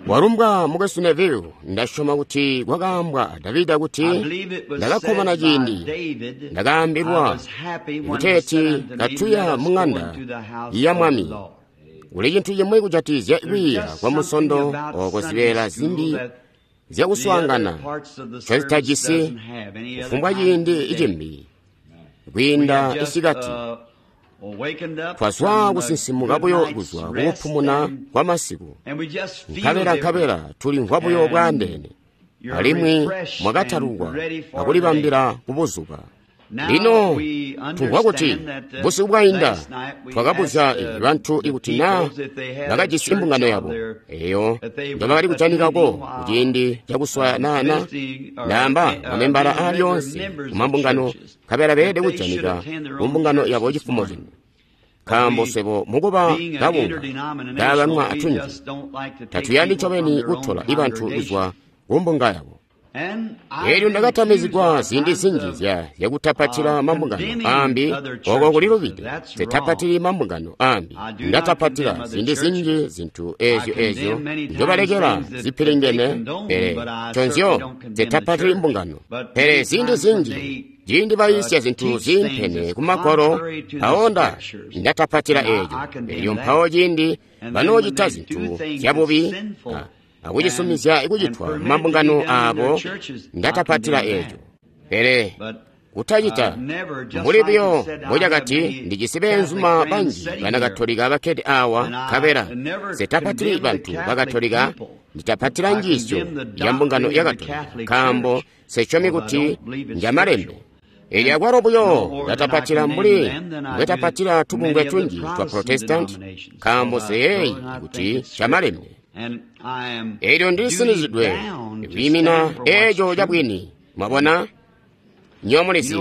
Walumbwa mukwesu Neville. Ndasyoma kuti kwakaambwa Davida kuti ndakakkomana ciindi ndakaambilwa kuteeti katuya mung'anda ya Mwami. Kuli cintu cimwi kujatizya kwiiya kwa musondo oko zibeela zimbi zyakuswaangana ncozitajisi kufumbwa ciindi cimbi kwiinda isikati. Twazwa kusinsimuka buyo kuzwa kukupumuna kwa masiku, nkabela tulimvwa buyo bwaandeene, alimwi mwakatalukwa akulibambila kubuzuba. Lino tumvwa kuti busiku bwainda twakabuzya bantu ikuti naa bakajisi imbungano yabo eyo njobakali kujanikako kuciindi cakuswaya naana ndaamba mamembala aalyoonse kumambungano, nkabela beelede kujanika kumbungano yabo cifumo cino. Nkaambo swebo mukuba kabunga kaabanwa atunji tatuyandi ncobeni kutola ibantu kuzwa kumbunga yabo. Elyo ndakatamizigwa ziindi zinji zyakutapatila mambungano aambi, oko kulilubide. Sitapatili mambungano aambi, ndatapatila ziindi zinji zintu ezyo njobalekela zipilingene, pele nconzyo sitapatili mbungano. Pele ziindi zinji ciindi bayiisya zintu ziimpene kumagwalo, mpawo ndatapatila eeco. Elyo mpawo ciindi banoocita zintu zyabubi akucisumizya kucitwa mumambungano aabo, ndatapatila eeco. Pele kutacita mbuli buyo mbocakati ndijisi beenzuma banji banakatolika bakkede awa, nkabela sitapatili bantu bakatolika, nditapatila njiisyo ya mbungano ya Katolika, nkaambo sisyomi kuti njamalembe. Elyo akwalo buyo ndatapatila mbuli mbwetapatila tubungwe tunji twa Protestanti, nkaambo siyeeyi kuti camalembe. Elyo ndilisinizidwe kwiimina eeco cabwini. Mwabona? Nywebo mulizi,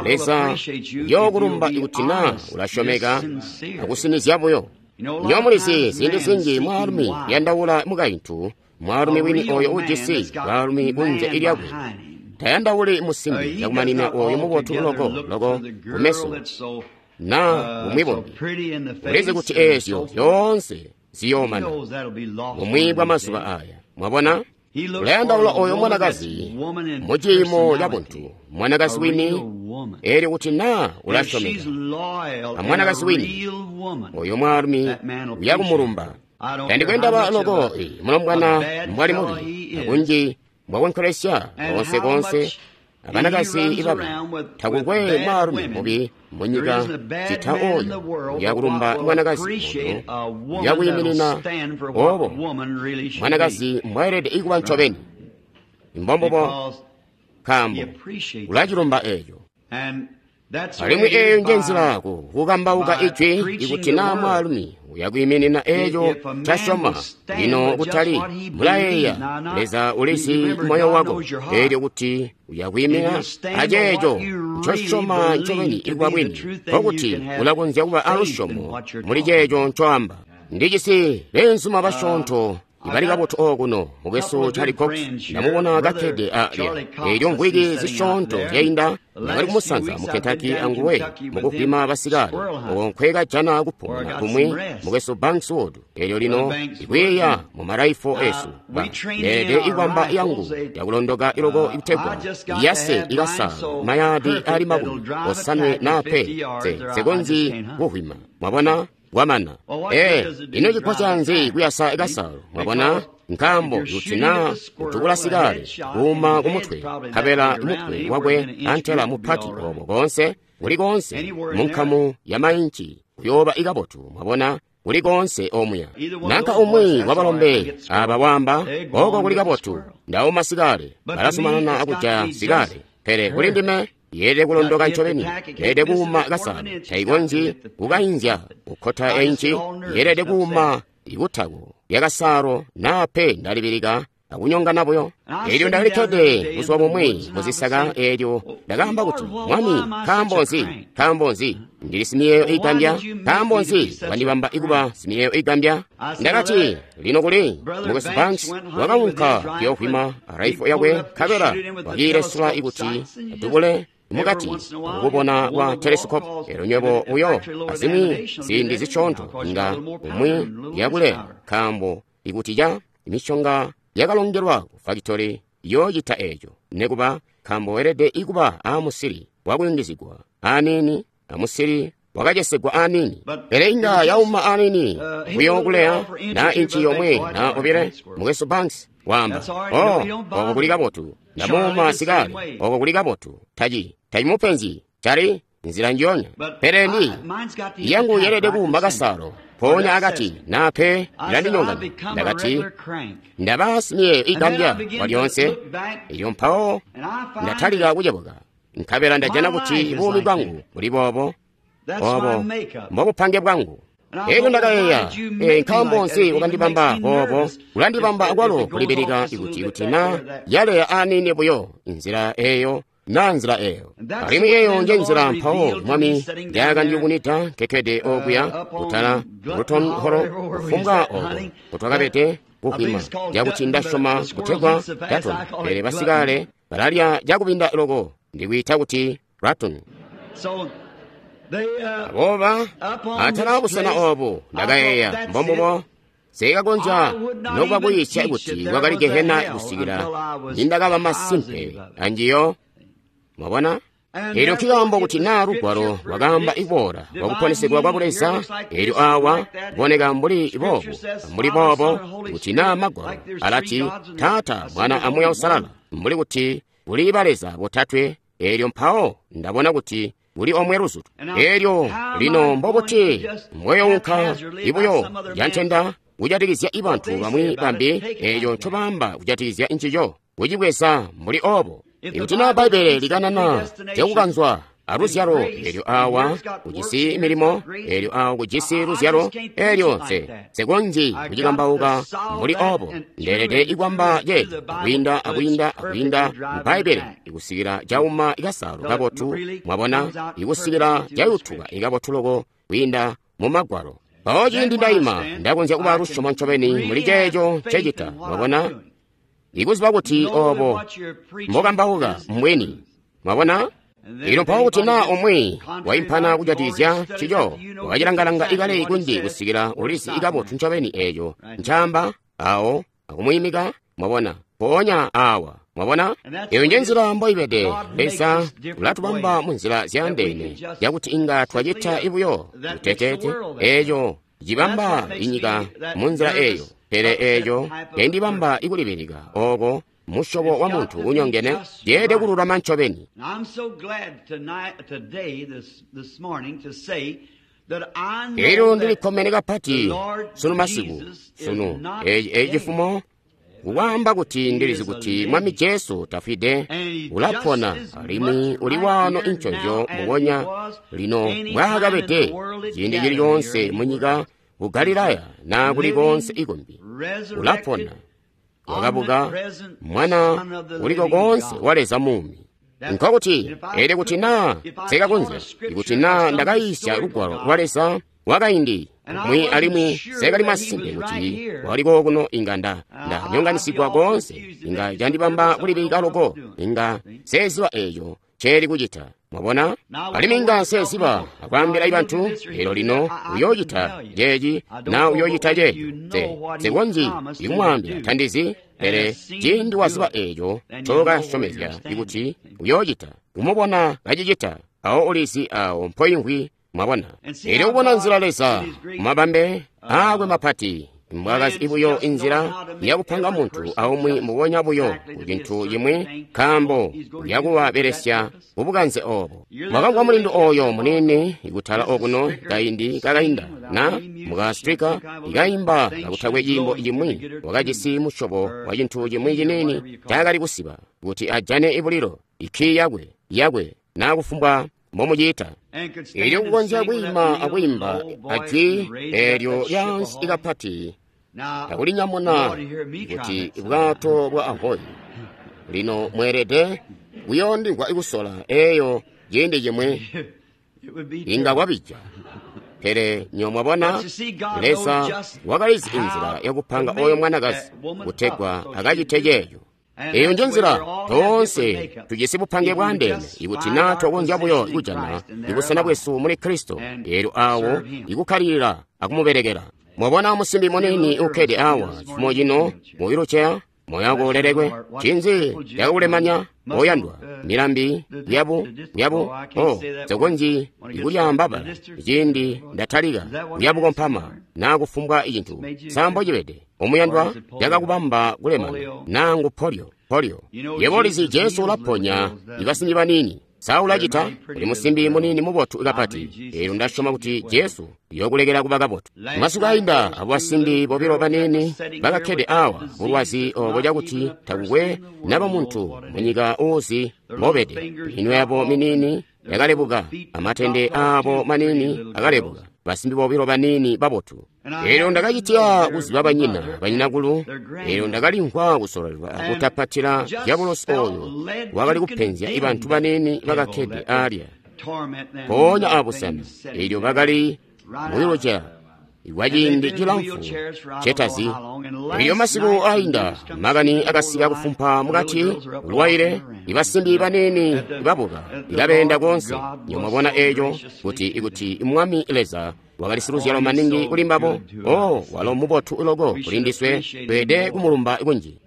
Leza uyookulumba ikuti naa ulasyomeka akusinizya buyo. Nywebo mulizi, ziindi zinji mwaalumi uyandaula mukaintu, mwaalumi wini oyo ujisi baalumi kunze lyakwe. Tayandauli musimbi cakumanina oyo mubotu loko loko kumeso naa bumwi bumbi. Ulizi kuti eezyo zyoonse ziyoomana bumwi bwa mazuba aya. Mwabona? Ulayandaula oyo mwanakazi muciimo ca buntu, mwanakazi wini, elyo kuti naa ulasyomeka amwanakazi wini, oyo mwaalumi uyakumulumba. Tandikwendaba loko mulombwana mbwali mubi akunji mbwakonkelesya konse konse abanakazi ibabi, takukwe mwaalumi mubi munyika cita oyo uyakulumba mwanakazi oyo uyakwiiminina obo mwanakazi mbwaelede ikuba ncobeni. Mbombubo, nkaambo ulacilumba eeco. Alimwi eeyo njenzila kukambauka ijwi, ikuti naa mwaalumi uyakwiiminina eeco ncasyoma. Lino kutali mulayeeya, Leza ulizi moyo wako, eelyo kuti uyakwiimina aceeco ncosyoma ncobeni ikuba bwini, nkokuti ulakonzya kuba alusyomo muli ceeco ncoamba. Ndijisi beenzuma basyoonto ibali kabotu okuno, mukwesu Charlie Cox ndamubona kakkede alya. Elyo mvwiki zisyoonto zyainda ndakali kumusanza mu Kentucky anguwe mukuvwima basikale, oko nkwekajana kupumuna kumwi mukwesu Banks Wood. Elyo lino ikwiiya mu maraifo esu leelede ikwamba yangu yakulondoka iloko ikutegwa iyase ikasalo mayadi ali 70 na pe sekonzi kuvwima. Mwabona? Wamana. Ino chikhocha nzi kuyasa ikasalo? Mwabona? Nkaambo kuti naa utukula sikale kuuma kumutwe, nkabela mutwe wakwe antela mupati obo konse kuli konse munkamu ya mainci kuyooba ikabotu. Mwabona? Kuli konse omuya nanka umwi wabalombe aba wamba oko kuli kabotu, ndauma sikale, balazumanana akujaya sikale, pele kuli ndime yeelede kulondoka ncobeni, yeelede kuuma kasalo, taikonzyi kukainzya kukkota enci, yeelede kuuma ikutako lyakasalo naa pe ndalibilika akunyongana buyo. Elyo ndakalikkede buzuba bumwi muzisaka, elyo ndakaamba kuti, Mwami, nkaambo nzi? Nkaambo nzi ndili simiyeeyo igambya? Nkaambo nzi wandibamba ikuba simiyeeyo igambya? Ndakati, lino kuli mukwesu Banks wakaunka kuyoovwima raifo yakwe, nkabela wakiilesula ikuti adubule mukati akubona kwa telescope. Elyo nywebo uyo azimwi ziindi zisyoonto inga umwi yakuleya, nkaambo ikuti ca Mishonga yakalongelwa ku fakitori yoocita eeco, nekuba nkaambo weelede ikuba aamusili wakuyungizigwa aniini amusili wakacesegwa aniini, pele inga yauma aniini buyo kuleya na inchi yomwe na obile. Mukwesu Banks waamba, oh, oko kuli kabotu. Ndamuuma sikale, oko kuli kabotu. Taci tacimupenzyi cali nzila njiyonya, pele ndi yangu yeelede kuuma kasalo mpoonya akati nape ilandinyonganya. Ndakati ndaba simiyeeyo igambya walyoonse. Elyo mpawo ndatalika kucebuka, nkabela ndajana kuti buumi bwangu buli boobo obo mbobupange bwangu. Elyo ndakayeeya, nkaambo nzi wakandibamba boobo? Ulandibamba akwalo kulibilika ikuti na yaleya aniini buyo inzila eyo na nzila eyo. Alimwi eyo nje nzila mpawo Mwami ndyakandiyubunwida nkekkede okuya kutala Luton Hall, kufumbwa oko kutwakabede kukwima, cakuti ndasyoma kutegwa Daton, pele basikale balalya cakubinda loko, ndikwiita kuti Raton. Abooba atala busena obu ndakayeeya, mbombubo sikakonzya nokuba kuyiisya kuti kwakali gehena kusikila nindakaba masimpe anjiyo. Mwabona? Elyo nkikaambo kuti naa lugwalo lwakaamba iboola lwakuponesegwa kwa Buleza, elyo awa kuboneka mbuli boobo, mbuli boobo, kuti naa magwalo alati Taata, Mwana a Muuya Uusalala, mbuli kuti kuli baleza botatwe, elyo mpawo ndabona kuti kuli omwe luzutu. Elyo lino mbobuti mbweyounka ibuyo yantenda kujatikizya ibantu bamwi bambi eco ncobaamba kujatikizya ncico, kucibweza mbuli obo. Ikuti naa Bbaibbele likanana zyakukanzwa aluzyalo, elyo awa kujisi milimo, elyo awa kujisi luzyalo, elyo nse konzyi kucikambauka mbuli obo. Ndeelede ikwamba ceeco akwiinda akwiinda akwiinda mu Bbaibbele ikusikila cauma ikasalo kabotu, mwabona, ikusikila cayutuka ikabotu loko kwiinda mu Magwalo. Mpawo ciindi ndaima, ndakonzya kuba lusyomo ncobeni muli ceeco ncecita, mwabona, ikuziba kuti obo mbokambauka mbwini, mwabona. Elyo mpawo kuti naa umwi waimpana kujatikizya ncico, wakacilangalanga ikale kunji kusikila ulizi ikabotu ncobeni eeco ncaamba awo akumwiimika, mwabona, mpoonya awa, mwabona. Eyo nje nzila mboibede. Leza ulatubamba mu nzila zyaandeene yakuti inga twacita ibuyo kuteteete eeco cibamba inyika mu nzila eeyo, pele eeco endibamba ikulibilika oko musyobo wa muntu unyongene yeelede kululama ncobeni. Elyo ndilikkomene kapati sunu masiku, sunu eci cifumo, kukwaamba kuti ndilizi kuti Mwami Jesu tafwide, ulapona alimwi uli waano inconzyo mbubonya lino mbwaakabede ciindi cili coonse munyika ku Galilaya naa kuli koonse ikumbi. Ulapona, wakabuka, mwana uliko koonse wa Leza muumi. Nkokuti elyo kuti naa sekakonzya, ikuti naa ndakayiisya lugwalo lwa Leza wakaindi mwi alimwi sekali masimpe kuti waliko kuno, inga ndanyonganisigwa koonse, inga candibamba kulibilika loko, inga seziba eeco nceeli kucita. Mwabona? Alimwi inga nseziba akwaambila ibantu, elyo lino uyoocita ceeci na uyoocita ceeco. Nsekonzyi ikumwaambila, tandizi, pele ciindi waziba eeco ncokasyomezya ikuti uyoocita, kumubona kacicita, awo ulizi awo mpoimvwi. Mwabona? Elyo kubona nzila Leza mumabambe aakwe mapati mbwakazi buyo inzila yakupanga muntu aumwi mbubonya buyo ku cintu cimwi, nkaambo yakuwabelesya bubukanze obo. Mwakamvwa mulindu oyo muniini ikutala okuno kaindi kakainda, na muka Stricker ikaimba kakutakwe ciimbo cimwi, wakajisi musyobo wa cintu cimwi ciniini ncaakali kusiba kuti ajane ibulilo, ikkii yakwe na kufumbwa mbomuciita. Elyo kukonzya kwiima akwiimba ajwi eelyo lyaansi ikapati akulinyamuna kuti bwato bwa Ahoyi. Lino mweelede kuyoondimvwa kusola eeyo ciindi cimwi inga kwabija. Pele nyo mwabona, Leza wakalizi inzila yakupanga oyo mwanakazi kutegwa akacite ceeco. Eyo nje nzila toonse tujisi bupange bwaandeene, ikuti naa twakonzya buyo kujana ibusena bwesu muli Kristo, eelyo awo ikukkalilila akumubelekela. Mwabona musimbi muniini ukkede awa cifumo cino mu wheelchair, moyo wako ulelekwe. Ncinzi cakakulemanya oyandwa? Milambi yabu oh, nsekonzyi kulyaamba bbala ciindi ndatalika kuyabukompama naa kufumbwa cintu. Sambo cibede omuyandwa, cakakubamba kulemana naa ngu polio. Yebo ulizi Jesu ulaponya ibasimbi baniini. Sa ulacita? Uli musimbi muniini mubotu kapati. Eelyo ndasyoma kuti Jesu uyokulekela kuba kabotu. Masiku ainda abo basimbi bobilo baniini bakakkede awa bulwazi obo cakuti takukwe naba muntu munyika uuzi mbobede. Minwe yabo miniini yakalebuka, amatende aabo maniini akalebuka. Basimbi bobilo baniini babotu. Eelyo ndakacitya kuziba banyina banyinakulu. Eelyo ndakalimvwa kusololelwa kutapatila dyabulosi oyo wakali kupenzya ibantu baniini bakakkede alya mpoonya abusena. Eelyo bakali mu wheelchair kwaciindi cilamfu cetazi. Eelyo masiku ainda makani akasika kufumpa mukati ulwaile ibasimbi baniini babuka ikabeenda koonse. Nyomwabona eeco kuti ikuti Mwami Leza wakali siluzyalo maningi kuli mbabo. Oh, walo mubotu loko kuli ndiswe, tweede kumulumba kunji.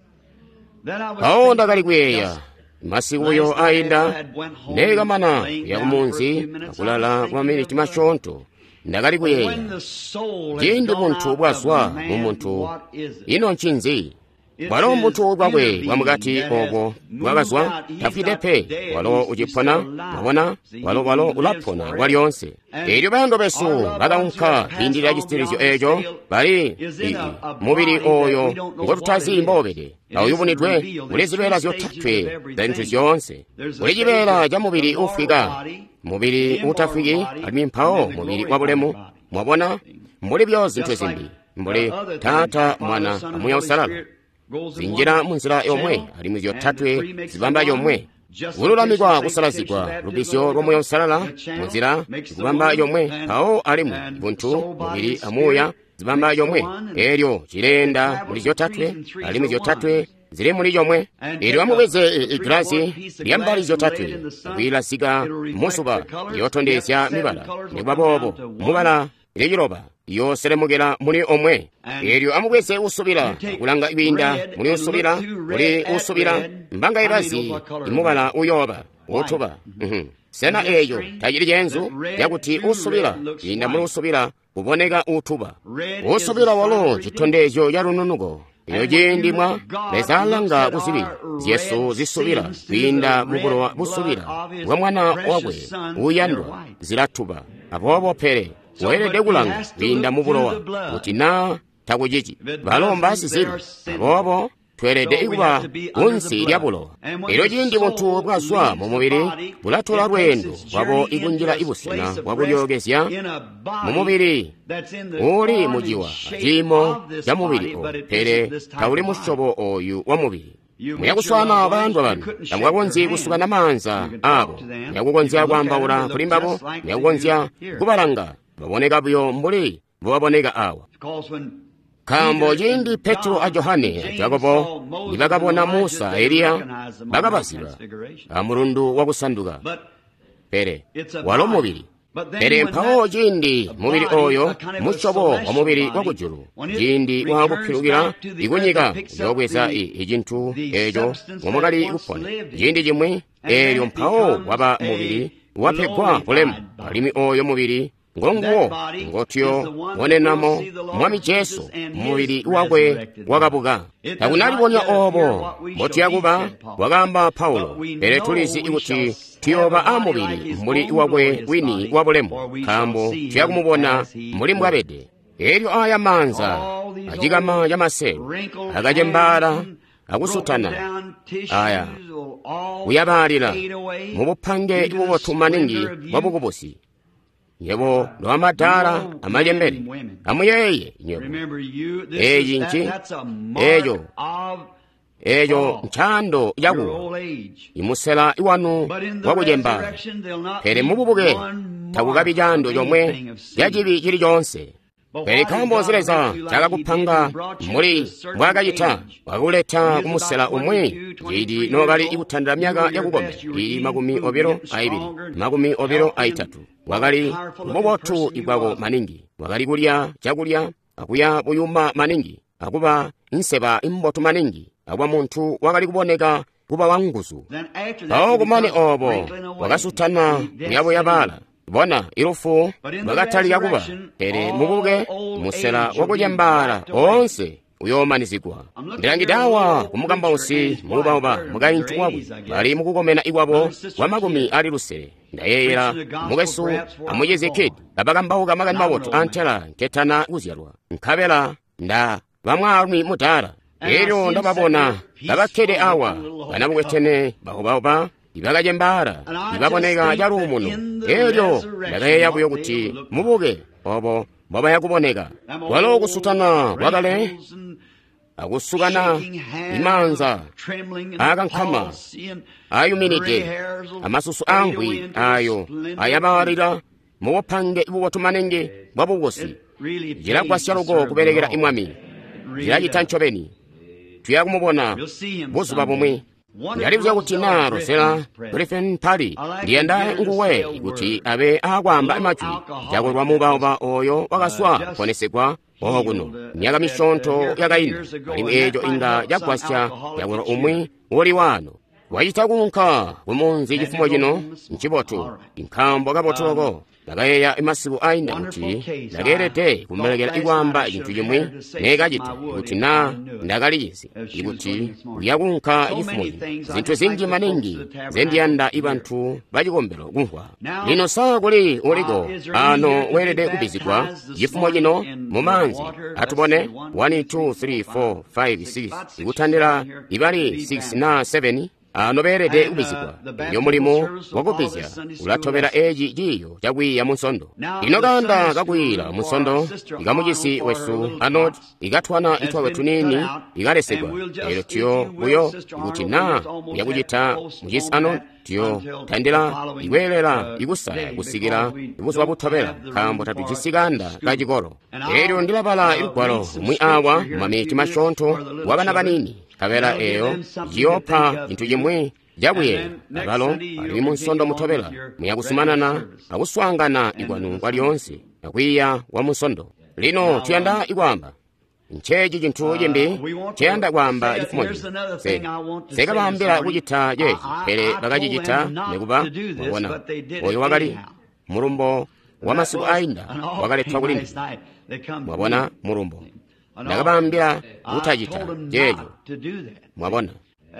Mpawo ndakali kuyeeya masiku buyo ainda neekamana kuya kumunzi akulala kwa maminiti masyoonto. Ndakali kuyeeya ciindi buntu bwazwa mu muntu, ino ncinzi? Bwalo mbuntu bwakwe bwamukati obo bwakazwa, tafwide pe, walo ucipona. Mwabona, walo ulapona kwalyoonse. Eelyo bayando besu bakaunka kwiindilila cisitilizyo eeco, bali mubili oyo ngotutazi mboobede, auyubunidwe kuli zibeela zyotatwe za zintu zyoonse. Kuli cibeela ca mubili uufwika, mubili uutafwiki, alimwi mpawo mubili wabulemu. Mwabona, mbuli byo zintu zimbi, mbuli Taata, Mwana, a Muuya Uusalala zinjila munzila yomwe, alimwi zyotatwe zibamba yomwe. Kululamikwa, kusalazigwa, lubizyo lwa Muuya Uusalala munzila zikubamba yomwe, mpawo alimwi buntu, mubili amuuya zibamba yomwe. Eelyo cileenda muli zyotatwe, alimwi zyotatwe zili muli yomwe. Eelyo amubweze igilasi lyambali zyotatwe akwiilazika musuba, yootondezya mibala. Nikuba boobo mubala iliciloba yooselemukela muli omwe. Eelyo amubweze usubila akulanga kwiinda muli usubila, muli usubila mbanga ibazi imubala uyooba utuba. Sena eeco tacili ceenzu cakuti usubila kwiinda muli usubila kuboneka utuba? Usubila walo citondezyo ca lununuko. Elyo ciindi mwa Leza alanga kuzibi zyesu zisubila kwiinda mu bulowa busubila bwa Mwana wakwe uuyandwa, zilatuba. Aboobo pele weelede kulanga kwiinda mu bulowa kuti naa takucici. Balo mbasizibi, aboobo tweelede kuba kunsi lya bulowa. Elyo ciindi buntu bwazwa mu mubili bulatola lweendo lwabo ikunjila ibusena bwakulyookezya mu mubili uuli muciwa aciimo ca mubili oyu, pele tauli musyobo oyu wa mubili. Muyakuswaana bayandwa banu, tamukakonzyi kusukana maanza aabo, muyakukonzya kwaambaula kuli mbabo, muyakukonzya kubalanga, baboneka buyo mbuli mbobaboneka awa. Nkaambo ciindi Petro a Johane a Jakobo nibakabona Musa a Eliya, bakabaziba amulundu wakusanduka. Pele walo mubili. Pele mpawo ciindi mubili oyo musyobo wa mubili wakujulu, ciindi waakupilukila ikunyika uyoobweza icintu eeco ngomwakali kupona ciindi cimwi. Eelyo mpawo waba mubili wapegwa bulemu, alimwi oyo mubili ngonguwo ngotuyo bonenamo Mwami Jesu mubili wakwe wakabuka. Takunalibonya obo mbotuyakuba, wakaamba Paulo, pele tulizi kuti tuyooba amubili mbuli wakwe wini wa bulemu, nkaambo tuyakumubona mbuli mbwabede. Eelyo aya maanza acikama camaselu akacembaala akusutana aya kuyabaalila mubupange bubotu maningi bwa bukubusi. Nyebo lwamadaala amacembele, amuyeeye nyebo eeci nci eeco ncaando cakuwa imusela wanu wakucembaala. Pele mububuke takukabi caando comwe cacibi cili coonse. Pele nkaambo nzi Leza cakakupanga mbuli mbwaakacita, wakuleta kumusela umwi ciindi nookali kutandila myaka yakukomena ili 22, 23. Wakali mubotu ikwako maningi, wakali kulya cakulya akuya buyuma maningi, akuba nseba imbotu maningi, akuba muntu wakali kuboneka kuba wanguzu. Mpawo kumane obo wakasutana kuyabuyabala. Bona ilufu lwakatalika kuba, pele mubuke musela wakucembaala oonse uyoomanizigwa. Ndilangide awa kumukambausi muubauba mukaintu wakwe bali mukukomena ikwabo kwa 60. Ndayeeyela mukwesu amucizi Kid kabakambauka makani mabotu antela nketana kuzyalwa, nkabela nda bamwaalumi mudaala. Elyo ndababona kabakkede awa banabukwetene baubauba ibakacembaala ibaboneka caluumuno. Elyo ndakayeeya buyo kuti mubuke obo mbobaya kuboneka. Walo kusutana kwakale akusukana imaanza aakankama ayuminide amasusu amvwi ayo ayabalila mubupange bubotu maningi bwa bukusi. Cilagwasya loko kubelekela imwami. Cilacita ncobeni. Tuya kumubona buzuba bumwi. Ndalibuzya kuti naa Rosella Griffin Pali ndiyanda nguwe kuti abe aakwaamba majwi cakulwa muubauba oyo wakaswa kuponesegwa okuno myaka misyoonto yakainda, alimwi eeco inga cagwasya cakulwa umwi uli waano. Wacita kuunka kumunzi cifumo cino ncibotu, nkaambo kabotu loko. Ndakayeeya masiku ainda kuti ndakeelede kumulekela ikwaamba cintu cimwi neekacita kuti naa ndakalicizi ikuti uyakuunka cifumo cino. Zintu zinji maningi nzendiyanda ibantu bacikombelo kumvwa. Lino saa kuli uliko ano weelede kubizigwa cifumo cino mumaanzi. Atubone 1 2 3 4 5 6 ikutandila ibali 6 na 7 ano beelede kubizigwa. Elyo mulimo wakubizya ulatobela eci ciiyo cakwiiya munsondo. Lino kanda kakwiila munsondo ikamucisi wesu Arnold ikatwana itwakwe tuniini ikalesegwa. Elyo tuyo buyo kuti naa uyakucita mucisi Arnold tuyo tandila ikweelela ikusala kusikila buzuba butobela, nkaambo tatujisi kanda kacikolo. Elyo ndilabala ilugwalo lumwi awa mumamiti masyoonto wabana banini, nkabela eyo ciyoopa cintu cimwi cakuyeeya. Abalo alimwi munsondo mutobela muyakuzumanana akuswaangana ikwanu kwalyoonse akwiiya kwa munsondo. Lino tuyanda ikwaamba nceeci cintu cimbi nceyanda kwaamba cifumo cino. Sekabaambila kucita ceeci, pele bakacicita nekuba. Mwabona, oyo wakali mulumbo wa masiku ainda wakaletwa kuli ndime. Mwabona mulumbo. Ndakabaambila kutacita ceeco. Mwabona.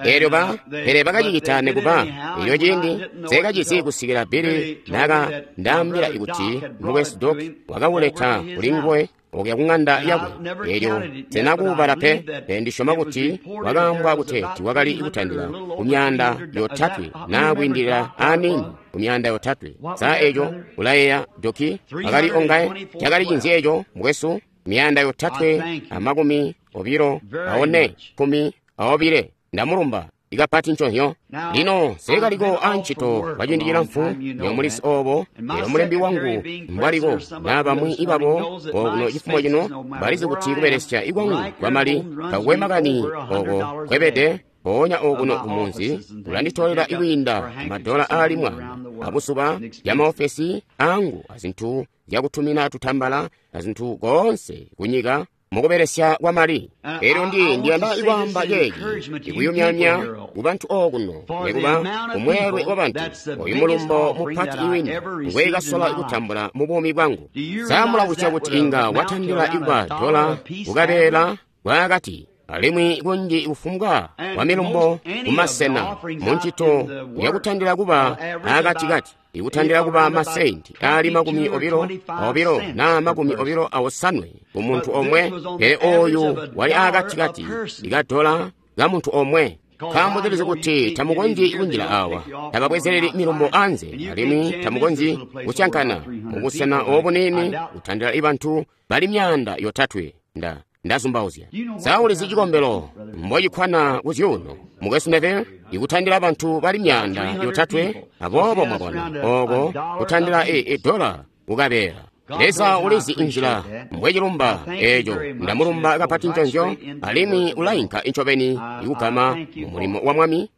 Elyo pele bakacicita nekuba. Elyo ciindi nseekacizi kusikila Billy naka ndaambila kuti mukwesu Doc wakawuleta kuli nguwe okuya kung'anda yakwe. Elyo senakuubala pe, pele ndisyoma kuti wakaambwa kuteeti wakali kutandila ku 300 naa kwiindilila aniini ku 300. Saa eco ulayeeya Doki akali ongaye? Cakali cinzi eco mukwesu? 324 12. Ndamulumba ikapati nconzyo. Lino seekaliko ancito kwa ciindi cilamfu nyomulisi obo, elyo mulembi wangu mbwaliko naa bamwi ibabo okuno cifumo cino balizi kuti kubelesya ikwangu kwamali takukwe makani oko kwebede. Mpoonya okuno kumunzi kulanditolela ikwiinda madola aali 100 abuzuba ya maofesi angu azintu zyakutumina tutambala azintu koonse kunyika mukubelesya kwamali. Elyo ndiyanda ikwaamba ceeci ikuyumyamya kubantu okuno nekuba kumweelwe wabantu. Oyu mulumbo mupati iwini ngweekasola kutambula mu buumi bwangu. Saamulabusya kuti inga watandila ikuba dola kukabeela bwakati, alimwi kunji kufumbwa kwa milumbo kumasena muncito yakutandila kuba akatikati, ikutandila kuba masenti aali 22 naa 28 ku muntu omwe, pele oyu wali akatikati ikadola ka muntu omwe. Nkaambo tulizi kuti tamukonzyi kunjila awa, tababwezeleli milumbo anze, alimwi tamukonzyi kusyankana mubusena obuniini kutandila ibantu bali 300. Ndazumbauzya. Saulizi cikombelo mbocikwana kuzyuuno mukwesu Neville ikutandila bantu bali 300. Aboobo mwabona oko kutandila idola kukabeela. Leza ulizi inzila mbwecilumba eeco. Ndamulumba kapati nconzyo, alimwi ulainka incobeni ikugama mumulimo wa Mwami.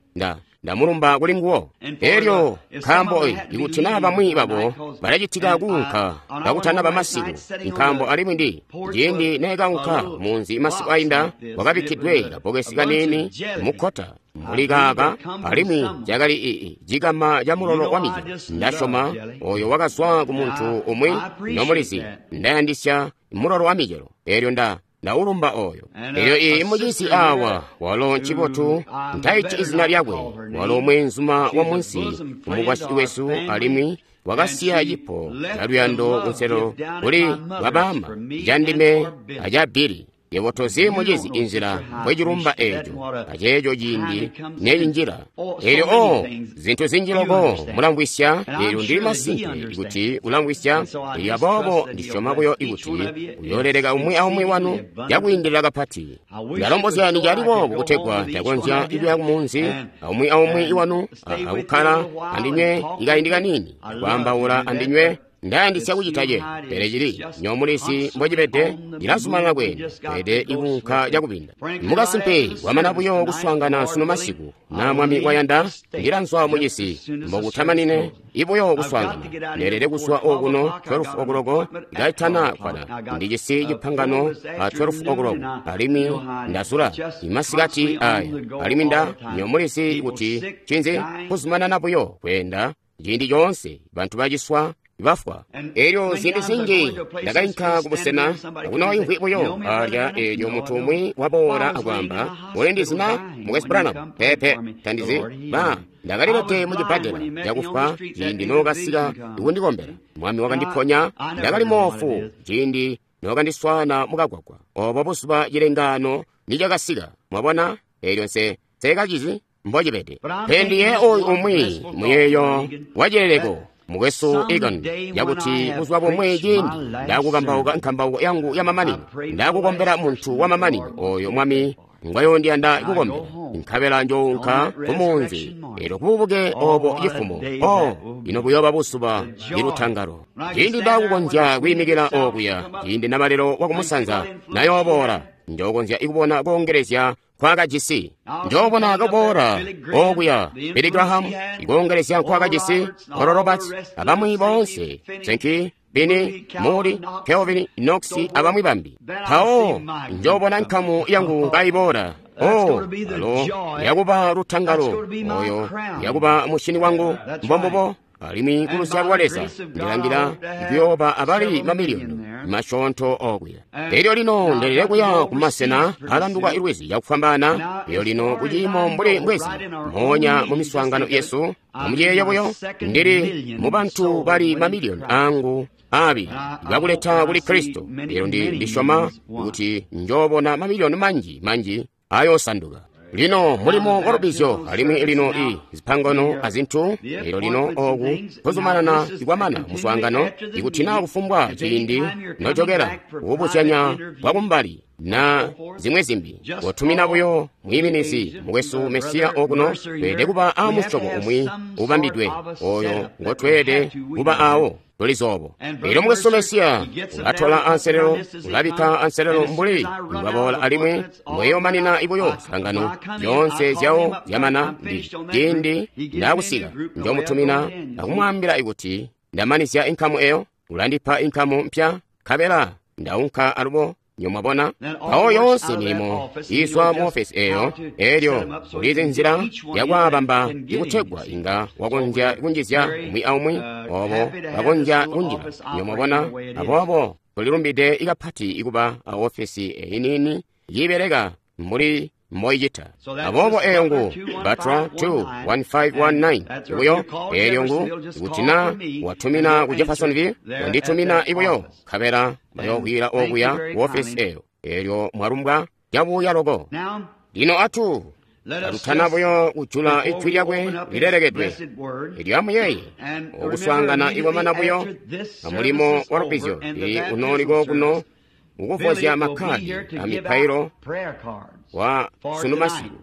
Ndamulumba kuli nguwo. Elyo nkaambo ikuti naa bamwi babo balacitika kuunka kakutanaba masiku, nkaambo alimwi ndi ciindi neekaunka munzi masiku ainda, wakabikkidwe kabokesi kaniini mukkota mbuli kaaka, alimwi cakali cikama ca mulolo wa micelo. Ndasyoma oyo wakazwa ku muntu umwi nomulizi. Ndayandisya mulolo wa micelo. Elyo ndaulumba oyo. Elyo iyi mucisi awa walo ncibotu ntaiti izina lyakwe, walo mweenzuma wa munsi kumukwasyi wesu, alimwi wakasiya cipo ca luyando kunselo kuli babama candime aca Bili. Yebo tozi mucizi inzila mbwecilumba eeco aceeco ciindi necinjila. Elyo zintu zinji loko mulamvwisya. Elyo ndili masimpe kuti ulamvwisya. Elyo aboobo ndisyoma buyo kuti uyooleleka umwi aumwi wanu cakwiindilila kapati. Ndalombozya cali boobo kutegwa ndakonzya kuya kumunzi aumwi aumwi wanu akukkala andinywe ikaindi kaniini, kwaambaula andinywe. Ndayandisya kucita ce, pele cili nyomulisi mbocibede, ndilazumanana kweenda, pele ikuunka cakubinda. Mukasimpe kwamana buyo kuswaangana sunu masiku, na Mwami wayanda, ndilanzwa mucisi mbokutamanine ibuyo kuswaangana. Ndeelede kuzwa okuno 12 o'clock kaitana kwana. Ndijisi cipangano a 12 o'clock, alimwi ndazula imasikati aya, alimwi nyomulisi kuti cinzi kuzumanana buyo kweenda ciindi coonse, bantu baciswa bafwa. Elyo ziindi zinji ndakainka kubusena akunoimvwi buyo alya, elyo muntu umwi waboola akwaamba, "Ulindizi na Mukwesu Branham?" Pepe, tandizi. Ba ndakalilete mucibbadela cakufwa ciindi nookasika kundikombela. Mwami wakandiponya. Ndakali moofu ciindi nookandiswaana mukagwagwa. Obo buzuba cilengaano nicakasika. Mwabona? Elyo nse kacizi mbocibede. Pele ndiye oyu umwi muyeeyo wacileleko, Mukwesu Egan, yakuti buzuba bumwe ciindi ndakukambauka nkambauko yangu yamamanino, ndakukombela muntu wamamanino oyo Mwami ngwayondiyanda kukombela, nkabela njounka kumunzi elyo kububuke obo cifumo. Ino buyoba buzuba ilutangalo ciindi ndakukonzya kwiimikila okuya, ciindi namalelo wakumusanza nayooboola, njokonzya ikubona koongelezya nkwakajisi. Njoobona kaboola okuya Billy Graham, ikoongelezya nkwakajisi, Oral Roberts, abamwi boonse, Sankey, Bini, Moody, Kelvin, Knox, abamwi bambi. Mpawo njoobona nkamu yangu kaiboola. Alo yakuba lutangalo, oyo yakuba mushini wangu, mbombubo. Alimwi kuluzyalo lwa Leza ndilangila kuyooba abali mamiliyoni masyoonto okuya. Elyo lino ndelele kuya kumasena alanduka ilwizi cakufwambaana. Elyo lino kuciimo mbuli mbwezi moonya mu miswaangano yesu, amuyeeye buyo, ndili mu bantu bali mamiliyoni angu aabili bakuleta kuli Kristo. Elyo ndisyoma kuti njoobona mamiliyoni manji manji ayoosanduka. Lino mulimo wa lubizyo, alimwi lino zipangano azintu. Elyo lino oku kuzumanana kwamana muswaangano, ikuti naa kufumbwa ciindi nojokela kubuzyanya bwakumbali na zimwe zimbi, kotumina buyo mwiiminizi mukwesu Mesiya okuno. Tweelede kuba a musyobo umwi ubambidwe oyo ngotweelede kuba awo. Tulizobo. Elyo mukwesu Mesiya ulatola anselelo, ulabikka anselelo mbuli mbwaboola, alimwi mbweyomanina ibuyo zipangano zyoonse zyawo zyamana. Ndi ciindi ndakusika njomutumina akumwaambila ikuti ndamanizya inkamu eyo, ulandipa inkamu mpya, nkabela ndaunka alubo. Nyomwabona mpawo yoonse milimo izwa mu ofesi eyo. Elyo ulizi nzila yakwaabamba ikutegwa inga wakonzya kunjizya umwi aumwi obo bakonzya kunjila. Nyomwabona? Aboobo tulilumbide ikapati ikuba a ofesi eyi niini yiibeleka mbuli mboicita. Aboobo eyo ngu Batra 21519 ibuyo. Elyo ngu kuti na watumina ku Jeffersonville, wanditumina ibuyo, nkabela bayoobwila okuya ku ofesi eyo. Elyo mwalumbwa cabuya loko. Lino atu katutana buyo kujula ijwi lyakwe lilelekedwe. Elyo amuyeeye, okuswaangana ikwamana buyo amulimo wa lubizyo, ili unoliko kuno ukuvozya makkadi a mipailo wa sunu masiku.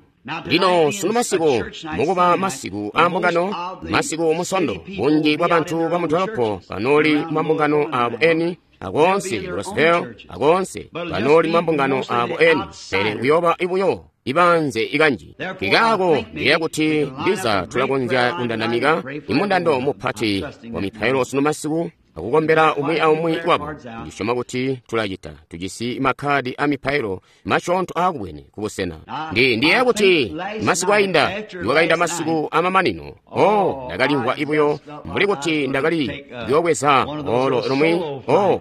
Lino sunu masiku mukuba masiku a mbungano, masiku musondo, bunji bwa bantu ba mudolopo banooli mambungano abo eni akoonse Roseville, akoonse banooli mambungano abo eni, pele kuyooba ibuyo ibanze ikanji. Nkikaako ndiyeeya kuti ndiza tulakonzya kundandamika imundando mupati wa mipailo sunu masiku akukombela umwi aumwi wabo. Ndisyoma kuti tulacita. Tujisi makhadi a mipailo masyoonto aakubwene kubusena. Ndiyeeya kuti masiku ainda, niwakainda masiku amamanino, ndakalimvwa ibuyo mbuli kuti ndakali kuyoobweza olo lumwi,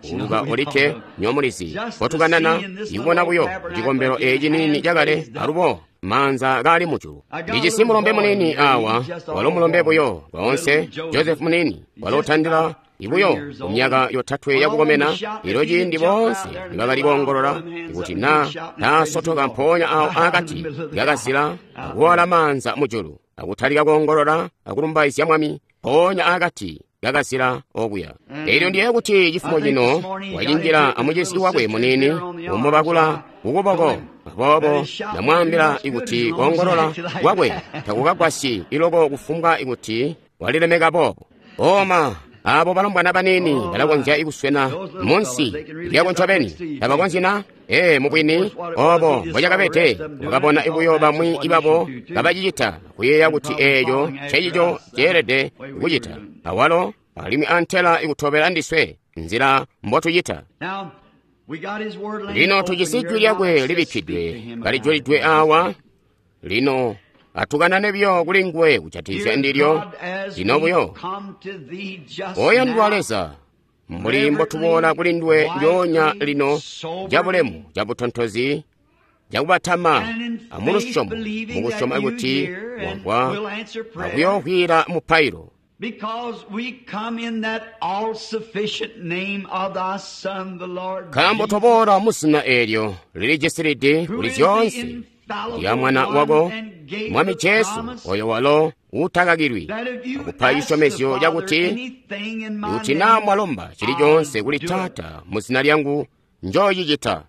kuuluka olikke nyomulizi kotukanana ikubona buyo cikombelo eci niini cakale alubo maanza kaali mujulu. Ndijisi mulombe munini awa, walo mulombe buyo koonse, Joseph munini, walo utandila ibuyo kumyaka yotatwe yakukomena. Ilo ciindi boonse nibakali koongolola kuti na taasotoka mpoonya awo akati kakazila akuwala maanza mujulu akutalika koongolola akulumbaizya Mwami mpoonya akati kakazila okuya. Elyo ndiye kuti cifumo cino wacinjila amucizi wakwe munini umubakula kukuboko. Aboobo ndamwaambila ikuti koongolola kwakwe takukagwasyi iloko kufumbwa ikuti walilemeka boobo. Oma abo balombwana banini balakonzya kuswena munsi lyako ncobeni, tabakonzyi na? Mubwini obo mbocakabede. Wakabona ibuyo bamwi ibabo kabacicita, kuyeeya kuti eeco ncecico ceelede kucita awalo, alimwi antela ikutobela ndiswe nzila mbotucita. Lino tujisi jwi lyakwe libikkidwe kalijulidwe awa. Lino atukanane buyo kuli nguwe kujatikizya ndilyo. Lino buyo, oyandwa Leza, mbuli mbotuboola kuli nduwe njoonya lino cabulemu, cabutontozi, cakubatama amulusyomo, mukusyoma kuti wamvwa akuyoovwiila mupailo. Nkaambo toboola muzina eelyo lilijisilidi kuli zyoonse lya Mwana wako Mwami Jesu, oyo walo utakakilwi akupa cisyomezyo cakuti kuti naa mwalomba cili coonse kuli Taata mu zina lyangu, njoocicita.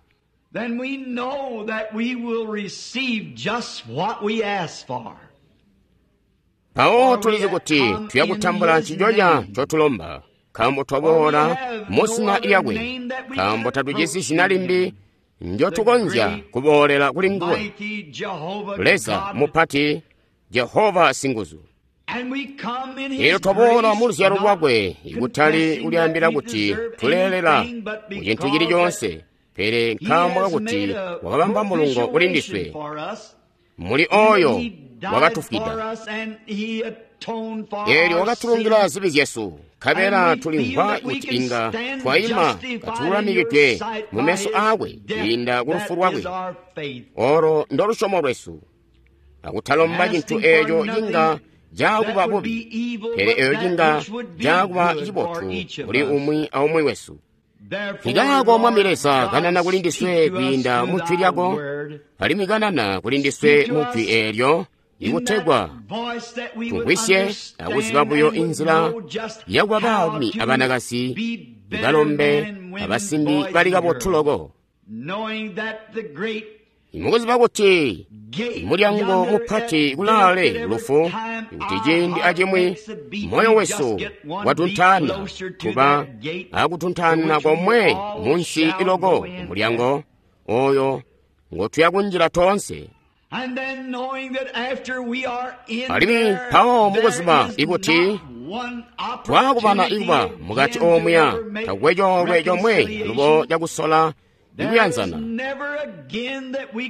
Mpawo tulizi kuti tuya kutambula nciconya ncotulomba, nkaambo twaboola mu zina lyakwe, nkaambo tatujisi zina limbi njotukonzya kuboolela kuli nguwe, Leza mupati, Jehova singuzu. Elyo twaboola mu luzyalo lwakwe, ikutali kulyaambila kuti tuleelela mu cintu cili coonse, pele nkaambo kakuti wakabamba mulungo kuli ndiswe, muli oyo wakatufwida. Eelyo wakatulungila zibi zyesu, nkabela tulimvwa kuti inga twaima katululamikidwe mu meso aakwe kwiinda ku lufu lwakwe. Olo ndo lusyomo lwesu, akutalomba cintu eeco cinga cakuba bubi, pele eeco cinga cakuba cibotu kuli umwi aumwi wesu. Nkikaako Mwami Leza, kanana kuli ndiswe kwiinda mu jwi lyako, alimwi kanana kuli ndiswe mu jwi eelyo, ikutegwa tumvwisye akuziba buyo inzila yakuba baalumi abanakazi, balombe abasimbi bali kabotu loko, mukuziba kuti mulyango mupati kulaale lufu, kuti ciindi acimwi moyo wesu watuntaana kuba akutuntaana komwe munsi iloko mulyango oyo ngotuya kunjila toonse. Alimwi mpawo mukuziba ikuti twakubana ikuba mukati omuya, takwe coolwe comwe alubo cakusola ikuyanzana,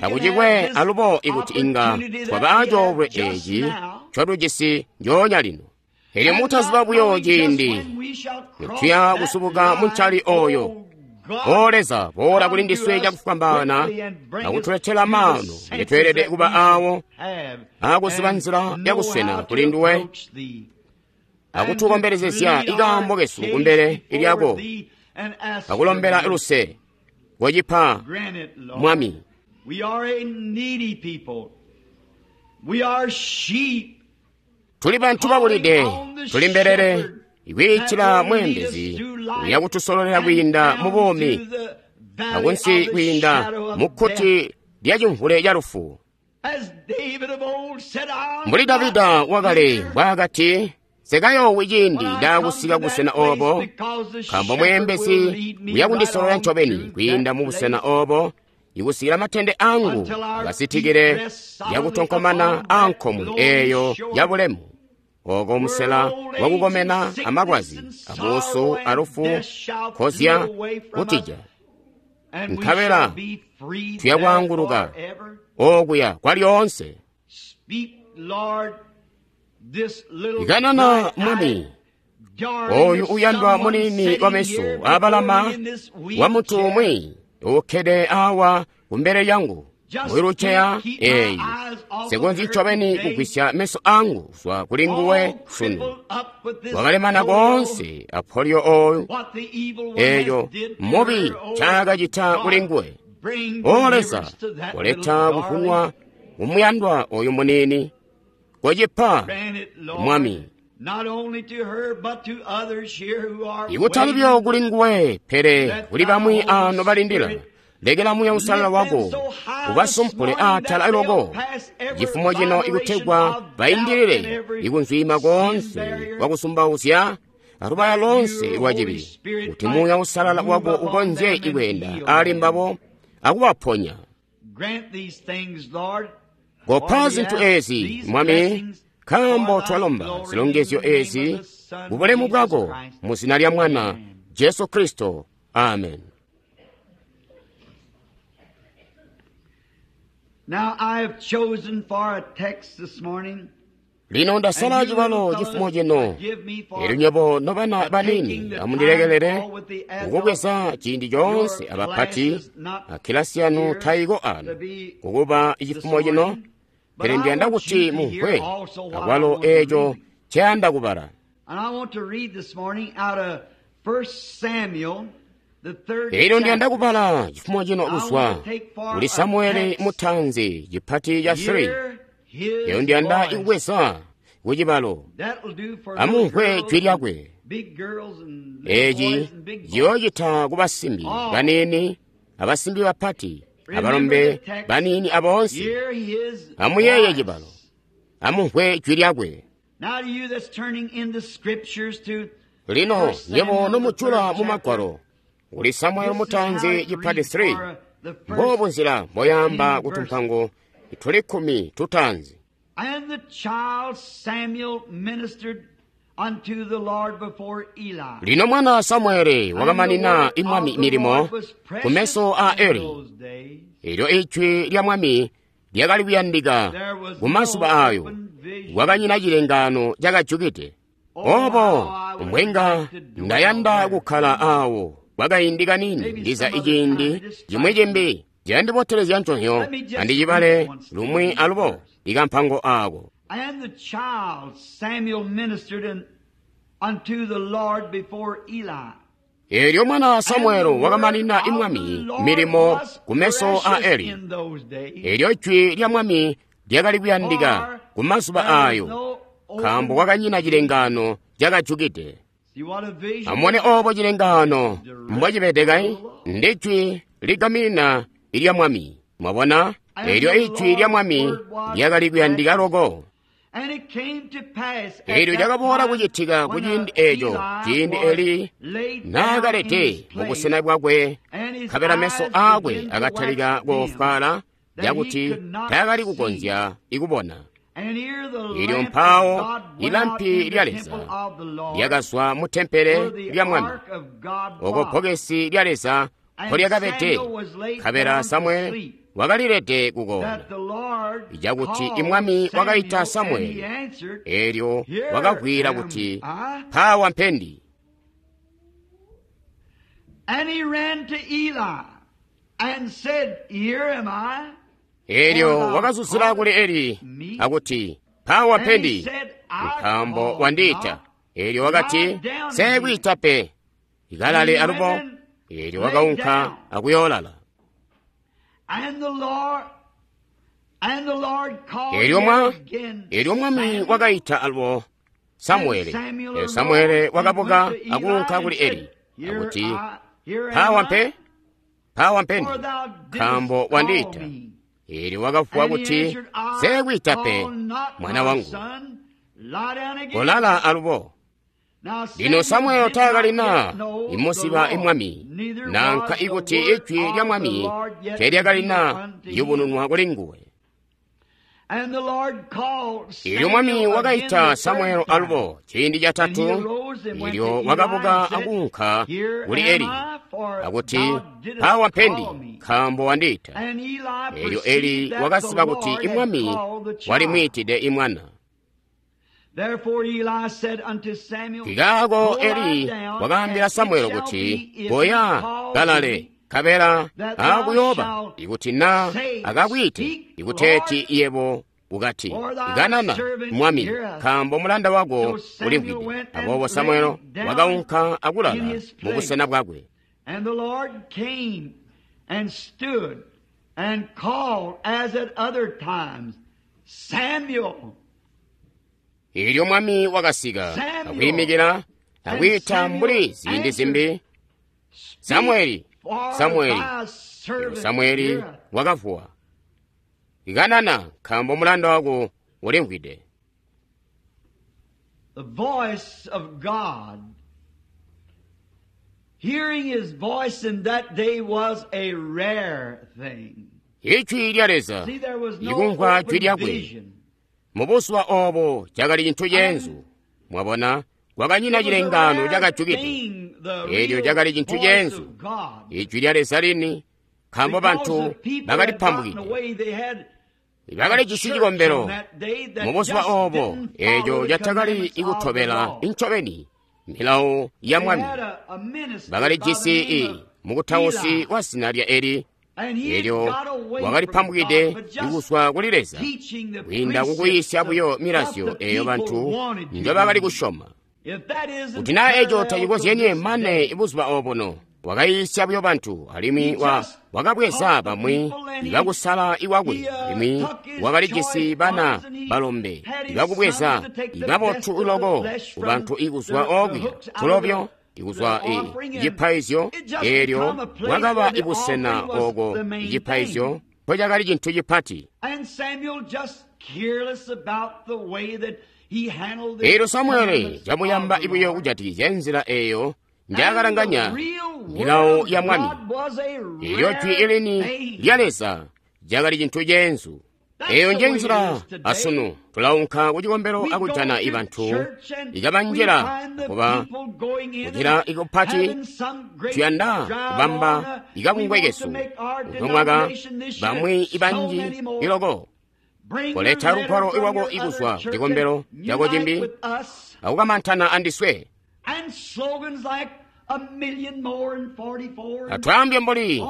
takucikwe alubo ikuti inga twaba acoolwe eci ncotujisi njoonya lino. Elyo mutaziba buyo ciindi nituya kusubuka muncali oyo, O Leza, boola kuli ndiswe cakufwambaana akutuletela maano ngetweelede kuba awo akuziba nzila yakuswena kuli nduwe, akutukombelezezya ikaambo kesu kumbele lyako, akulombela luse kocipa Mwami. Tuli bantu babulide, tuli mbelele ikwiitila mweembezi uyakutusololela kwiinda mu buumi akunsi kwiinda mu kkuti lya cimvule ca lufu. Mbuli Davida wakale mbwaakati, nsekayoowi ciindi ndaakusika kubusena oobo, nkaambo mweembezi uyakundisololela ncobeni kwiinda mu busena oobo. Ikusikila matende angu akasitikile lyakutonkomana ankomwe eeyo yabulemu. Oko musela wakukomena amalwazi, abuusu, alufu, kozya kutija. Nkabela tuyakwaanguluka okuya kwalyoonse. Ikanana Mwami, oyu uyandwa munini wameso abalama wa muntu umwi ukkede awa kumbele lyangu mwiluceya eeyi, nsikonzyi ncobeni kugwisya meso angu kuzwa kuli nguwe sunu. Wakalemana koonse a polio oyu, eeyo mubi ncaakacita kuli nguwe. O Leza, koleta kuvunwa kumuyandwa oyu munini. Kocipa, Mwami. Ikutali buyo kuli nguwe, pele kuli bamwi ano balindila. Lekela Muuya Uusalala wako ubasumpule atala loko cifumo cino ikutegwa baindilile ikunzwiima koonse kwakusumbauzya alubaya lonse lwa cibi, kuti Muuya Uusalala wako ukonzye ikweenda ali mbabo akubaponya. Kopa zintu ezi, Mwami, nkaambo twalomba zilongezyo ezi kubulemu bwako mu zina lya Mwana Jesu Kristo. Amen. Now I have chosen for a text this morning. Lino ndasala cibalo cifumo cino. Elyo nywebo nobana banini amundilekelele kukubweza ciindi coonse abapati akilasi yanu tayiko ano kukuba cifumo cino, pele ndiyanda kuti mumvwe akwalo eeco nceyanda kubala. And I want to read this morning out of 1 Samuel, the third Elyo ndiyanda chapter. kubala cifumo cino kuzwa kuli Samueli mutanzi cipati ca 3. Hear his Elyo ndiyanda voice. ikubweza kucibalo That'll do for little amumvwe girls jwi and lyakwe. big girls and little Eci boys and big boys. ciyoocita ku basimbi baniini abasimbi bapati abalombe baniini aboonse. Hear his Amuyeeye voice. cibalo, amumvwe jwi lyakwe. Now to you that's turning in the scriptures to Lino 1 nywebo Samuel, the nomujula third mu magwalo chapter. kuli Samueli This is how mutanzi it cipati reads 3, for the first mboobu nzila mboyaamba 10 ku verses. tumpango tuli kkumi tutaanzi. And the child Samuel ministered unto the Lord before Eli. Lino mwana Samueli And the wakamanina word imwami of the milimo Lord was ku meso precious a in Eli. those days. Elyo ijwi lya mwami lyakali kuyandika There was ku mazuba no ayo, open vision. kwakanyina cilengaano cakajukide. Oh, Obo how I would mbwenga like to dwell ndayanda there. kukkala awo kwakaindi kanini, Maybe ndiza some other iciindi time, just cimwi try cimbi ciyandibotelezya nconyo, Let me just andicibale read once lumwi these alubo verse. ikampango ako. And the child Samuel ministered unto the Lord before Eli. Elyo mwana And the Samueli word wakamanina of the imwami Lord milimo was ku meso a precious Eli. in those days, Elyo jwi lya mwami lyakali kuyandika for ku mazuba there was ayo, no nkaambo open kwakanyina vision. cilengaano cakajukide. See what a vision Amubone is? obo cilengaano mbwacibede Direct kai, the Lord. ndi jwi ligamina ilya mwami. Mwabona, And elyo the ijwi lya Lord's mwami word was lyakali kuyandika precious. loko. And it came to pass at Elyo that lyakaboola time kucitika when kuciindi eeco, Eli ciindi was Eli laid down in naakalete his mu busena place, bwakwe, and his nkabela meso eyes aakwe began to akatalika wax dim, koofwaala that he cakuti could not taakali see. kukonzya ikubona. And here the Elyo lamp of mpaawo God went out ilampi in lya the Leza temple of the Lord, lyakazwa mu tempele where the lya Mwami, ark of God oko was. bbokesi lya Leza And mpolyakabede, Samuel was laid nkabela down to Samueli sleep, wakalilede kukona. that the Lord Cakuti called imwami wakaita Samuel, and he Samueli, answered, elyo Here wakavwiila am kuti, I. Mpaawa mpendi. And he ran to Eli and said, Here am I. For Elyo thou wakazuzila kuli callest Eli me. akuti, Mpaawa And he mpendi, said, I nkaambo called wandiita. not. Elyo Lie wakati, down again. Seekwiita pe, And ikalale he alubo. went and Elyo lay wakaunka down. akuyoolala. And the Lord, and the Lord called Elyo yet mwa again, elyo mwami Samuel. wakaita alubo And Samueli. Samuel Elyo arose Samueli and went wakabuka to Eli akuunka and kuli said, Eli Here akuti, I, here am Mpaawa I, mpe, mpaawa mpendi, for thou nkaambo didst call wandiita. me. Elyo wakavuwa And he kuti, answered, I Seekwiita pe, call not mwana my wangu, son. Lie down again. kolala alubo. Lino Samuel taakalina imuziba imwami, nanka ikuti ijwi lya mwami teelyakalina yubununwa kuli nguwe. Ilyo mwami wakaita Samuel alubo ciindi catatu, ilyo wakabuka akuunka kuli Eli, akuti, "Mpawa mpendi, nkaambo wandiita." Elyo Eli wakaziba kuti imwami walimwiitide imwana. Nkikaako Eli wakaambila Samuel kuti, "Koya kalale, nkabela aakuyooba ikuti na akakwiite, ikuteeti yebo ukati, 'Kanana, mwami, nkaambo mulanda wako ulimvwide.'" Aboobo Samuel wakaunka akulala mubusena bwakwe. And the Lord came and stood and called as at other times, Samuel. Ilyo mwami wakasika akwiimikila akwiita mbuli ziindi zimbi, "Samueli, Samueli." Elyo Samueli wakavuwa, "Kanana, nkaambo mulanda wako ulimvwide." The voice of God. Hearing his voice in that day was a rare thing. Ijwi lya Leza, See, there was no ikumvwa jwi open lyakwe vision. mubuzuba obo cakali cintu ceenzu. Mwabona, kwakanyina It was a chilengano rare cakajukide. thing, the Elyo real cakali cintu voice ceenzu. of God. Ijwi lya Leza lini, nkaambo Because bantu the people had gotten bakalipambukide, away, they had bakali jisi cikombelo mubuzuba mubuzuba obo eco catakali ikutobela incobeni milawo ya mwami. Bakali jisi i mukutausi wa zina lya Eli, elyo wakalipambukide ikuzwa kuli Leza kwiinda kukuyiisya buyo milazyo eyo bantu njobakali kusyoma. Kuti naa eco tacikozyenye mane buzuba obuno, wakayiisya buyo bantu, alimwi wakabweza bamwi ibakusala iwakwe, alimwi wakalijisi bana balombe ibakubweza ibabotu loko kubantu ikuzwa okuya tulobyo ikuzwa cipaizyo. Eelyo bwakaba ibusena oko icipaizyo mpocakali cintu cipati. Eelyo Samuele camuyamba ibuyo kujatikizya nzila eyo njaakalanganya milawo ya mwami. Eelyo jwi ilini lya Leza cakali cintu ceenzu. Eyo nje nzila asunu. Tulaunka ku cikombelo akujana ibantu ikabanjila kuba kucila ikupati. Tuyanda kubamba ikabungwe kesu uno mwaka, bamwi ibanji iloko koleta lugwalo iwako ikuzwa ku cikombelo cako cimbi akukamantana andiswe. Atwaambye mbuli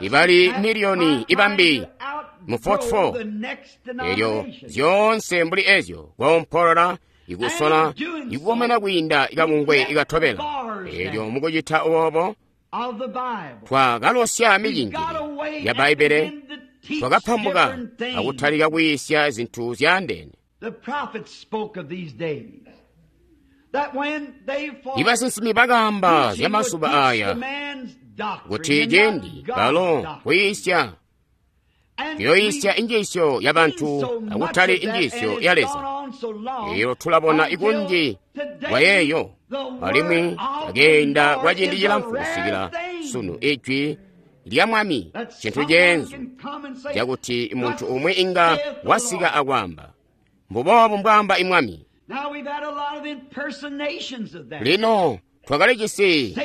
ibali miliyoni ibambi mu 44, elyo zyoonse mbuli ezyo koompolola ikusola ikukomena kwiinda ikabungwe ikatobela. Elyo mukucita obo twakalosya micinjili ya Bbaibele, twakapambuka akutalika kuyiisya zinthu zyaandeene. Ibasinsimi bakaamba zya mazuba aya kuti ciindi balo kuyiisya kuyoyiisya injiisyo ya bantu akutali injiisyo ya Leza. Eyo tulabona ikunji kwa yeeyo, alimwi akeenda kwa ciindi cilamfu kusikila sunu ijwi lya mwami cintu ceenzu cakuti muntu umwe inga wasika akwaamba, "Mbuboobu mbwaamba imwami." Lino twakalijisi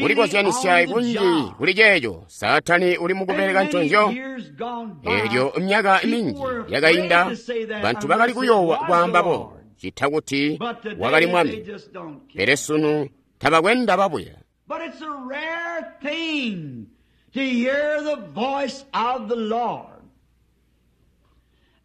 kulikozyanisya kunji kuli ceeco. Saatani uli mukubeleka nconzyo. Elyo myaka minji yakainda bantu bakali kuyoowa kwaamba bo cita kuti wakali mwami, pele sunu tabakwenda babuya. But it's a rare thing to hear the voice of the Lord.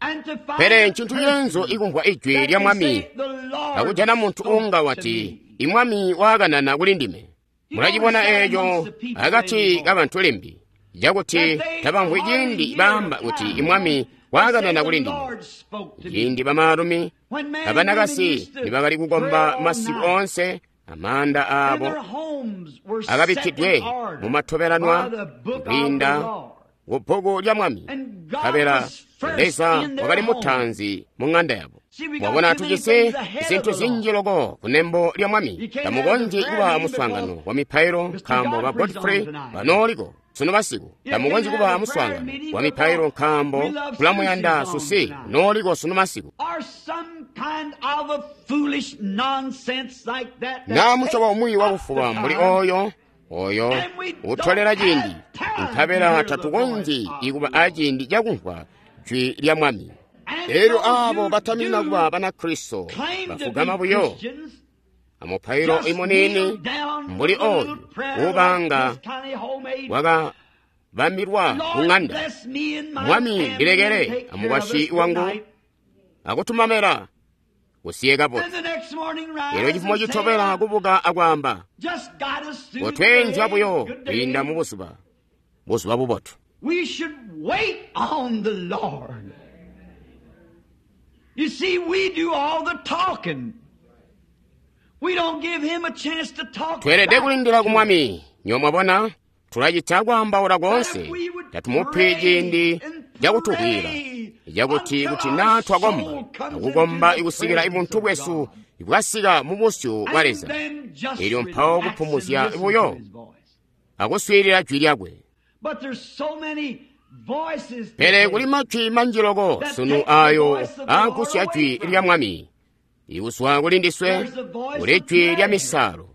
And to find Pele a ncintu ceenzu person ikumvwa ijwi that lya can mwami say, "The Lord akujana muntu spoke unga to wati, me." "Imwami waakanana kuli ndime." Mulacibona eeco akati kabantu limbi cakuti That they tabamvwi hardly ciindi hear baamba a kuti time imwami they say, waakanana "The kuli ndime. Lord spoke to me." Ciindi bamaalumi When men and women abanakasi used to nibakali pray kukomba all masiku night, onse, amaanda and aabo their homes were set akabikkidwe in order mumatobelanwa by the book of the kwiinda Lord. ku bbuku lya mwami, And God nkabela was Leza wakali mutaanzi mu ng'anda yabo. Mwabona, tujisi zintu zinji loko kunembo lya Mwami. Tamukonzyi kuba muswaangano wa mipailo nkaambo ba Godfrey banooliko sunu masiku. Tamukonzyi kuba muswaangano wa mipailo nkaambo tulamuyanda Susi nooliko sunu masiku. Naa musyobo umwi wakufuba mbuli oyo utolela ciindi, nkabela tatukonzyi kuba aciindi cakumvwa jwi lya Mwami. Elyo aabo batamina kuba Banakristo bafugama buyo amupailo imuniini mbuli oyu uubanga wakabambilwa ku ng'anda. Mwami, ndilekele amukwasyi wangu akutumamela kusiye kabotu. Elyo cifumo citobela kubuka akwaamba, kotweenzya buyo kwiinda mu buzuba, buzuba bubotu. We should wait on the Lord. You see, we do all the talking. We don't give him a chance to talk. Tweelede kulindila ku Mwami. Nyo mwabona, tulacita kwaambaula koonse. Tatumupi ciindi cakutukwila, cakuti kuti naa twakomba, akukomba ikusikila ibuntu bwesu bwasika mu busyu bwa Leza. Elyo mpawo kupumuzya buyo akuswiilila jwi lyakwe. Pele kuli majwi manji loko sunu ayo aagusya jwi lya Mwami. Ikuzwa kuli ndiswe kuli jwi lya misalo.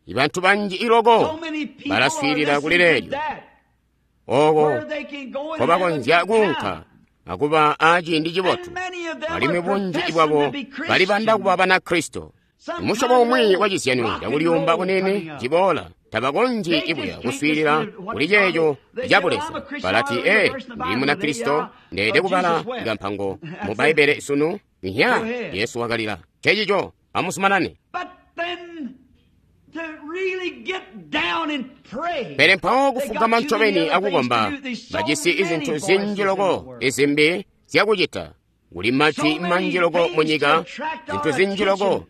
Ibantu banji iloko balaswiilila kuli leelyo, oko nkobakonzya kuunka akuba aciindi cibotu. Alimwi bunji bwabo balibanda kuba Banakristo. Musyobo umwi wa cizyano cakuliyumba kunene ciboola, tabakonzyi ibuya kuswiilila kuli ceeco cabuleza. Balati, ee, ndili Munakristo, ndeelede kubala kampango mu Bbaibbele sunu. Nya, Yesu wakalila. Cecico, amusumanane. Pele mpawo kufugama ncobeni akukomba, bajisi izintu zinji loko izimbi zyakucita. Kuli majwi manji loko mu nyika, zintu zinji loko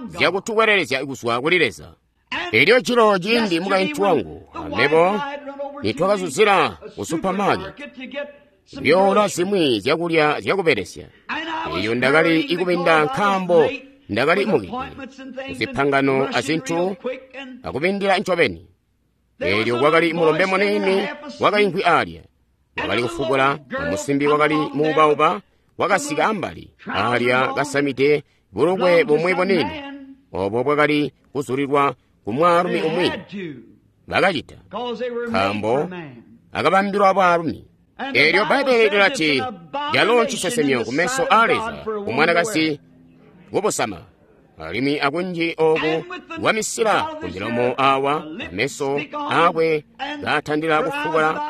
zyakutukwelelezya kuzwa kuli Leza. Elyo jilo ciindi mukaintu wangu amebo nitwakazuzila ku supamaketi kuyoola zimwi zyakulya zyakubelesya, elyo ndakali ikubinda nkaambo ndakali mukide kuzipangano azintu akubindila ncobeni. Elyo kwakali mulombe muniini wakaimvwi alya, wakali kufukula, amusimbi wakali muubauba wakasika ambali alya kasamide bulukwe bumwi bunini obo bwakali kuzulilwa ku mwaalumi umwi. Bakacita nkaambo akabambilwa bwaalumi. Elyo Bbaibbele lilati calo ncisesemyo kumeso a Leza kumwanakazi kubusama, alimwi akunji oku wamisila ku milomo awa ameso akwe kaatandila kufukula.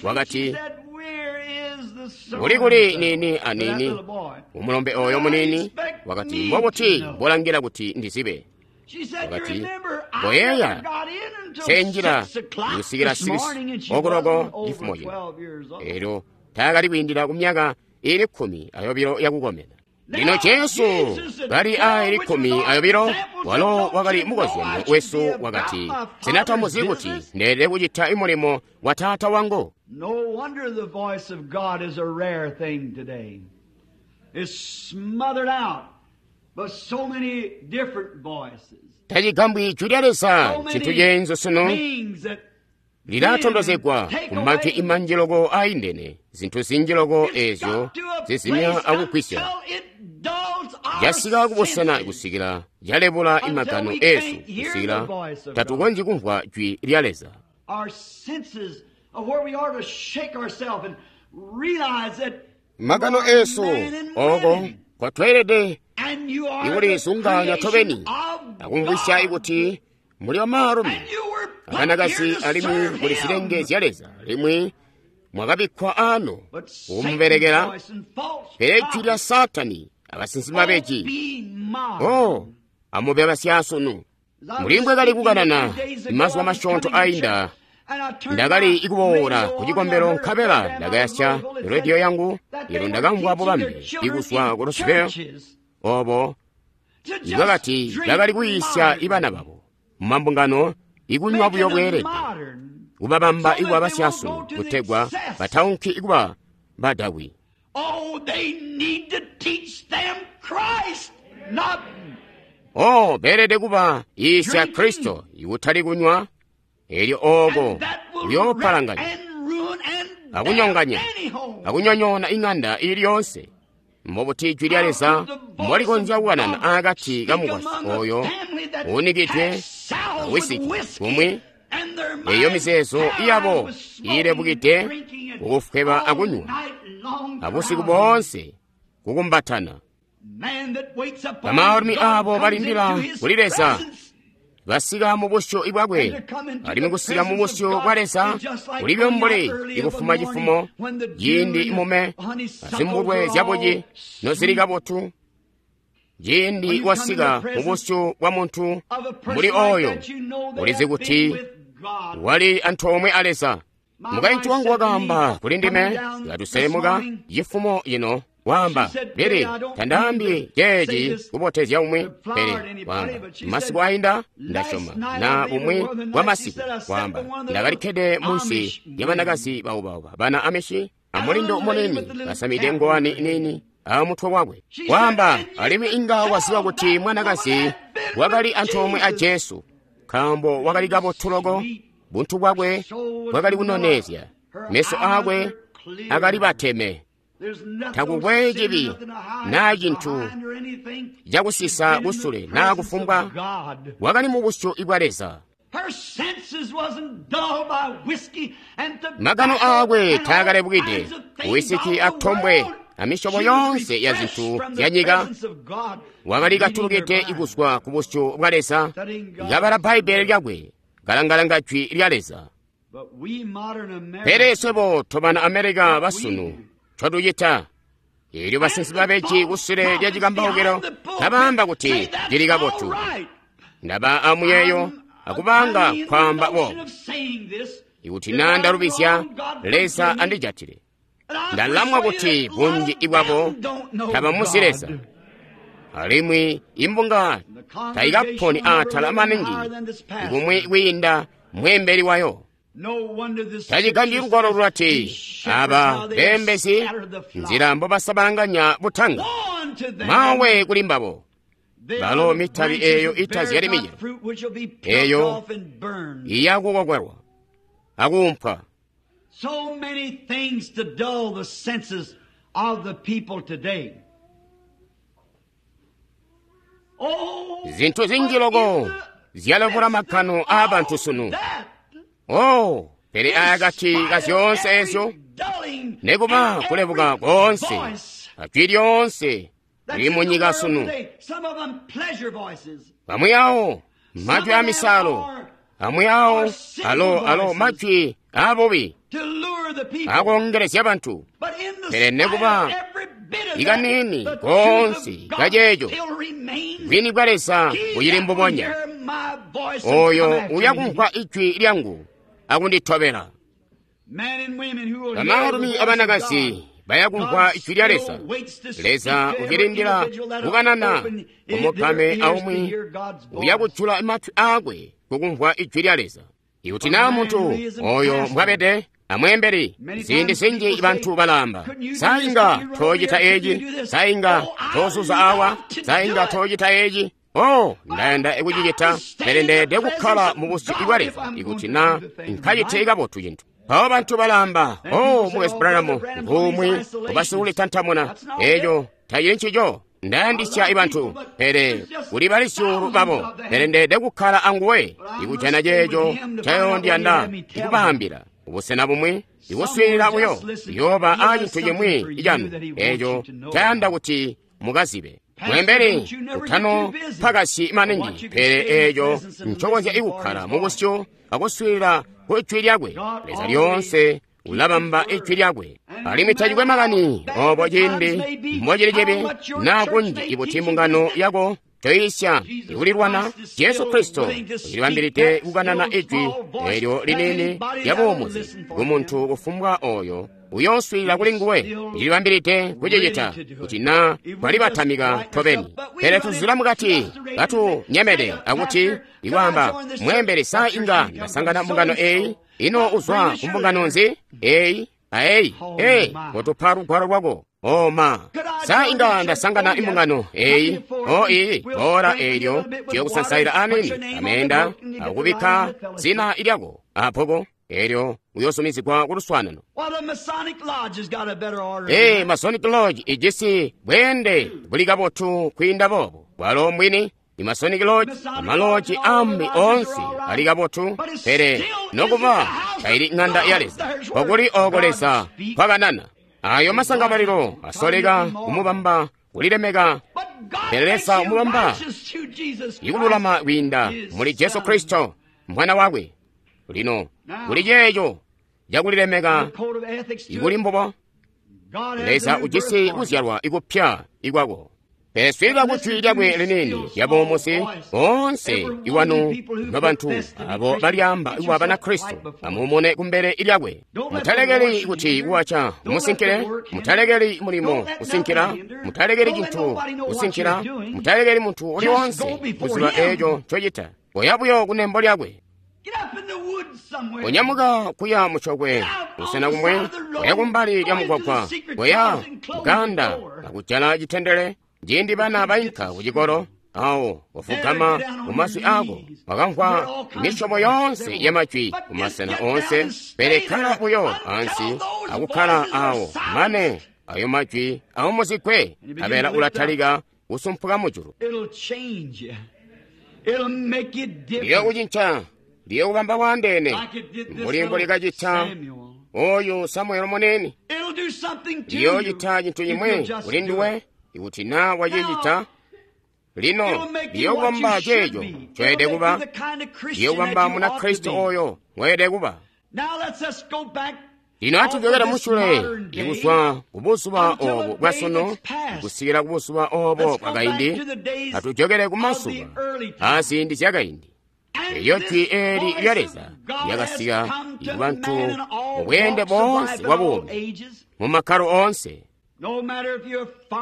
Wakati, kuli kuli nini anini umulombe oyo munini. Wakati, mbobuti mbolangila kuti ndizibe? Wakati, mboyeeya senjila kusikila 6 okuloko cifumo cino. Elyo taakali kwiindila ku myaka ili 12 yakukomena. Lino Jesu kali a ili 12, walo wakali mukozyanyo wesu, wakati, sena tamuzi kuti ndeelede kucita imulimo wa Taata wangu? No wonder the voice of God is a rare thing today. It's smothered out by so many different voices. Tacigambwi jwi lya Leza ncintu ceenzu sunu, lilatondozegwa ku majwi imanji loko aindene, zintu zinji loko ezyo zizimya akugwisya. Casika kubusena kusikila calebula imagano esu kusikila tatukonzyi kumvwa jwi lya Leza. Magano esu oko kwatweelede ikulizunganya tobeni akumvwisya ikuti muli bamaalumi abanakazi alimwi muli zilenge zya Leza, alimwi mwakabikkwa ano kumubelekela. Pele jwi lya Saatani abasinsimi babeji, oh, amube basyaasunu. Mbuli mbwekali kukanana mazuba masyoonto ainda, ndakali ikuboola ku cikombelo nkabela ndakayasya rediyo yangu. Elyo ndakamvwa bubambe ikuzwa ku Roseville obo ibakati bakali kuyiisya ibana babo mumambungano ikunywa buyo bweelede, kubabamba ikuba basyaasunu kutegwa bataunki ikuba badakwi. Oh, beelede kuba yiisya Kristo ikutali kunywa. Elyo ooko kuyoopalanganya akunyonganya akunyonyoona ing'anda ili yoonse. Mbobuti ijwi lya Leza mbolikonzya kukanana akati kamukwasyi oyo uunikidwe awisiki kumwi eyo mizeezo yabo iilebukide kukufweba akunywa abusiku boonse kukumbatana. Bamaalumi aabo balindila kuli Leza basika mu busyu bwakwe, alimwi kusika mu busyu bwa Leza kulibyo mbuli ikufuma cifumo ciindi mume azimbulwe zyabuci nozili kabotu. Ciindi wasika mu busyu bwa muntu mbuli oyo, ulizi kuti wali antoomwe a Leza. Mukaintu wangu wakaamba kuli ndime katuselemuka cifumo cino, waamba, Pele tandaambi ceeci kubotezya umwi, pele waamba, masiku ainda ndasyoma na bumwi bwa masiku, waamba, ndakalikkede munsi lya banakazi baubauba bana Amishi amulindo munini basamide ngowani nini amutwe wakwe. Waamba, alimwi inga waziba kuti mwanakazi wakali antoomwe a Jesu, nkaambo wakali kabotu loko, buntu bwakwe bwakali kunoneezya, meso aakwe akali bateme. Takukwe cibi naa cintu cakusisa kusule naa kufumbwa, wakali mu busyu bwa Leza. Magano aakwe taakalebukide wisiki atombwe amisyobo yoonse ya zintu zya nyika. Wakali katulukide kuzwa ku busyu bwa Leza, kabala Bbaibbele lyakwe, kalangalanga jwi lya Leza. Pele swebo tobana Amerika basunu ncotucita, eelyo basinsi babeji kusule lya cikambaukilo kabaamba kuti cili kabotu. Ndaba amuyeeyo akubanga kwaamba boobo. Ikuti naa ndalubizya, Leza andijatile. Ndalamwa kuti bunji bwabo tabamuzi Leza, alimwi imbunga tayikaponi atala maningi kumwi kwiinda mweembeli wayo. Tacigambyi lugwalo lulati, aba beembezi nzila mbobasabalanganya butanga. Mawe kuli mbabo balo mitabi eyo itazyali micelo, eyo iyakukokwelwa akuumpwa. So many things to dull the senses of the people today. Oh, Zinthu zinji loko zyalevula makhano a bantu sunu. Oh, pele akati ka zyoonse ezyo, nekuba kulebuka konse, ajwi lyonse lili mu nyika sunu. Amwi awo majwi a misalo, amwi awo alo majwi abubi akongelezya bantu. Pele nekuba ikanini konse kaceeco, bwini bwa Leza buyili mbubonya. Oyo uyakumvwa ijwi lyangu akunditobela. Bamaalumi abanakazi bayakumvwa ijwi lya Leza. Leza ucilindila kukanana kumukame aumwi uyakujula matwi aakwe kukumvwa ijwi lya Leza. Ikuti naa muntu oyo mbwabede amweembeli, ziindi zinji bantu balamba, sainga tocita eci, sainga tozuza awa, sainga tocita eci. Oh, ndayanda kucicita, pele ndeede kukkala mu busyu bwa Leza ikuti naa nkacite kabotu cintu. Mpawo bantu balamba, oh, Mukwesu Branham, ngumwi ubasikulitantamuna. Eco tacili ncico. Ndayandisya bantu, pele kuli bali zyuulu babo, pele ndeede kukkala anguwe ikujana ceeco ncayondiyanda ikubaambila. Ubusena bumwi ikuswiilila buyo yooba aacintu cimwi canu eco cayanda kuti mukazibe. Mwembeli utano pakasyi maningi, pele eeco ncokonzya ikukkala mu busyu akuswiilila ku ijwi lyakwe. Leza lyoonse ulabamba ijwi lyakwe, alimwi tacikwe makani obo ciindi mbocili cibi naa kunji ikuti mbungano yako toyisya ikulilwana. Jesu Kristo ulibambilide kukanana ijwi eelyo liniini lya buumuzi kumuntu kufumbwa oyo uyooswiilila kuli nguwe. Ulibambilide kucicita kuti naa twalibatamika tobeni, pele tuzula mukati katunyemede akuti ikwaamba, mweembeli sa inga ndasangana mbungano eyi? Ino uzwa ku mbungano nzi? Eyi aeyi, ee, kotupa lugwalo lwako. O ma, sa inga ndasangana imbungano eyi o iyi ora eelyo tuyokusansaila anini ameenda akubikka zina ilyako apoko eelyo uyosumizigwa kuluswaanano. Ee, Masonic Lodge ijisi bweende buli kabotu kwiinda boobo. Bwalo mbwini i Masonic Lodge, amaloji ambi onse ali kabotu, pele nokuba taili ng'anda ya Leza. Kokuli oko Leza kwakanana. Ayo masangabalilo asoleka kumubamba kulilemeka, pele Leza umubamba ikululama kwiinda muli Jesu Kristo mwana wakwe. Lino kuli ceeco cakulilemeka ikuli mbubo, Leza ujisi kuzyalwa ikupya ikwako. Pele swiilila kujwi lyakwe liniini lyabuumuzi, boonse iwanu nobantu abo balyaamba kuba Banakristo amuumune kumbele lyakwe. Mutalekeli kuti kuwaca musinkile, mutalekeli mulimo kusinkila, mutalekeli cintu kusinkila, mutalekeli muntu uli wonse kuziba eeco ncocita. Koya buyo kunembo lyakwe. Konyamuka kuya mucokwe busena kumwe, koya kumbali lya mugwagwa, koya muganda akujala citendele. Ciindi bana bainka kucikolo, awo wafugama mumaswi ako, wakamvwa misyobo yonse ya majwi kumasena onse, pele kkala buyo ansi akukkala awo mane ayo majwi aumuzigwe, abela ulatalika kusumpuka mujulu. Liyokucinca, liyokubamba bwandeene, mbuli mbulikacita oyu Samuelo munene. Liyocita cintu cimwe kuli nduwe ikuti na wacicita. Lino liyokubamba ceeco ncoyede kuba, liyokubamba Munakristo oyo ngoyede kuba. Lino atujokera musyule ikuzwa kubuzuba obo bwasunu kusikila kubuzuba obo bwakaindi, atujokere kumasuba aziindi zyakaindi. Elyo jwi eeli lya Leza lyakasika kubantu mubweende boonse bwa buumi, mu makkalo oonse.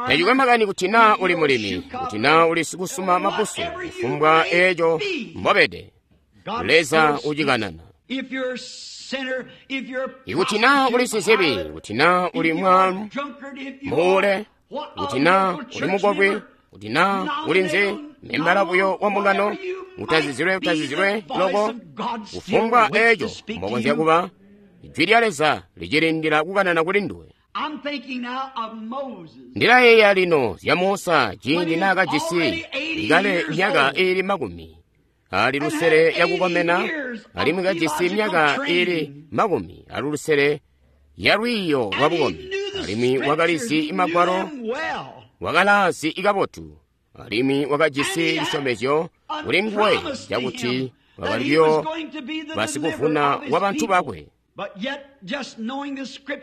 Tacikwe makani kuti naa uli mulimi, kuti naa uli sikusuma mabusu, kufumbwa eeco mbobede, Leza ucikanana. Ikuti naa uli sizibi, kuti naa uli mwaalu, muule, kuti naa uli mukobwi, kuti naa uli nzi, membala buyo wa mbungano, utazizilwe utazizilwe loko, kufumbwa eeco mbokonzya kuba, jwi lya Leza licilindila kukanana kuli nduwe. Ndilayeeya lino zya Musa ciindi naakajisi ikale myaka iili 60 yakukomena, alimwi kajisi myaka iili 60 ya lwiiyo lwa bukombi, alimwi wakalizi magwalo, wakalaazi kabotu, alimwi wakajisi cisyomezyo kuli nguwe cakuti wakali buyo basikuvuna wa bantu bakwe.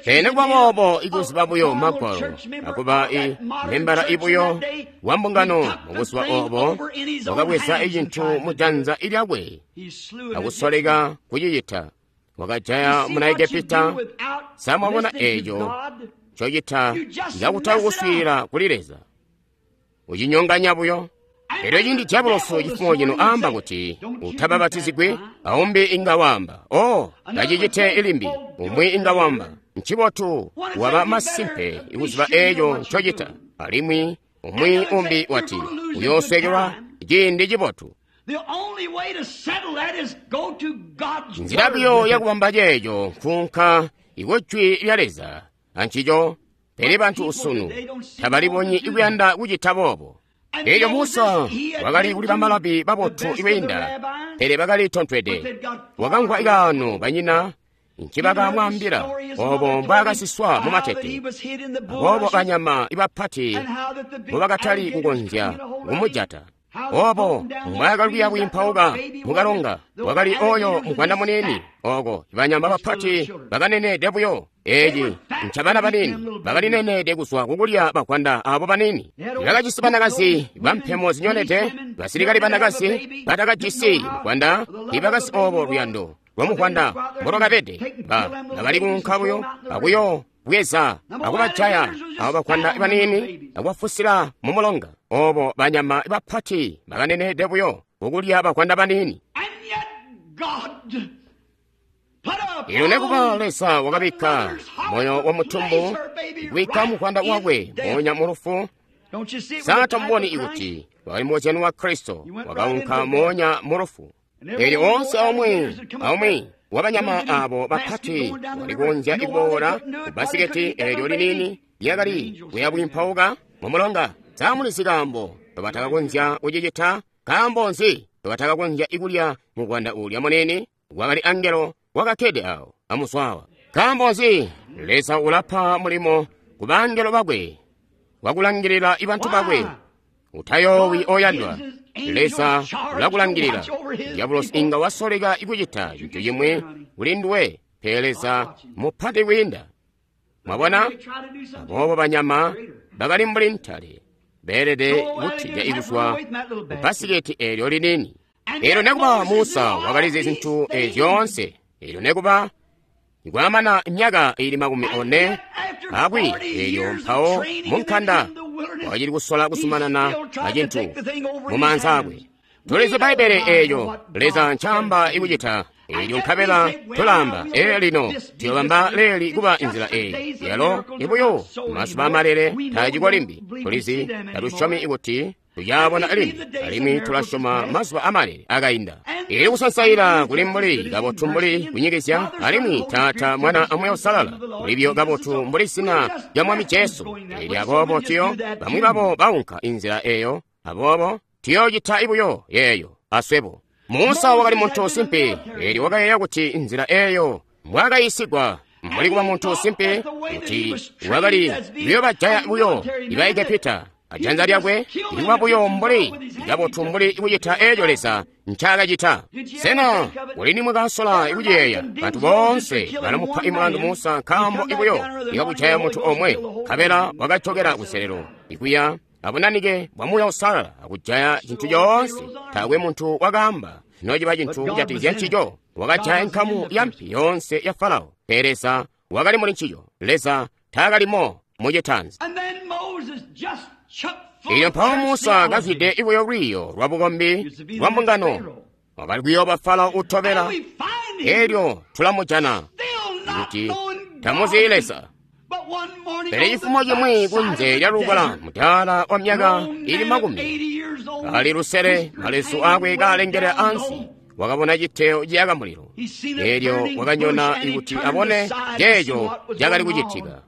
Pele nikuba boobo, ikuziba buyo magwalo akuba i membala ibuyo wa mbungano mubuzuba obo, wakabweza icintu mujanza lyakwe akusoleka kucicita. Wakajaya muna Egepita. Samwabona eeco ncocita cakutali kuswiilila kuli Leza, ucinyonganya buyo. Elyo ciindi diabolosi cifumo cino aamba kuti utabapatizigwi, aumbi inga waamba, o tacicite ilimbi. Umwi inga waamba, ncibotu waba masimpe ikuziba eeco ncocita. Alimwi umwi umbi wati, uyooswekelwa ciindi cibotu. Nzila buyo yakubamba ceeco nkuunka ikujwi lya Leza ancico, pele bantu usunu tabalibonyi ikuyanda kucita boobo. Elyo Musa wakali kuli bamalabi babotu ikwiinda, pele bakali tontwede. Wakamvwa ikaano banyina ncibakamwaambila obo mbwaakasiswa mumatete, aboobo banyama ibapati mbubakatali kukonzya kumujata. Obo mbwaakali kuya kwiimpauka mukalonga, wakali oyo mugwanda muniini oko banyama bapati bakaneneede buyo. Eeci ncabana baniini bakalinenede kuzwa kukulya bagwanda abo baniini. Bakajisi banakazi bampemo zinyonede, basilikali banakazi batakajisi mugwanda, ibakasi obo luyando lwamugwanda mbolwakabede. Bakali kuunka buyo akuyo bweza akubajaya abo bagwanda baniini akubafusila mumulonga. Obo banyama bapati bakanenede buyo kukulya bagwanda baniini. Ino nekuba Leza wakabikka moyo wa mutumbu kubikka muvwanda wakwe moonya mu lufu. Sa tamuboni ikuti wakali mukozyano wa Kristo wakaunka moonya mu lufu. Eelyo oonse aumwi wabanyama abo bapati wali kukonzya kuboola ku bbasiketi eelyo liniini lyakali kuyabwiimpauka mu mulonga. Sa mulizi kaambo ndobatakakonzya kucicita? Nkaambo nzi ndobatakakonzya kulya muvwanda uulya muniini? Wakali angelo wakakkede awo amuswawa. Nkaambo nzi? Leza ulapa mulimo ku bangelo bakwe wakulangilila bantu bakwe. Utayoowi oyandwa, Leza ulakulangilila. Diabolosi inga wasoleka kucita cintu cimwi kuli nduwe, pele Leza mupati kwiinda. Mwabona? Aboobo banyama bakali mbuli ntale beelede kutija kuzwa ku bbasiketi eelyo liniini. Eelyo nekuba Musa wakalizi zintu eezi zyoonse. Eelyo nekuba nikwamana myaka ili 40 akwi eelyo mpawo munkanda wakacili kusola kuzumanana acintu mumaanza akwe. Tulizi Bbaibbele eeyo Leza ncaamba ikucita. Eelyo nkabela tulaamba, ee lino tuyobamba leeli kuba inzila eeyi. Yalo ibuyo mazuba amalele taaciko limbi. Tulizi tatusyomi kuti tuyaabona limbi, alimwi tulasyoma mazuba amalele akainda. Ili kusansaila kuli mbuli kabotu mbuli kunyikizya, alimwi Taata, Mwana a Moyo Uusalala kulibyo kabotu mbuli zina lya Mwami Jesu. Eelyo aboobo tuyo bamwi babo baunka inzila eeyo, aboobo tuyoocita ibuyo yeeyo aswebo. Musa wakali muntu simpe, eelyo wakayeeya kuti nzila eeyo mbwaakayiisigwa mbuli kuba muntu simpe, kuti wakali kuyoobajaya buyo iba Egepita ajanza lyakwe likuba buyo mbuli kabotu mbuli kucita eeco Leza ncaakacita. Sena kuli nimwakasola kuciyeeya? Bantu boonse balamupa imulandu Musa nkaambo ibuyo ikakujaya muntu omwe, nkabela wakajokela kuselelo ikuya abunanike bwa Muuya Uusalala akujaya cintu coonse. Taakwe muntu wakaamba nociba cintu kujatikizya ncico. Wakajaya nkamu ya mpi yoonse ya Farao, pele Leza wakali muli ncico. Leza taakalimo mucitanzi. Eelyo mpawo Musa kazwide ibuyo lwiiyo lwa bukombi lwa mbungano, wakali kuyooba Farao utobela. Eelyo tulamujana kuti tamuzi Leza. Pele cifumo cimwi kunze lya lukala mudaala wa myaka ili 60 malezu akwe kaalengela ansi, wakabona citeo ciyaka mulilo. Eelyo wakanyona kuti abone ceeco cakali kucitika.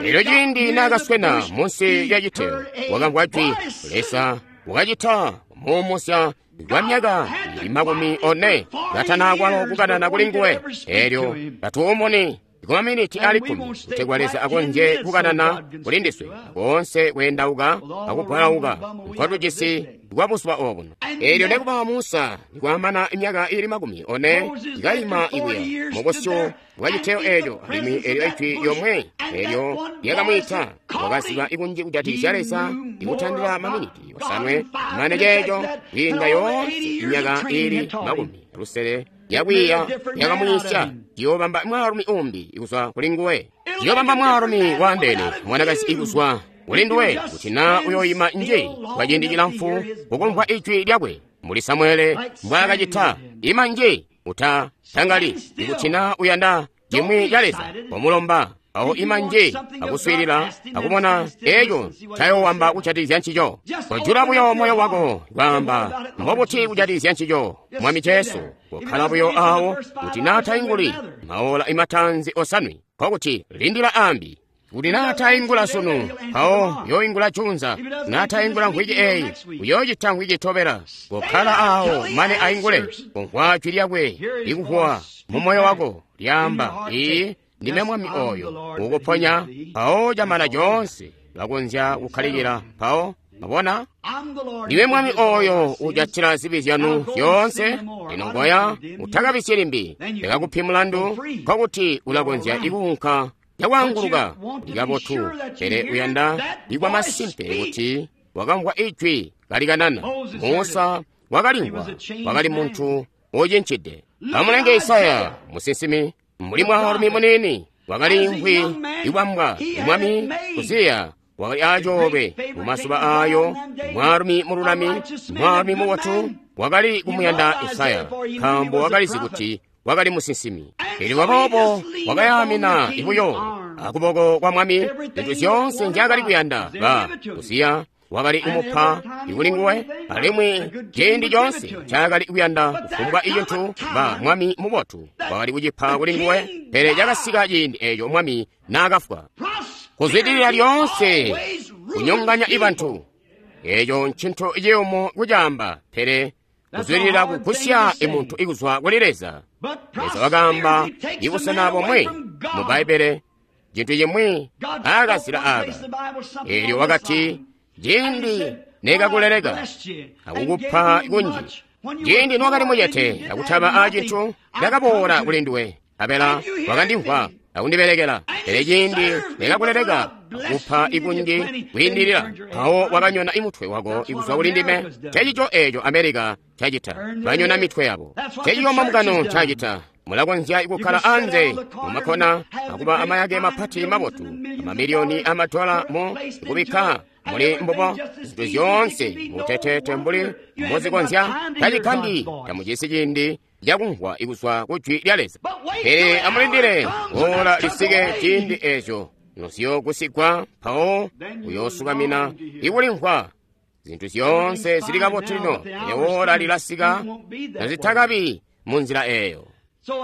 Eelyo ciindi naakaswena munsi lya citeo, wakamvwa jwi. Leza wakacita kumuumusya kwa myaka ili 40 katanakwalo kukanana kuli nguwe. Eelyo katuumuni kumaminiti ali 10 kutegwa Leza akonzye kukanana kuli ndiswe koonse kweendauka akugwalauka nkotujisi kwa buzuba obuno. Eelyo nekuba Musa nikwamana myaka ili 40 ikayima ikuya mubusyu bwa citeo eeco, alimwi eelyo ijwi lyomwe eelyo lyakamwiita, wakaziba ikunji kujatikizya Leza ikutandila maminiti 7 mane ceeco kwiinda yoonse myaka ili 60 yakwiiya yakamwiisya. Ciyoobamba mwaalumi umbi ikuzwa kuli nguwe, ciyoobamba mwaalumi waandeene mwanakazi ikuzwa kuli nduwe, kuti naa uyooyima nje kwa ciindi cilamfu kukumvwa ijwi lyakwe mbuli Samuele mbwaakacita. Ima nje, uta tangali, ikuti naa uyanda cimwi ca Leza komulomba awo ima nje akuswiilila akubona eeco ncayoowamba kujatikizya ncico. Kojula buyo moyo wako kwaamba mbobuti kujatikizya ncico, Mwami Jesu. Kokkala buyo awo kuti naa tainguli maola imatanzi 7, nkokuti lindila ambi. Kuti naa taingula sunu, mpawo uyoingula junza. Naa taingula mvwiki eeyi, uyoocita mvwiki itobela. Kokkala awo mane aingule. Kumvwa jwi lyakwe likuvuwa mu moyo wako lyaamba, "Iiyi, ndime Mwami oyo ukuponya." Mpawo camana coonse ulakonzya kukkalikila. Mpawo mabona, ndime Mwami oyo ujatila zibi zyanu zyoonse. Lino ngoya utakabisyi limbi, ndakakupi mulandu. Nkokuti ulakonzya ikuunka cakwaanguluka likabotu, pele uyanda ikwa masimpe kuti wakamvwa ijwi kalikanana. Musa wakalimvwa, wakali muntu ucincide. Amulenge Isaya musinsimi, mbuli mwaalumi muniini wakali imvwi iwambwa Mwami Uziya wakali acoolwe mumazuba ayo, mwaalumi mululami, mwaalumi mubotu, wakali kumuyanda Isaya nkaambo wakalizi kuti wakali musinsimi. Elyo aboobo wakayaamina buyo akuboko kwa mwami zintu zyoonse nzyaakali kuyanda. Ba Uziya wakali kumupa kuli nguwe, alimwi ciindi coonse ncaakali kuyanda kufumbwa icintu ba mwami mubotu wakali kucipa kuli nguwe. Pele cakasika ciindi eeco mwami naakafwa. Kuzwidilila lyoonse kunyonganya ibantu, eeco ncintu ciyumu kucaamba, pele kuzwidilila kugusya imuntu ikuzwa kuli Leza. Leza wakaamba ibusena bomwe mu Bbaibbele cintu cimwi aakazila aaka, eelyo wakati, ciindi nekakuleleka akukupa kunji, ciindi nowakali mucete akutaba aacintu, ndakaboola kuli nduwe, nkabela wakandimvwa akundibelekela. Pele ciindi nekakuleleka akupa ikunji kwiindilila, mpawo wakanyona imutwe wako ikuzwa kuli ndime. Ncencico eeco Amerika cacita, banyona mitwe yabo. Ncencico mambungano ncacita. Mulakonzya kukkala anze mumakkona akuba amayake mapati mabotu, amamiliyoni amadola mu kubikka muli mbubo zintu zyoonse mutetete mbuli muzikonzya. Tacigambi tamucisi ciindi cakumvwa ikuzwa ku jwi lya Leza. Pele amulindile ola lisike ciindi eeco noziyoogusigwa, mpawo uyoosukamina ikulimvwa. Zintu zyoonse zili kabotu lino, pele ola lilasika nozitakabi munzila eeyo.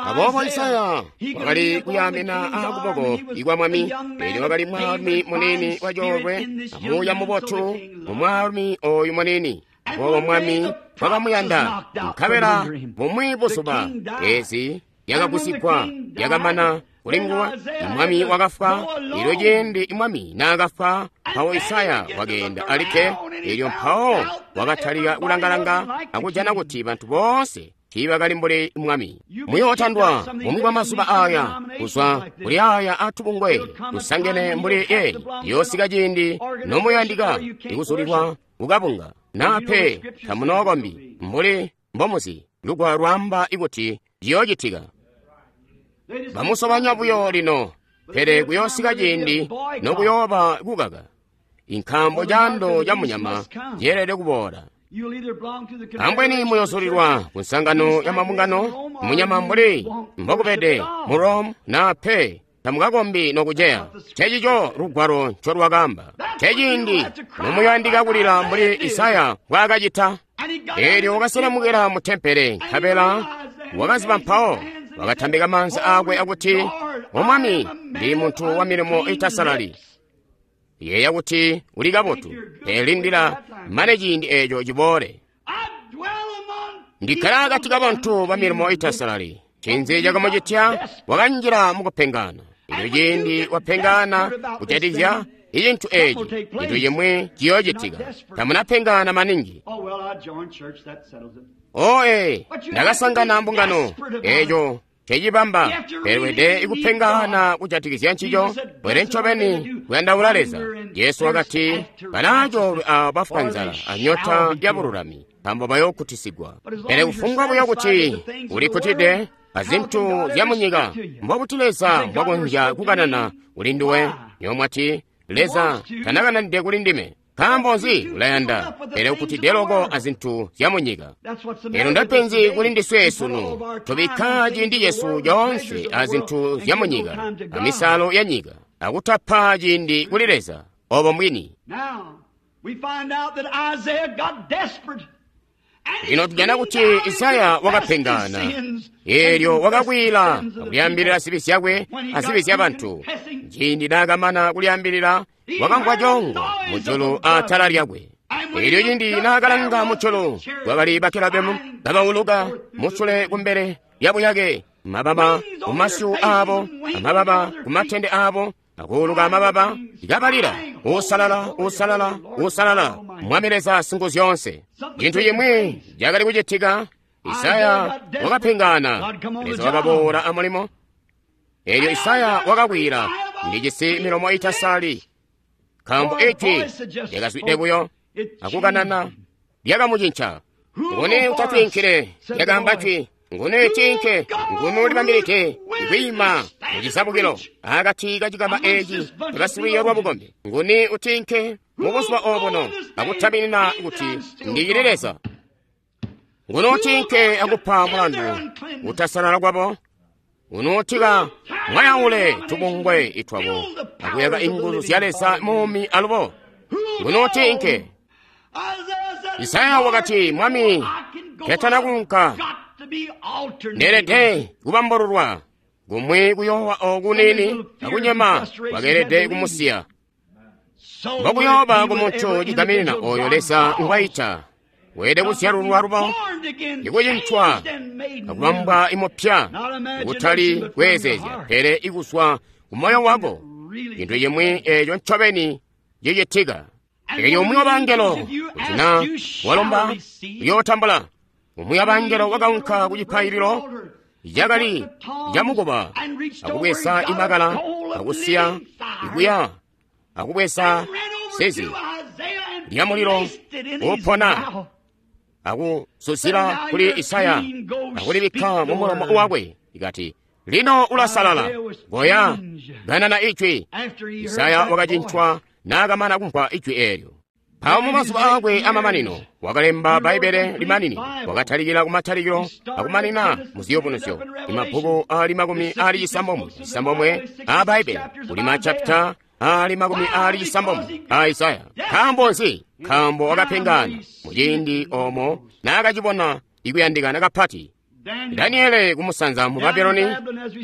Aboobo Isaya wakali kuyaamina aakuboko ikwa mwami, eelyo wakali mwaalumi muniini wa coolwe amuuya mubotu mu mwaalumi ooyu muniini. Aboobo mwami wakamuyanda, nkabela bumwi buzuba eezi yakagusigwa yakamana kuli nguwe. Mwami wakafwa. Eelyo ciindi mwami naakafwa, mpawo Isaya wakeenda alikke. Eelyo mpawo wakatalika kulangalanga akujana kuti bantu boonse tiibakali mbuli mwami. Muyootandwa bumwi bwa mazuba aaya kuzwa kuli aaya atubungwe tusangene mbuli yeeyi. Yoosika ciindi nomuyandika ikuzulilwa kukabunga, naa pe tamunookombi mbuli mbomuzi. Lugwalo lwaamba ikuti ciyoocitika. Bamusobanya buyo lino, pele kuyoosika ciindi nokuyooba kukaka. Inkambo caando ca munyama ceelede kuboola. Ambweni muyozulilwa ku nsangano ya mabungano munyama mbuli mbokubede mu Rome, naa pe tamukakombi nokuceya. Ncencico lugwalo ncolwakaamba. Nceciindi nomuyandika kulila mbuli Isaya mbwaakacita. Eelyo wakaselemukila mu tempele, nkabela wakaziba mpawo wakatambika maanza aakwe akuti, O Mwami, ndi muntu wa milimo itasalali. Yeeya kuti uli kabotu, pele lindila mane ciindi eeco ciboole. Ndikkala akati kabantu ba milimo itasalali. Ncinzi cakamucitya? Wakanjila mukupengana. Eelyo ciindi wapengana kujatikizya icintu eeci, cintu cimwi ciyoocitika. Tamunapengana maningi. Oe, ndakasangana mbungano eeco cecibamba, pele wede ikupengana kujatikizya ncico, pele ncobeni kuyandaula Leza. Jesu wakati, balaacoolwe aabo bafwa nzala anyota ya bululami, nkaambo bayookutisigwa. Pele kufumbwa buyo kuti ulikkutide azintu zya munyika, mbobuti Leza mbwakonzya kukanana kuli nduwe? Nyomwati, Leza tanakananide kuli ndime. Nkaambo nzi? Ulayanda, pele ukkutide loko azintu zya munyika. Elo ndapenzi kuli ndiswe sunu. Tubikka ciindi cesu coonse azintu zya munyika, amisalo ya nyika, akutapa ciindi kuli Leza. Obo mbwini. Lino tujana kuti Isaya wakapengana. Eelyo wakakwila akulyaambilila zibi zyakwe azibi zya bantu. Ciindi naakamana kulyaambilila, wakamvwa coongo mujulu aatala lyakwe. Eelyo ciindi naakalanga mujulu, kwakali bakelabemu kabauluka musule kumbele lyabuyake, mababa kumasyu aabo, amababa kumatende aabo, akuuluka amababa kabalila, uusalala, uusalala, uusalala, Mwami Leza Singuzyoonse. Cintu cimwi cakali kucitika. Isaya wakapengana. Leza wakaboola amulimo. Eelyo Isaya wakakwila, ndijisi milomo itasalali, nkaambo ijwi lyakazwide buyo akukanana lyakamucinca. Nguni utatwiinkile? Lyakaamba jwi. Nguni tiinke? Nguni ulibambilide kwiima mucizabukilo akati kacikama eeci cabasilwiiyo lwa bukombi? Nguni utiinke mubuzuba obuno akutaminina kuti ndicili Leza? Ngunotinke akupa mulandu utasalala kwabo, unotika mwayaule tubungwe itwabo akuyaka inguzu zya Leza muumi alubo. Ngunotinke. Isaya wakati, Mwami, ketana kunka, ndeelede kubambololwa. Kumwi kuyoowa oku nini akunyema kwakeelede kumusiya. Mbokuyooba kumuntu cigaminina oyo Leza ngwayita, weelede kuzyalulwa lubo, ikucintwa akubambwa imupya, kutali kweezezya, pele ikuswa kumoyo wako, cintu cimwi eeco ncobeni cicitika. Eelyo umwi wabangelo kuti na walomba uyootambula. Umwi wabangelo wakaunka ku cipaililo cakali camukuba akubweza imakala akusiya ikuya akubweza sezi lya mulilo upona akuzuzila kuli Isaya akulibikka mu mulomo wakwe, ikati, lino ulasalala, goya ganana ijwi. Isaya wakacintwa naakamana kumvwa ijwi eelyo. Mpawo mu mazuba aakwe amamanino wakalemba Bbaibbele limanini, wakatalikila kumatalikilo akumanina mu ziyubunuzyo, imabbuku aali 69 aa Bbaibbele, kuli machapita aali 90 aa Isaya. Nkaambo nzi? Nkaambo wakapengana muciindi oomo naakacibona ikuyandikana kapati. Daniele kumusanza mu Babuloni,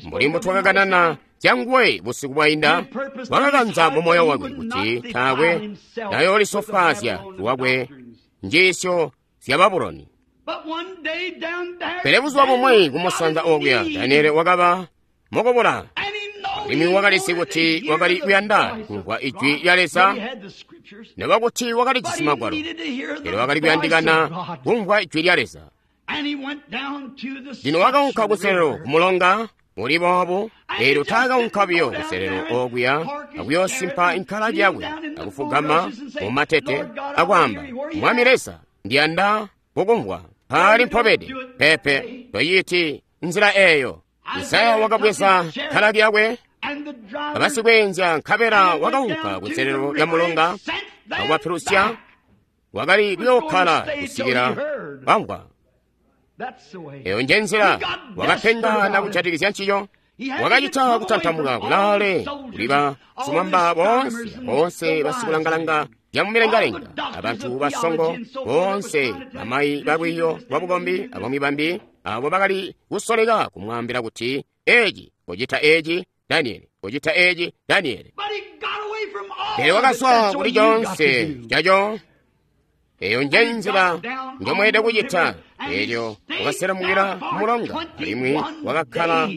mbuli mbutwakakanana zyanguwe busiku bwainda, wakakanza mu moyo wakwe kuti taakwe nayoolisofwaazya lwakwe njiisyo zya Babuloni. Pele buzuba bumwi kumusanza okuya, Daniele wakaba mukubula, alimwi wakalizi kuti wakali kuyanda kumvwa ijwi lya Leza, nokuba kuti wakalijisi magwalo, pele wakali kuyandikana kumvwa ijwi lya Leza. Lino wakaunka kuselelo kumulonga uli boobu, eelyo taakaunka buyo kuselelo okuya akuyoosimpa inkalaki yakwe akufugama mumatete akwaamba, Mwami Leza, ndiyanda kukumvwa paali mpobede. Pepe, toyiiti nzila eeyo. Isaya wakabweza nkalaki yakwe abasikweenzya, nkabela wakaunka kuselelo lya mulonga akubapilusya. Wakali kuyookkala kusikila bamvwa. Eyo nje nzila wakapengana kujatikizya nciyo. Wakacita kutantamuka kulaale kuli basumamba boonse, boonse basikulangalanga zyamumilengalenga, abantu basongo boonse, bamayi balwiiyo lwa bukombi abamwi bambi, abo bakali kusoleka kumwaambila kuti, eci, kucita eci, Daniele, kucita eci, Daniele. Pele wakazwa kuli coonse caco. Eyo nje nzila njomweelede kucita. Eelyo wakaselamukila kumulonga, alimwi wakakkala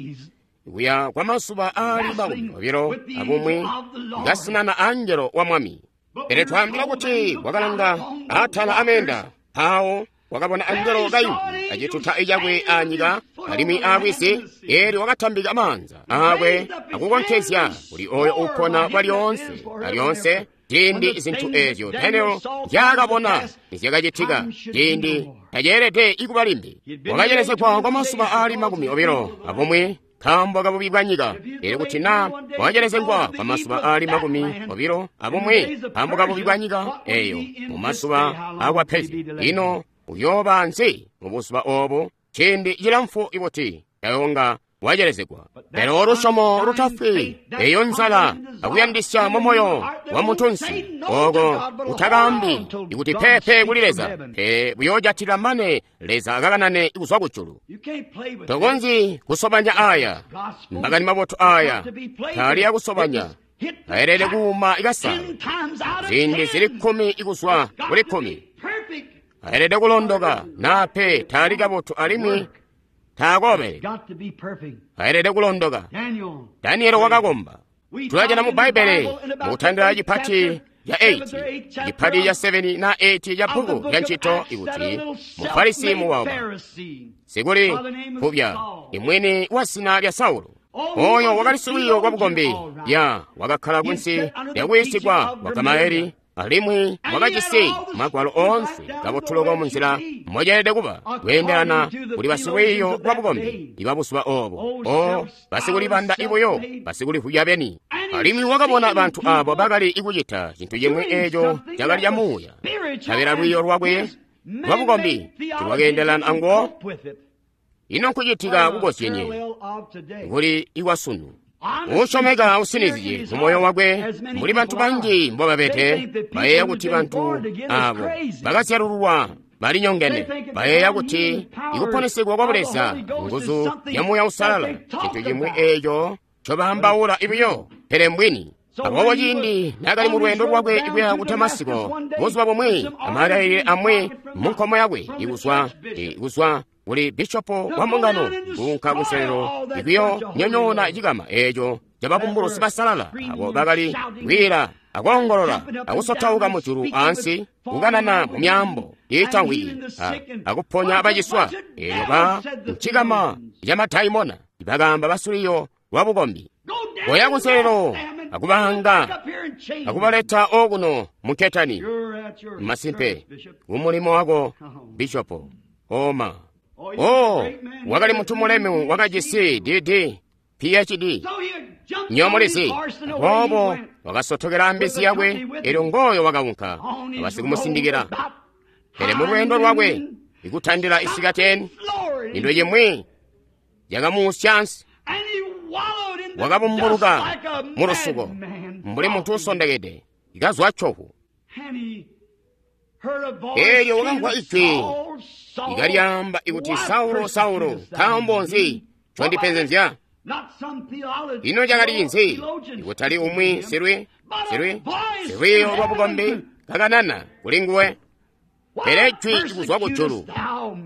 kuya kwa mazuba aali 21 kasinana angelo wa Mwami. Pele twaambila kuti wakalanga atala ameenda, mpawo wakabona angelo kayimvwi acituta cakwe anyika alimwi alwizi. Eelyo wakatambika maanza aakwe akukonkezya kuli oyo uupona kwalyoonse alyoonse. Ciindi zintu eezyo Daniel nzyaakabona nizyakacitika, ciindi taceelede ikuba limbi. Wakacelezegwa kwa mazuba aali 21 nkaambo kabubi bwa nyika. Eelyo kuti naa wakacelezegwa kwa mazuba aali 21 nkaambo kabubi bwa nyika eeyo mu mazuba aakwa Persia, ino uyooba nzi mubuzuba oobu ciindi cilamfu ibuti tayonga wacelezegwa. Pele lusyomo lutafwi, eyo nzala akuyandisya mu moyo wa muntunsi, oko utakaambi ikuti pepe kuli Leza, pele buyoojatila mane Leza akakanane kuzwa kujulu. Tokonzyi kusobanya aya makani mabotu aya, taali akusobanya, aelede kuuma ikasalo ziindi zili 10 ikuzwa kuli 10. Aelede kulondoka naa pe taali kabotu alimwi taakobeleka. Aelede kulondoka. Daniele wakakomba. Tulajana mu Bbaibbele mukutandila cipati ca 8, cipati ca 7 na 8 ca bbuku lya ntchito ikuti Mufarisi muwauba, sikuli phupya, imwini wa zina lya Saulo. Oyo wakali silwiiyo lwa bukombi, ya wakakhala kunsi lyakuyiisigwa kwa Gamalieli, alimwi wakajisi magwalo oonse kabotuloko munzila moceelede kuba kweendelana kuli basilwiiyo lwa bukombi ibabuzuba oobo, o basikulibanda ibuyo, basikulivwya beni. Alimwi wakabona bantu abo bakali ikucita cintu cimwi eeco cakali ca muuya. Nkabela lwiiyo lwakwe lwabukombi tiilwakeendelana anguwo? Ino nkucitika kukozyenye kuli ikwasunu? Uusyomeka usinizye mumoyo wakwe, mbuli bantu banji mbobabede, bayeeya kuti bantu aabo bakazyalululwa balinyongene. Bayeeya kuti ikuponesegwa kwa Buleza nguzu ya Muuya Uusalala cintu cimwi eeco ncobaambaula buyo, pele mbwini. Aboobo ciindi naakali mu lweendo lwakwe kuya ku Damasiko, buzuba bumwi amalailile amwi munkomo yakwe ikuzwa kuli bishopo wa mbungano kuunka kunselelo ikuyonyonyoona cikama eeco cababumbulusi basalala abo bakali kwiila akoongolola akusotauka mujulu ansi kukanana mu myaambo iitamvwiki akuponya baciswa. Eelyo ba ncikama camadaimona bakaamba basuliyo lwabukombi, koya kunselelo akubanga akubaleta okuno munketani. Masimpe kumulimo wako bishopo oma. Oh, wakali muntu mulemu wakajisi DD PhD nyomulizi. Aboobo wakasotokela mbizi yakwe, elyo ngoyo wakaunka abasikumusindikila. Pele mu lweendo lwakwe ikutandila isikateni, into cimwi yakamuusya ansi. Wakabumbuluka mu lusuko mbuli muntu usondekede ikazwa cohu. Eelyo wakamvwa ijwi ikalyaamba ikuti, Saulo, Saulo, nkaambo nzi condipenzenzya? Ino cakali nzi? Ikutali umwi silwiiyo lwabukombi kakanana kuli nguwe, pele jwi kuzwa kujulu,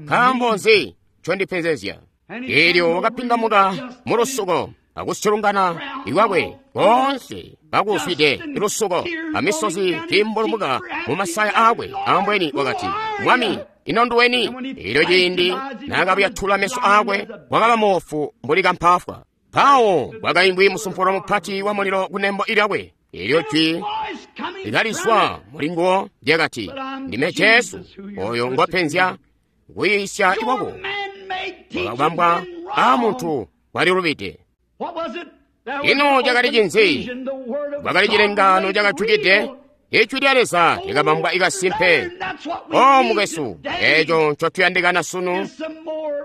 nkaambo nzi condipenzezya? Eelyo wakapindamuka mu lusuko akusyulungana ikwakwe koonse kakuzwide lusuko amisozi kiimbulumuka mu masaya aakwe. Ambweni wakati, Mwami, ino nduweni? Eelyo ciindi naakabuyatula meso aakwe, wakaba moofu mbuli kampaafwa. Mpawo kwakaimvwi musumpulo mupati wa mulilo kunembo lyakwe. Eelyo jwi likalizwa mulinguwo lyakati, Ndime Jesu oyo ngwapenzya. Kuyiisya ikwako kwakabambwa aamuntu walilubide. Ino cakali cinzi? Kwakali cilengaano cakajukide. Ijwi lya Leza lyakabambwa ikasimpe. O mukwesu, eeco ncotuyandikana sunu,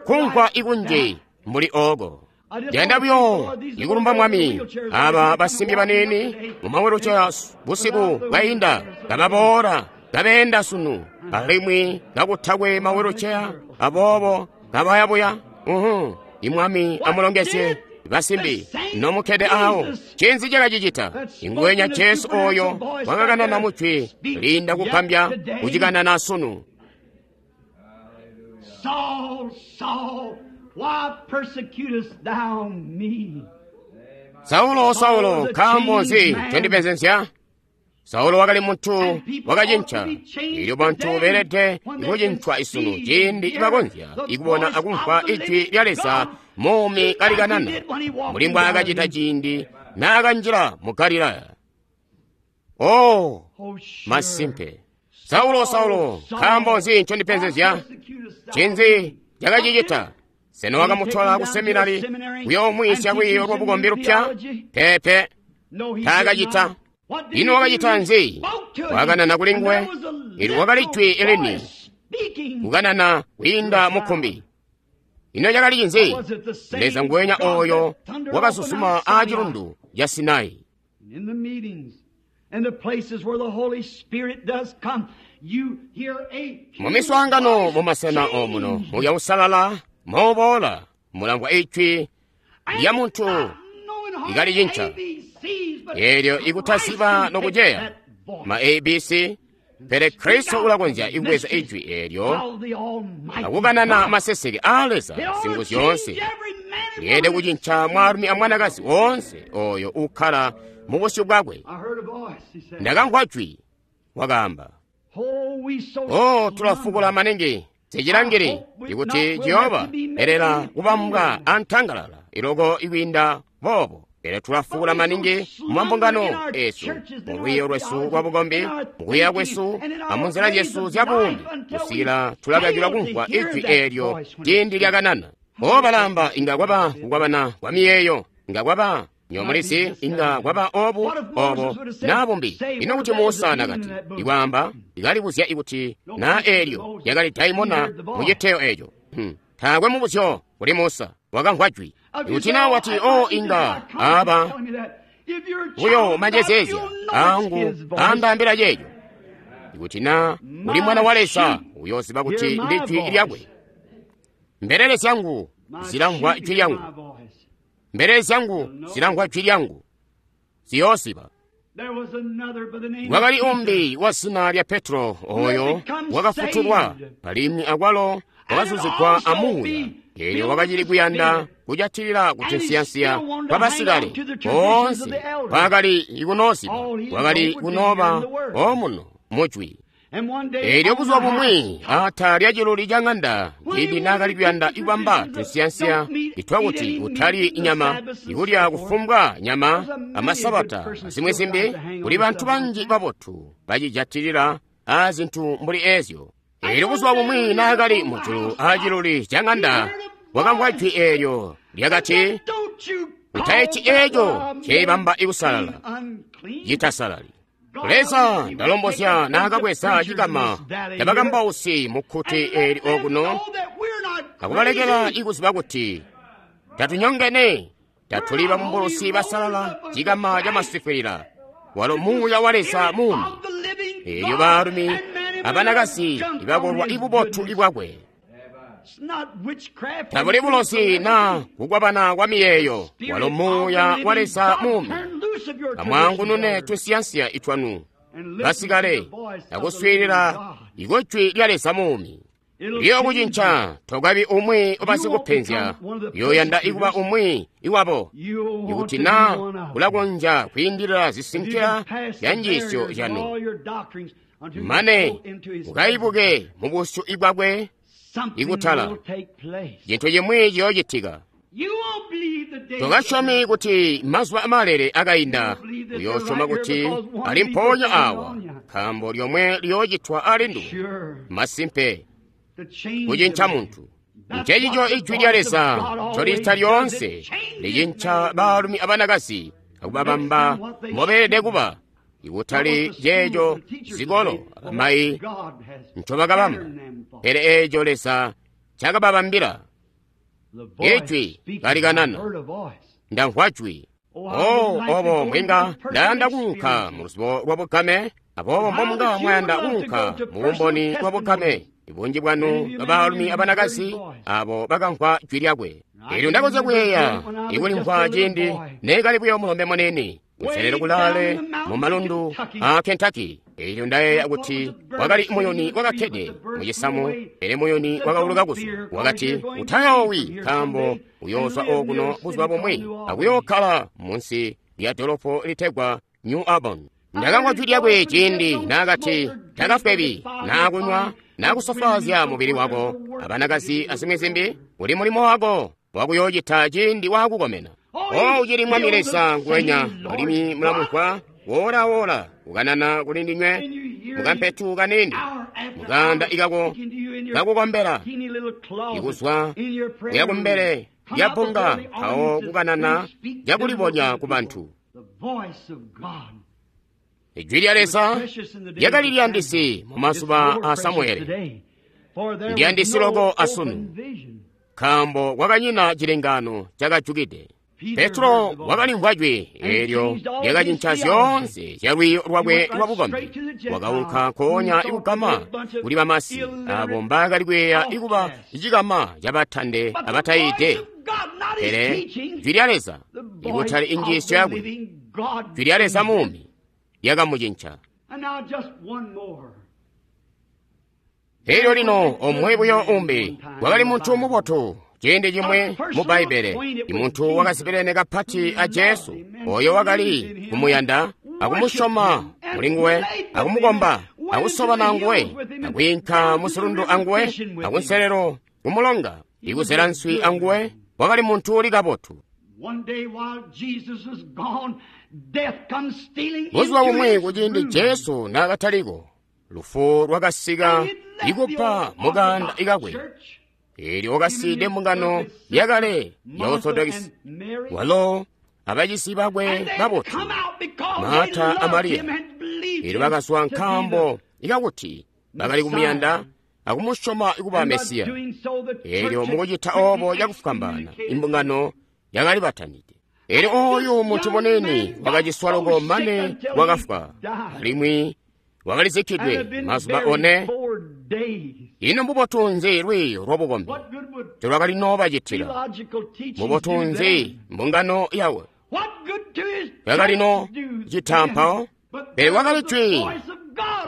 kumvwa ikunji mbuli ooko. Ndiyanda buyo ikulumba Mwami aba basimbi baniini mu mawiluceya busiku bwainda kababoola kabeenda sunu, alimwi kakutakwe mawiluceya, aboobo kabayabuya. Imwami amulongezye basimbi nomukkede awo. Ncinzi cakacicita? Ingwenya Jesu oyo wakakanana mujwi liinda kugambya kucikanana sunu. Saul, Saul, why persecutest thou me? Saulo, Saulo, nkaambo nzi ncondipenzenzya? Saulo wakali muntu wakacinca. Elyo bantu beelede kucincwa isunu ciindi ibakonzya ikubona akumvwa ijwi lya Leza muumi kalikanana mbuli mbwaakacita ciindi naakanjila mu Galilaya. Oh, masimpe. Saulo, Saulo, nkaambo nzi ncondipenzezya? Ncinzi cakacicita? Sena wakamutola ku seminari kuyoomwiisya lwiiyo lwabukombi lupya? Peepe, taakacita. Ino wakacita nzi? Wakanana kuli nguwe. Ili wakali jwi elini kukanana kwiinda mukkumbi. Ino cakali cinzi? Leza nguwenya oyo wakazuzuma aa cilundu ca Sinai. In the meetings and the places where the Holy Spirit does come, you hear a Mu miswaangano mumasena omuno Muuya Uusalala mooboola mulamvwa ijwi lya muntu ikalicinca. Eelyo ikutaziba nokuceya ma ABC, pele Kristo ulakonzya ikubweza ijwi eelyo akukanana maseseke aa Leza singuzu zyoonse. Lyeelede kucinca mwaalumi amwanakazi woonse oyo ukkala mu busyu bwakwe. I heard a voice, he said, Ndakamvwa jwi, wakaamba, Oh, we so O tulafukula maningi sicilangili ikuti Jehova elela kubambwa antangalala iloko ikwiinda boobo. Pele tulafukula maningi mu mambungano esu, mu lwiiyo lwesu lwa bukombi, mu kuyeeya kwesu amunzila zyesu zya buumi, kusikila tulakakilwa kumvwa ijwi eelyo ciindi lyakanana. O balamba inga kwaba kukwabana kwa miyeeyo, inga kwaba Nywebo mulizi, inga kwaba obu, obo, na bumbi. Ino kuti Musa nakati, ikwaamba, ikalibuzya ikuti na eelyo yakali daimona mu citeyo eco. Taakwe mubuzyo kuli Musa, wakamvwa jwi. Ikuti na wati, o inga aba buyo manjezeezya angu andaambila ceeco. Ikuti na uli mwana wa Leza, uyoziba kuti ndi jwi lyakwe. Mbelele zyangu zilamvwa jwi lyangu. Mbelele zyangu zilamvwa jwi lyangu. Ziyoziba. Wakali umbi wa zina lya Petro, oyo wakafutulwa, alimwi akwalo wakazuzigwa amuuya. Eelyo wakacili kuyanda kujatilila kutinsiyansiya kwa basikale boonse kwakali ikunoziba, kwakali kunoba omuno mujwi. Eelyo buzuba bumwi ata lya ciluli ca ŋanda, ciindi naakali kuyanda ikubamba tunsiyansiya itwakuti utalyi nyama, ikulya kufumbwa nyama amasabata azimwi zimbi, kuli bantu banji babotu bacijatilila aazintu mbuli eezyo. Eelyo buzuba bumwi naakali mujulu aaciluli ca ŋanda, wakamvwa jwi eelyo lyakati, utaiti eeco ceibamba ikusalala, citasalali. Leza ndalombozya naakabweza cikama cabakambausi mukkuti eeli okuno, akubalekela ikuziba kuti tatunyongene, tatuli babumbulusi basalala, cikama camasifwilila, walo muuya wa Leza muumi. Eelyo baalumi abanakazi ibakolwa ibubotu ibwakwe. Tabuli bulozi na kukwabana kwa miyeeyo, walo muuya wa Leza muumi. Amwaangunune tunsiyansiya itwanu basikale akuswiilila ikujwi lya Leza muumi. Liyokucinca tokabi umwi ubasikupenzya, uyoyanda ikuba umwi iwabo. Ikuti na ulakonzya kwiindilila zisinkila zya njiisyo zyanu, mane ukaibuke mu busyu bwakwe ikutala, cintu cimwi ciyoocitika. Tokasyomi kuti mazuba amalele akainda, uyosyoma kuti ali mpoonya awa, nkaambo lyomwe liyoocitwa alindu. Masimpe, kucinca muntu. Ncencico ijwi lya Leza ncolicita lyoonse, licinca baalumi abanakazi akubabamba mbobeelede kuba, ikutali ceeco zikolo abamayi ncobakabamba, pele eeco Leza ncakababambila. Ijwi kalikanana, ndamvwa jwi. O obo mbwinga ndayanda kuunka mu luzibo lwa bugame, aboobo mbomunga mwayanda kuunka mu bumboni bwa bugame. Bunji bwanu babaalumi abanakazi abo bakamvwa jwi lyakwe. Eelyo ndakonzya kuyeeya ikulimvwa ciindi neekali buyo mulombe munene kunselelo kulaale mu malundu a Kentucky. Eelyo ndayeeya kuti wakali muyuni wakakkede mu cisamu, pele muyuni wakauluka kuzwa. Wakati, utayoowi, nkaambo uyoozwa okuno buzuba bumwi akuyookkala munsi lya dolopo litegwa New Auburn. Ndakamvwa jwi lyakwe ciindi naakati, takafwebi naakunywa naakusofwaazya mubili wako abanakazi azimwi zimbi, uli mulimo wako wakuyoocita ciindi waakukomena. O ucili Mwami Leza nguwenya, alimwi mulamumvwa woola-woola kukanana kuli ndinywe mukampetu kaniini mukaanda ikako kakukombela, ikuzwa kuya kumbele lya bbunga mpawo kukanana cakulibonya ku bantu. Ijwi lya Leza lyakali liyandisi mu mazuba a Samuele, ndiyandisi loko asunu, nkaambo kwakanyina cilengano cakajukide. Petro wakalimvwa jwi eelyo lyakacinca zyoonse zya lwiiyo lwakwe lwa bukombi. Wakaunka nkoonya ikugama kuli bamasi abo mbaakali kuyeeya ikuba cikama cabatande abatayiide. Pele jwi lya Leza, ikutali injiisyo yakwe, jwi lya Leza muumi lyakamucinca. Elyo lino omwe buyo umbi wakali muntu mubotu. Ciindi cimwe mu Bbaibbele, imuntu wakazibelene kapati a Jesu, oyo wakali kumuyanda akumusyoma mulinguwe, akumukomba, akusobana anguwe, akwiinka musilundu anguwe, akunselelo kumulonga, ikuzela nswi anguwe, wakali muntu uli kabotu. Buzuba bumwi kuciindi Jesu naakataliko, lufu lwakasika ikupa mukaanda ikakwe. Eelyo wakasiide mbungano yakale ya Orthodox, walo abacisi bakwe babotu, Marta a Mariya. Elyo bakazwa nkaambo ikakuti bakali kumuyanda akumusyoma kuba Mesiya. Elyo mukucita obo cakufwambaana, imbungano yakali batanide. Elyo oyu muntu munene wakaciswa loko mane wakafwa, alimwi wakalizikkidwe mazuba one. Ino mbubotu nzi lwiiyo lwabukombi telwakali noobacitila? Mbubotu nzi mbungano yawe yakali no cita mpawo? Pele wakali jwi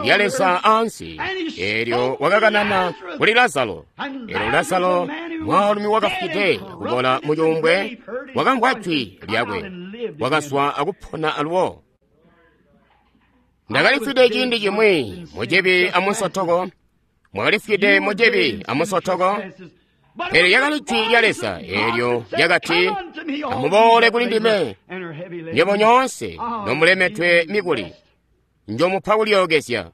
lya Leza ansi, eelyo wakakanana kuli Lazaro. Eelyo Lazaro, mwaalumi wakafwide akubola mucuumbwe, wakamvwa jwi lyakwe, wakazwa akupona alubo. Ndakalifwide ciindi cimwi mucibi amunsotoko, mwakalifwide mucibi amunsotoko, pele lyakali jwi lya Leza eelyo lyakati, amuboole kuli ndime, nywebo nyoonse nomulemetwe mikuli, njomupa kulyookezya.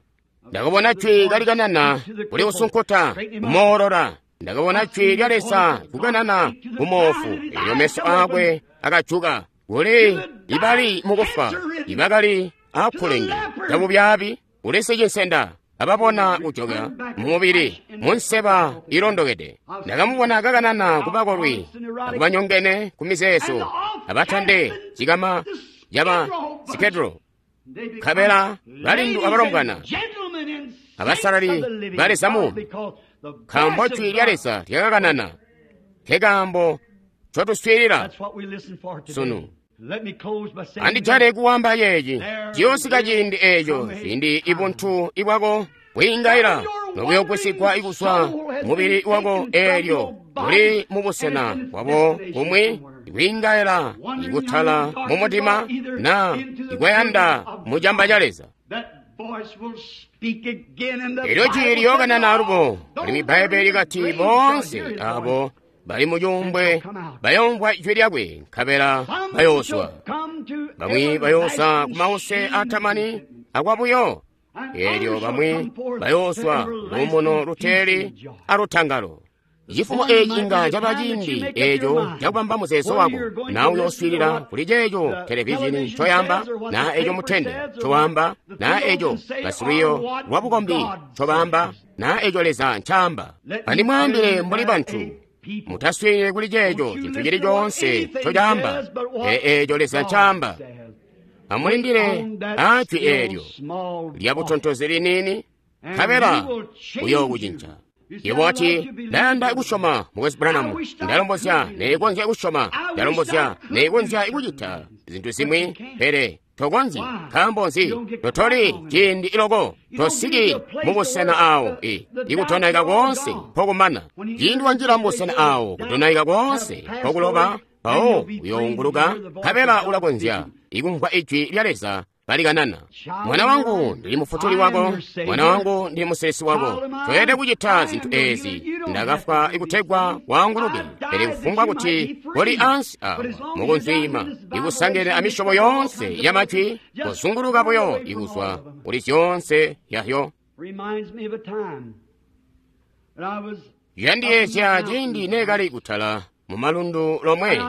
Ndakabona jwi kalikanana kuli usunkuta kumoolola. Ndakabona jwi lya Leza kukanana kumoofu, eelyo meso aakwe akajuka. Kuli ibali mukufa, ibakali akulenge cabubyaabi, kuli sicinsenda ababona kujoka mumubili munseba ilondokede. Ndakamubona kakanana kubakolwi akubanyongene kumizeezo, abatande cikama caba sikedro, nkabela balindu abalombwana abasalali ba Leza muumi, nkaambo jwi lya Leza lyakakanana. Nkekaambo ncotuswiilila sunu. Andijale kuwamba yeeci, ciyoosika ciindi eeco ciindi ibuntu ibwako bwiingaila nobuyogwisigwa kuzwa mubili wako, eelyo buli mubusena bwabo kumwi ikwiingaila ikutala mumutima na ikwayanda mucamba ca Leza. Elyo jwi liyookanana alubo, alimwi Bbaibele likati boonse abo bali mucuumbwe bayoomvwa jwi lyakwe, nkabela bayoozwa. Bamwi bayooza kumause aatamani akwabuyo, eelyo bamwi bayoozwa luumuno luteeli alutangalo. Cifumo eeci inga caba ciindi eeco cakubamba muzeezo wako, na uyooswiilila kuli ceeco televizhini ncoyaamba, na eeco mutende ncowaamba, na eeco basilwiiyo lwabukombi ncobaamba, na eeco Leza ncaamba. Andimwaambile mbuli bantu, mutaswiilile kuli ceeco cintu cili coonse ncocaamba, pele eeco Leza ncaamba. Amulindile aajwi eelyo lyabutontozi liniini, nkabela uyookucinca. Yebo wati, ndayanda kusyoma Mukwesu Branham, ndalombozya neekonzya kusyoma, ndalombozya neekonzya kucita zintu zimwi, pele tokonzyi. Nkaambo nzi? Totoli ciindi iloko, tosiki mubusena aawo ikudonaika koonse mpokumana. Ciindi wanjila mubusena aawo kudonaika koonse mpokuloba, mpawo uyounguluka, nkabela ulakonzya ikumvwa ijwi lya Leza balikanana. Mwana wangu, ndili mufutuli wako, mwana wangu, ndili musilisi wako. Toyelede kucita zintu eezi. Ndakafwa ikutegwa waanguluke, pele kufumbwa kuti koli ansi awa mukunzwiima, ikusangene amisyobo yoonse yamajwi, kuzunguluka buyo ikuzwa kuli zyoonse yahyo. Yandiyeezya ciindi neekali kutala mumalundu lomwe,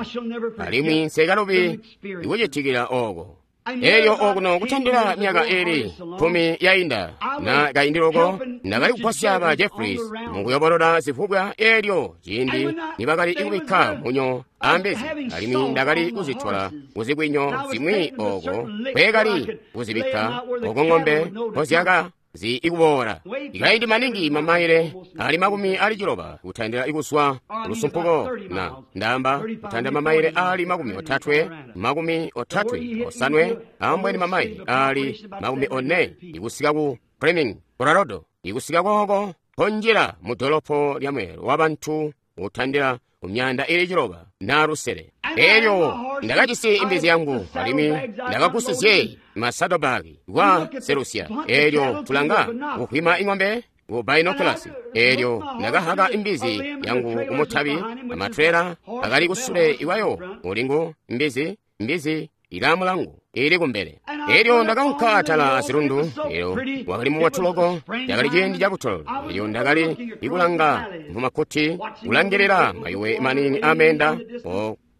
alimwi nsekalubi ikucitikila ooko. Elyo okuno kutandila myaka ili 10 yainda na kaindi loko, ndakali kugwasya ba Jeffries mukuyobolola zivubwa elyo ciindi nibakali kubikka munyo ambezi, alimwi ndakali kuzitola kuzikwinyo zimwi oko kweekali kuzibikka oko ng'ombe mpozyaka zi ikuboola. Ikaindi maningi mamaile ali 60 kutandila ikuswa lusumpuko, na ndamba kutandila mamaile ali 35, 35 ambweni mamaile ali 40 ikusika ku Fleming, Colorado, ikusika kooko ponjila mu dolopo lya mweelo wa bantu kutandila kumyanda ili 9 na lusele. Elyo ndakajisi imbizi yangu, alimwi ndakagusizye masadobaki kwa selusia. Elyo tulanga kuhwima ing'ombe ku binoculars. Elyo ndakahaka imbizi yangu kumutabi, amatrela akali kusule iwayo ulingu imbizi, imbizi ilamulangu ili kumbele. Elyo ndakaunka atala azilundu, elyo wakali mubotu loko, cakali ciindi cakutolola. Elyo ndakali ikulanga mumakuti, kulangilila mayuwe manini amenda.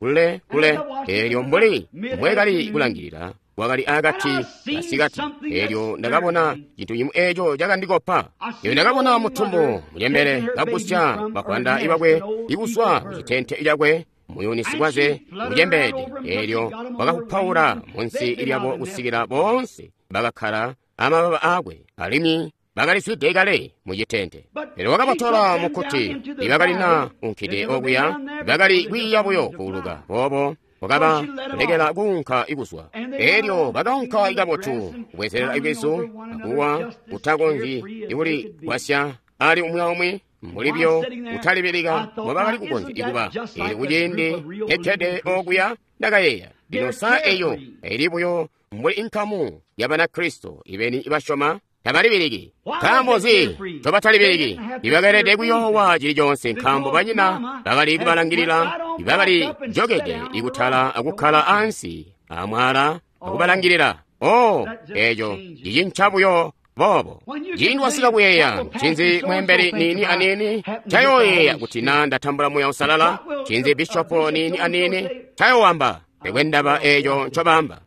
kule kule. Elyo mbuli mbwekali kulangilila, kwakali akati kasikati, elyo ndakabona cintu cimwi eco cakandikopa. Elyo ndakabona mutumbu mucembele kagusya bavwanda ibakwe ikuzwa kucitente cakwe, muyuni sikwaze mucembeede. Elyo wakafupaula munsi lyabo kusikila boonse bakakkala amababa akwe, alimwi bakalizwide kale mucitente. Pele wakabatola mukkuti, ibakalina unkide okuya, bakali kwiiya buyo kuuluka boobo wakaba lekela kuunka ikuzwa. Elyo bakaunka ikabotu kubwezelela ibwezu akuwa kutakonzyi ikuligwasya ali umwi aumwi mbulibyo kutalibilika mbobakali kukonzya ikuba. Elyo kuciindi kekkede okuya ndakayeeya, lino sa eyo ili buyo mbuli inkamu ya Banakristo ibeni ibasyoma tabalibiliki. Nkaambo nzi ncobatalibiliki? Ibakeelede kuyoowa cili coonse nkaambo banyina bakali kubalangilila, ibakali jokede ikutala akukkala ansi amwala akubalangilila. Oh, eco cicinca buyo boobo. Ciindi wasika kuyeeya, ncinzi mweembeli niini aniini ncayooyeeya kuti na ndatambula Muuya Uusalala? Ncinzi bishopo niini aniini ncayooamba? Pekwe ndaba eeco ncobaamba.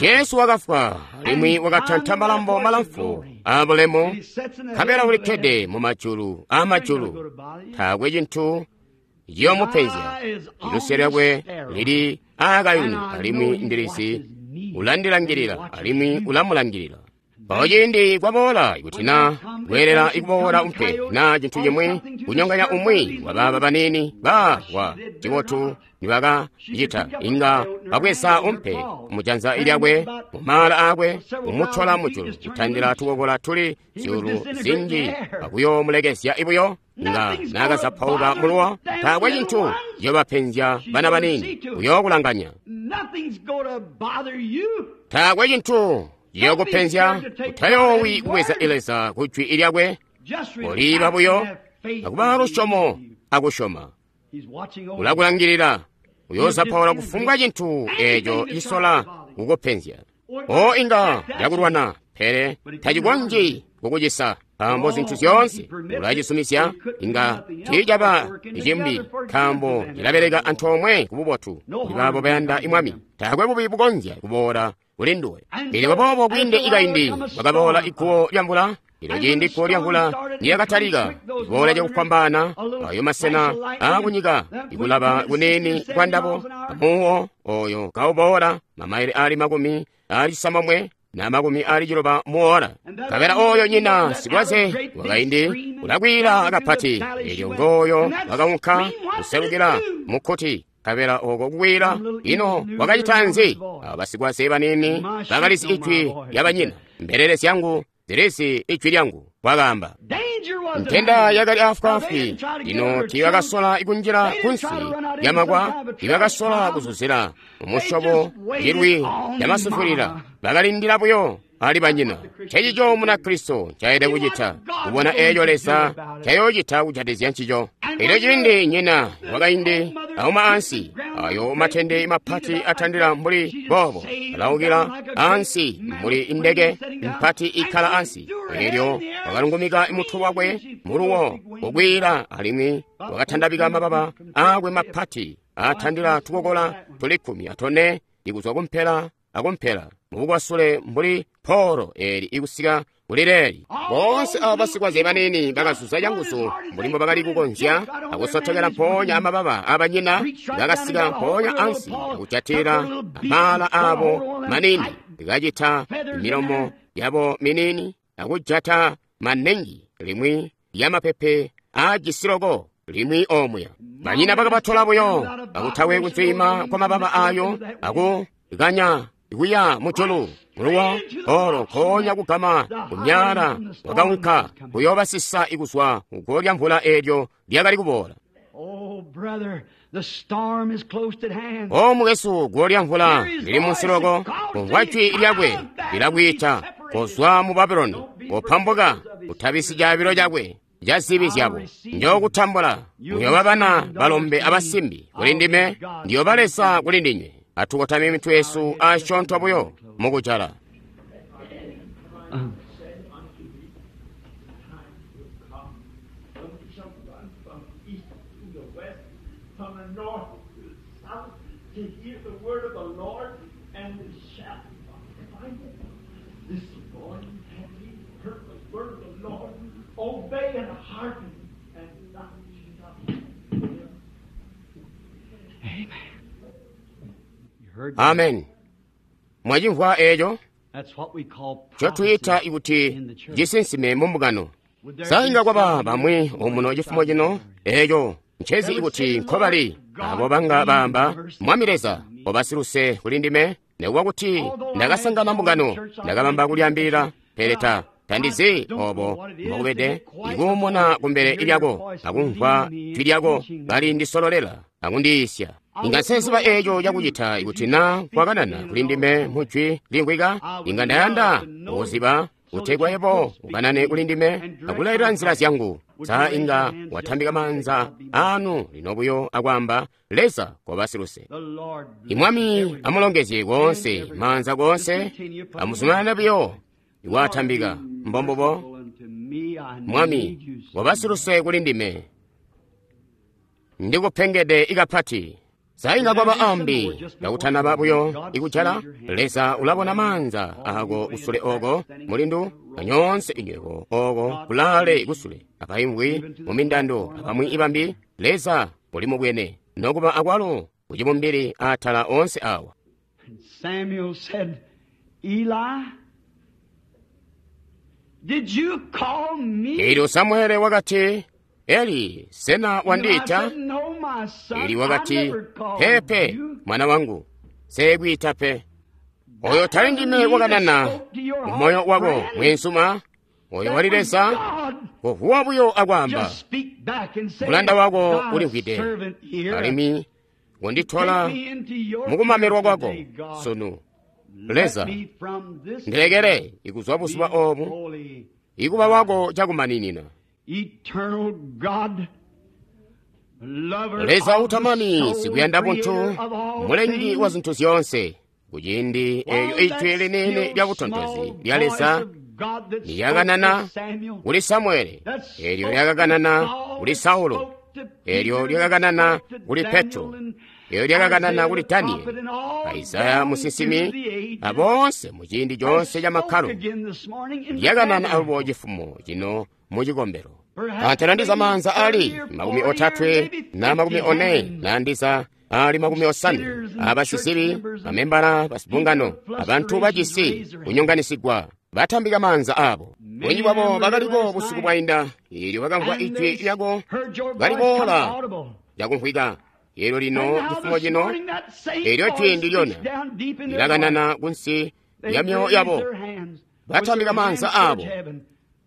Jesu wakafwa alimwi wakatanta malambo malamfu aabulemu, nkabela ulikkede mu majulu aamajulu. Taakwe cintu ciyoomupenzya. Iluse lyakwe lili aakayuni, alimwi ndilizi ulandilangilila alimwi ulamulangilila. Mpawo ciindi kwaboola kuti na kweelela ikuboola umpe na cintu cimwi kunyonganya umwi wabaaba baniini ba wa cibotu nibakacita, inga babweza umpe mujanza lyakwe mumaala aakwe kumutola mujulu kutandila tukokola tuli zyuulu zinji akuyoomulekezya ibuyo. Inga nakazapauka muluwo. Taakwe cintu ciyobapenzya bana baniini, uyookulanganya. Taakwe cintu ciyokupenzya. Utayoowi kubweza Leza ku jwi lyakwe. Koliiba buyo akuba lusyomo akusyoma. Ulakulangilila, uyoozapaula kufumbwa cintu eeco cisola kukupenzya. O inga cakulwana, pele tacikonzyi kukucisa, nkaambo zintu zyoonse ulacisumizya. Inga tiicaba cimbi, nkaambo cilabeleka antoomwe kububotu kuli baabo bayanda Mwami. Taakwe bubi bukonzya kuboola kuli nduwe. Elyo boobo kwiinde ikaindi kwakaboola iguwo lyamvula. Elyo ciindi iguwo lyamvula niyakatalika iboola cakufwambaana, ayo masena aakunyika ikulaba kuniini kwa ndabo, amuwo oyo kauboola mamaile aali 69 na 90 muola. Nkabela oyo nyina sikwaze wakaindi ulakwiila kapati. Elyo ngooyo wakaunka kuselukila mukkuti. Nkabela oko kukwiila, ino wakacita nzi? Abo basikwaze baniini bakalizi ijwi lya banyina. Mbelele zyangu zilizi ijwi lyangu, wakaamba. Ntenda yakali afwaafwi. Lino tiibakasola kunjila kunsi lyamakwa, tiibakasola kuzuzila mumusyobo cilwi camasufulila. Bakalindila buyo ali banyina. Ncecico Munakristo ncaelede kucita, kubona eeco Leza ncayoocita kujatizya ncico. Elyo ciindi nyina wakaindi auma ansi, ayo matende mapati atandila mbuli boobo, alaukila ansi mbuli indeke mpati ikkala ansi. Elyo wakalungumika mutwe wakwe muluwo kukwiila, alimwi wakatandabika mababa aakwe mapati atandila tukokola tuli 14 ikuzwa kumpela akumpela mubukwasule mbuli polo eli ikusika kuli leeli. Boonse abo basikwaze baniini bakazuza canguzu mbuli mbo bakali kukonzya akusotokela mpoonya amababa abanyina, bakasika mpoonya ansi akujatilila amaala abo maniini, kacita milomo yabo miniini akujata manengi limwi lyamapepe aajisi loko limwi omuya. Banyina bakabatola buyo akutawe kunzwiima kwa mababa ayo akukanya kuya mujulu muluwo olo nkoonya kugama kumyala wakaunka kuyoobasisa ikuzwa kuguwo lya mvula eelyo lyakali kuboola. O mukwesu, guwo lya mvula lili munsi loko, kumvwa jwi lyakwe lilakwiita, kozwa mu Babuloni, kopambuka, utabisi caabilo cakwe ca zibi zyabo. Njookutambula, muyooba bana balombe abasimbi kuli ndime, ndiyooba Leza kuli ndinywe. Atukotame mitwe yesu asyoonto buyo mukujala. house to hear the word of the Lord and to shout, find it. This morning have ye heard the word of the Lord? Obey and hearken and not stop. Amen. You heard that? Amen. Mwachimvwa echo That's what we call chotuyita prophecy ikuti in the church. chisinsime mu mbungano. Would there be Sainga kwaba some bamwe omuno chifumo chino echo nchezi ikuti nkhobali abo banga bamba Mwami Leza obasiluse kuli ndime nekuba kuti ndakasangana mbungano ndakabamba kulyambirira pele ta tandizi obo mbokubede ikuumuna kumbele lyako akumvwa jwi lyako kali ndisololela akundiyisya. Inga nsenziba echo chakuchita ikuti na kwakanana kuli ndime mu jwi limvwika inga ndayanda kuziba kutegwa yebo ukanane kuli ndime akulayirira nzira zyangu. Sa inga watambika manza anu lino buyo akwamba Leza kobasiluse. The Lord bless Imwami everyone. amulongezye konse manza konse amuzumanane buyo iwatambika mbombobo. Unto me, I Mwami need you so wabasiluse kuli ndime ndikupengede ikapati. Sainga kwaba ambi ndakuthanaba buyo ikujala Leza ulabona manza ako kusule oko mulindu anyonse inyweko oko kulale kusule apaimvwi mumindando apamwi ibambi Leza muli mubwene nokuba akwalo kuchibumbiri atala onse awa. And Samuel said, Eli, did you call me? Elyo Samuele wakati, Eli, sena Eli wandiita? said, No, my son, Eli I wakati, never called pepe you. mwana wangu seekwiita pe. Oyo tali ndime wakanana mu moyo wako mwensuma oyo wali Leza kuvuwa buyo akwamba Just speak back and say, mulanda wako "Thy ulimvwide servant here, alimwi kundithola take me into your mukumamirwa care kwako today, God. sunu. Let Leza me from this ndilekere ikuzwa buzuba be obu holy. ikuba wako chakumaninina. Eternal God, lover Leza of the utamani soul, sikuyanda bunthu creator of all mulengi wa things, zinthu zonse kuchindi eyo while ijwi that linene still lya butonthozi small lya Leza voice of God that spoke lyakanana to Samuel, kuli Samueli that elyo spoke to lyakakanana Saul, kuli that Saulo spoke to elyo Peter, that lyakakanana spoke to kuli Daniel Petro and elyo lyakakanana Isaiah kuli the Danieli prophet and all Isaya down musinsimi through the ages, abonse mu chindi has chonse cha spoke makhalo again this morning in the lyakanana tabernacle. alubo chifumo chino muchikombero. Perhaps Anthanandiza maybe manza ali 30 or makumi 40 or otatwe maybe na makumi 50 one hands. nandiza ali makumi osanu Sinners and church abasisibi members and bamembala basibungano people of abantu frustrations bachisi raise their hands. kunyonganisigwa batambika manza abo. Many Bunji of them bwabo were here bakaliko last busiku night, bwayinda ilyo bakamvwa and ijwi they lyako heard your voice come kaliboola audible. lyakumvwika. Elyo And lino now chifumo this chino morning that same elyo jwi voice ndilyona speaks down deep in their heart. lilakanana kunsi They ya myoyo raise yabo their hands with batambika their manza hands towards abo heaven,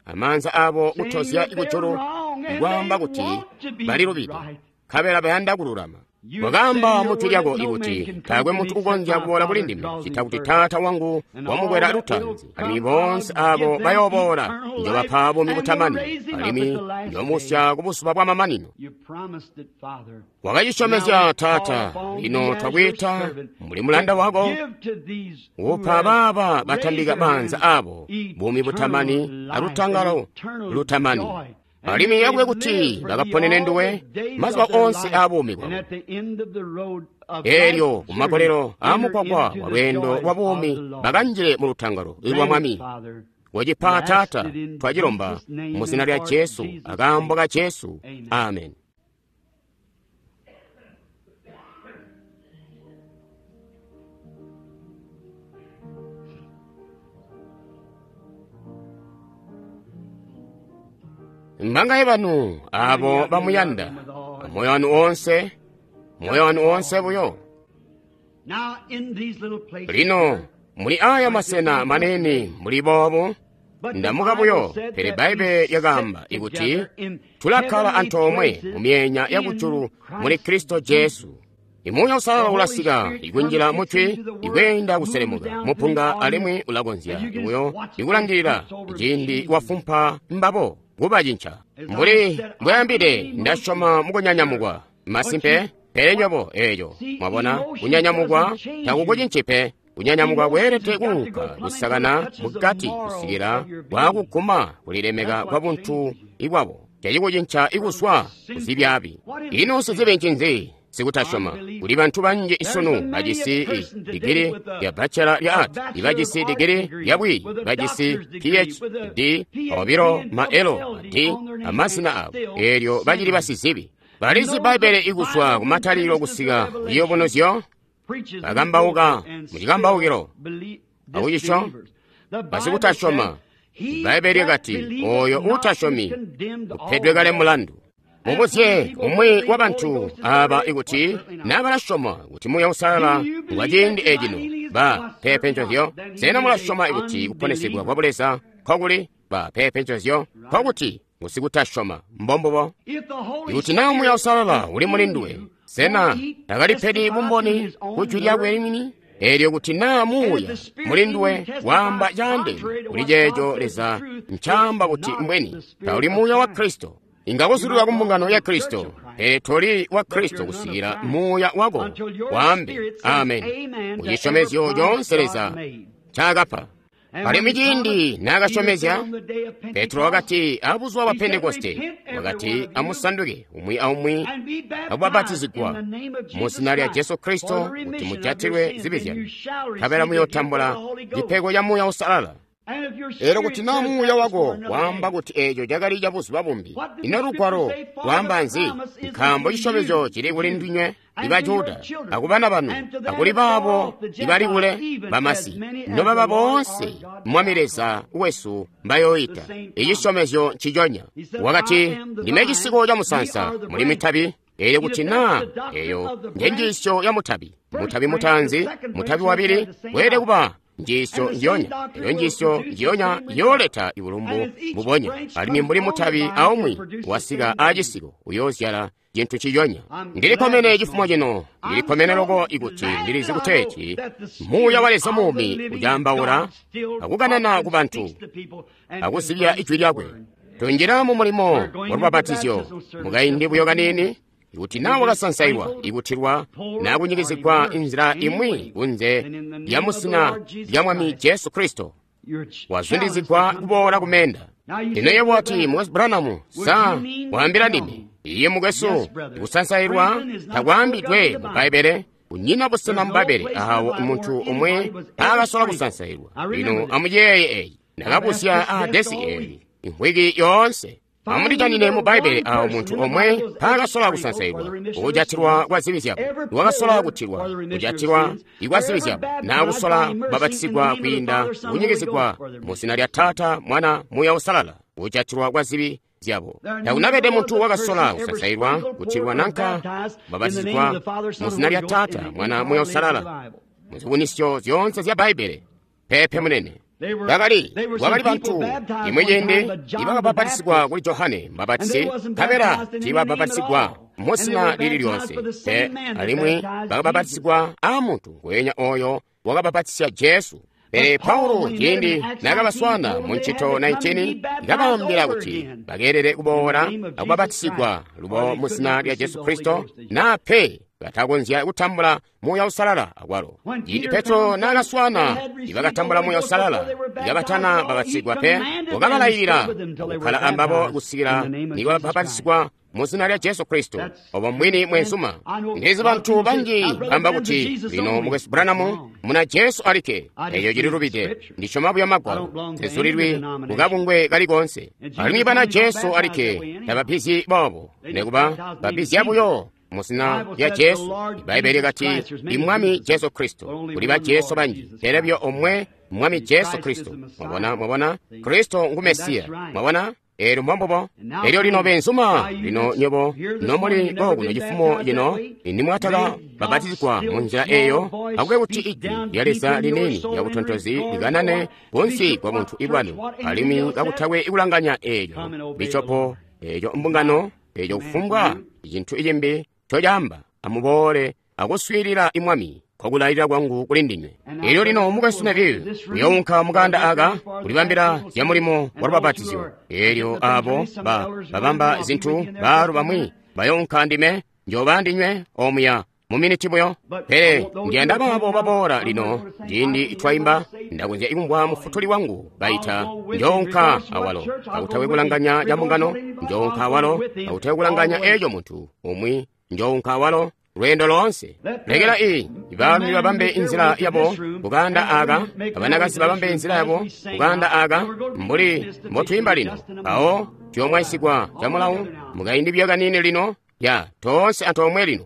amanza abo saying kutozya that they're ikujulu wrong and kwaamba they kuti want to be balilubide right. khabela bayanda kululama. You Wakamba said in your mu jwi word lyako that no man ikuti can come taakwe to me munthu except ukonzya my kuboola kuli Father ndime draws him chita kuti first. Tata wangu And all wamukwera that will lutanzi come, alimwi I'll bonse give abo them bayoboola eternal life njobapha bumi and will butamani raise him up at alimwi the last day. njomusya kubusuba bwa mamanino. You promised it, Father. Now Wakachisyomezya we call Tata upon lino thee as your twakuyita servant muli to mulanda wako give to these who upha have baba raised batambika their manza hands abo bumi eternal butamani life and alutangalo eternal lutamani joy. And alimwi may they yakwe live kuti for thee bakaponene all nduwe the days mazuba of their onse life, a bumi and bwabo. at the end of the road of Elyo life's journey, kumakolero enter amukwakwa into wa the lwendo joys lwa of bumi the Lord. bakanjire mu lutangalo lwa Grant it, Mwami. Father. We Wachipa ask Tata it in twachilomba Jesus' name mu zina and lya for Jesu Jesus' akambo sake. ka Jesu. Amen. Amen. Mbangaye banu How many abo of you love bamuyanda him with all moyo wanu onse moyo wanu onse buyo. Now in these little places Lino here, muli aya like this masena one manene today, muli bobo but the ndamuka Bible buyo said pele that we Baibe sit yakamba ikuti together in tulakhala heavenly antoomwe places mu myenya in yakujulu muli Christ Kristo Jesus. Jesu. Imunya The usalala Holy ulasika Spirit ikunjira comes, gets mutwi into the Word, ikuyenda moves kuselemuka down to the mupunga audience, alimwi ulakonzya and you can just ibuyo watch those ikulangilira flips over ciindi changing. wafumpa mbabo kubachincha. As I Mbuli said, I mbwayambide believe emotion, ndasyoma mukunyanyamukwa but masimpe you pele what nyobo eyo see, mwabona emotion kunyanyamukwa doesn't change you. takukuchinchipe kunyanyamukwa Emotions kweelede has got to go kuunka plumb until it kusakana touches the mukati morals kusikila of your being. kwakuguma kulilemeka That's kwa what bunthu changes you. ibwabo chachikuchincha From ikuswa sinful. kuzibyabi. What is Ino sin? sizibe nchinzi Sikutasyoma. Kuli bantu banji sunu bajisi digiri ya bachelor ya art, ibajisi digiri ya bwiyi, bajisi PhD, obilo maelo D amazina abo, eelyo bacili basizibi. Balizi Bbaibbele ikuzwa kumatalilo kusika liyobunuzyo, bakambauka mucikambaukilo akucisyo basikutasyoma. Bbaibbele lyakati, oyo uutasyomi upedwe kale mulandu. Mubuzye umwi wa bantu aba ikuti naa balasyoma kuti Muuya Uusalala ngwa ciindi ecino. Ba pepe ncozyo. Sena mulasyoma ikuti kuponesegwa kwa Buleza nkokuli? Ba pepe ncozyo. Nkokuti ngusikutasyoma. Mbombubo. Ikuti naa Muuya Uusalala uli muli nduwe, sena takalipedi bumboni ku jwi lyakwe limini? Eelyo kuti naa Muuya muli nduwe waamba caandeene kuli ceeco Leza ncaamba kuti mbweni, tauli Muuya wa Kristo. Inga kuzulilwa ku mbungano ya Kristo, pele toli wa Kristo kusikila Muuya wako waambe amen ku cisyomezyo coonse Leza ncaakapa. Alimwi ciindi naakasyomezya, Petro wakati abuzuba bwa Pentekoste, wakati amusanduke umwi aumwi akubapatizigwa mu zina lya Jesu Kristo kuti mujatilwe zibi zyanu, nkabela muyootambula cipego ca Muuya Uusalala. Eelyo kuti naa Muuya wako waamba kuti eeco cakali ca buzuba bumbi, ino Lugwalo lwaamba nzi? Nkaambo cisyomezyo cili kuli ndinywe iba Juda, akubana banu, akuli baabo ibali kule bamasi, nobaba boonse Mwami Leza wesu mbayooita. Icisyomezyo nciconya. Wakati, ndime cisiko ca musaansa, muli mitabi. Eelyo kuti naa eyo njenjiisyo ya mutabi, mutabi mutaanzi, mutabi wabili, weelede kuba njiisyo njiyonya. Eyo njiisyo njiyonya yooleta ibulumbu mbubonya. Alimwi mbuli mutabi aumwi wasika aacisiko uyoozyala cintu ciyonya. Ndilikkomene cifumo cino, ndilikkomene loko ikuti ndilizi kuteeti Muuya wa Leza muumi ucaambaula akukanana ku bantu akuzibya ijwi lyakwe. Tunjila mu mulimo wa lubapatizyo mukaindi buyo kaniini. Ikuti naa wakasansailwa, ikutilwa, naa kunyikizigwa inzila imwi kunze lya muzina lya Mwami Jesu Kristo, wazundizigwa kuboola kumenda. Ino yebo wati, Mukwesu Branham, sa waambila ndime? Iye mukwesu, kusansailwa takwaambidwe mu Bbaibbele. Kunyina busena mu Bbaibbele awo muntu umwe aakasola kusansailwa. Lino amuyeeye eyi. Ndakabuzya aadesi eyi imvwiki yoonse. Amundijanine mu Bbaibbele awo muntu omwe mpaakasola kusansailwa kujatilwa kwa zibi zyabo, wakasola kutilwa kujatilwa kwa zibi zyabo, naa kusola kubapatizigwa kwiinda kunyikizigwa mu zina lya Taata, Mwana, Muuya Uusalala, kujatilwa kwa zibi zyabo. Takunabede muntu wakasola kusansailwa, kutilwa nanka kubapatizigwa mu zina lya Taata, Mwana, Muuya Uusalala muzikunisyo zyoonse zya Bbaibbele. Pepe munene. Bakali bantu imwe ciindi ibakabapatisigwa kuli Johane Mubapatisi, nkabela tiibabapatisigwa muzina lili lyonse pe, alimwi bakabapatisigwa aamuntu weenya oyo wakabapatisya Jesu. Pele Paulo ciindi naakabaswaana mu ncito 19, kabaambila kuti bakeelede kuboola akubapatisigwa lubo muzina lya Jesu Kristo, naa pe batakonzya kutambula Muuya Uusalala akwalo. Ciindi Petro naakaswaana ibakatambula Muuya Uusalala ikabatana babatizigwa pe, wakabalailila kukkala ambabo kusikila nibabapatisigwa muzina lya Jesu Kristo. Obo mwini mwenzuma. Ndizi bantu banji bamba kuti lino mukwesu Branham muna Jesu alikke. Eyo cililubide. Ndisyoma buyo Magwalo. Nzizulilwi kukabungwe kali koonse. Alimwi bana Jesu alikke tabapizyi boobo, nekuba bapizya buyo muzina lya Jesu. Ibaibbele kati imwami Jesu Kristo. Kuli ba Jesu banji, pele buyo omwe Mwami Jesu Kristo. Mwabona, mwabona, Kristo ngu Mesiya. Mwabona? Eelyo mbombubo. Elyo lino benzuma, lino nywebo nomuli kokuno cifumo cino, nimwataka babatizigwa mu nzila eyo, akube kuti ijwi lya Leza liniini lya butontozi likanane kunsi kwa buntu ibwanu, alimwi kakutakwe ikulanganya eelyo bishopo, eeyo mbungano, eeyo kufumbwa cintu cimbi ncocaamba. Amuboole akuswiilila imwami kwakulayilila kwangu kuli ndinywe. Elyo lino mukwesu Neville uyounka mukanda aka kulibambila zya mulimo wa lubapatizyo. Elyo abo babamba zintu baalu bamwi bayounka ndime, njooba ndinywe omuya mu miniti buyo. Pele ndiyanda baabo baboola lino ciindi twaimba, ndakonzya ikumvwa mufutuli wangu baita, njounka awalo kakutakwe kulanganya ca mbungano, njounka awalo kakutakwe kulanganya eeco muntu umwi, njounka awalo. Lweendo loonse. Lekela i baalumi babambe inzila yabo kukaanda aka, abanakazi babambe inzila yabo kukaanda aka, mbuli mbotwiimba lino. Awo tuyomwaisigwa camulawu mukaindi buyo kaniini lino, ya toonse antoomwe lino.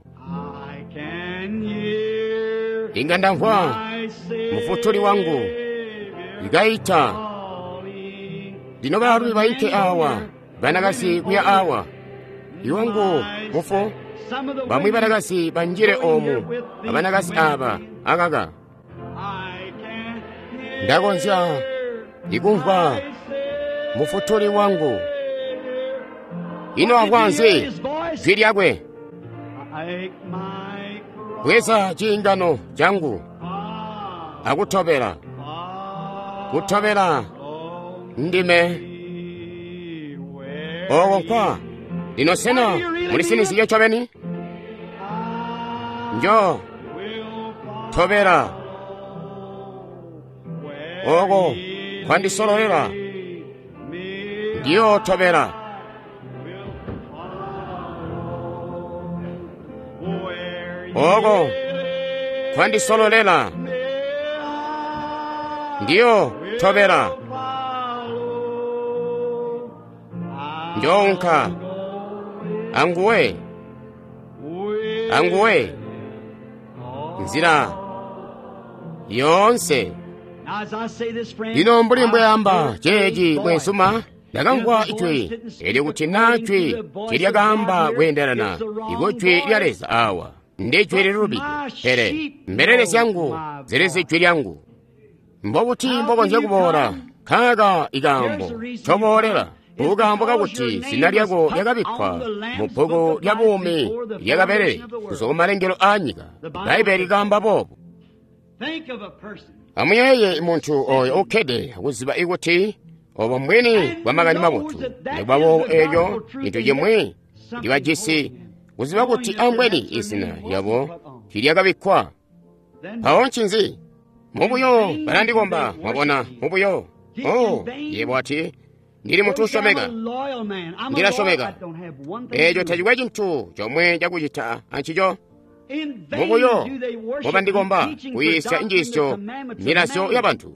Inga ndamvwa mufutuli wangu ikaita. Lino baalumi bainke awa, banakazi kuya awa. Iwangu mufu, bamwi banakazi banjile omu, abanakazi aba akaka. Ndakonzya ikumvwa mufutuli wangu. Ino amvwa nzi jwi lyakwe? Bweza ciingano cangu akutobela, kutobela ndime oko nkwa. Lino sena mulisinizye ncobeni? Njo tobela oko kwandisololela, ndiyo tobela. Oko kwandisololela, ndiyo tobela. Njounka anguwe, anguwe nzila yoonse. Lino mbuli mbweamba ceeci bweensuma, ndakamvwa ijwi elyo kuti naa jwi tilyakaamba kweendelana ikujwi lya Leza awa ndi jwi lilubide, pele mbelele zyangu zilizi jwi lyangu. Mbobuti mbokonzya kuboola? Nkaaka ikaambo ncoboolela, kukaambo kakuti zina lyako lyakabikkwa mu bbuku lya buumi lyakabelele kuzwa kumalengelo aa nyika. Bbaibbele likaamba boobu. Amuyeeye muntu oyo ukkede akuziba ikuti obo mbwini bwa makani mabotu. Nikuba boobo eeco cintu cimwi ndibajisi kuziba kuti ambweni izina lyabo tiilyakabikkwa. Mpawo ncinzi? Mubuyo balandikomba, mwabona, mubuyo. Oh, yebo ati, ndili muntu usyomeka, ndilasyomeka. Eeco tacikwe cintu comwe cakucita ancico. Mubuyo mubandikomba kuyiisya njiisyo milazyo yabantu.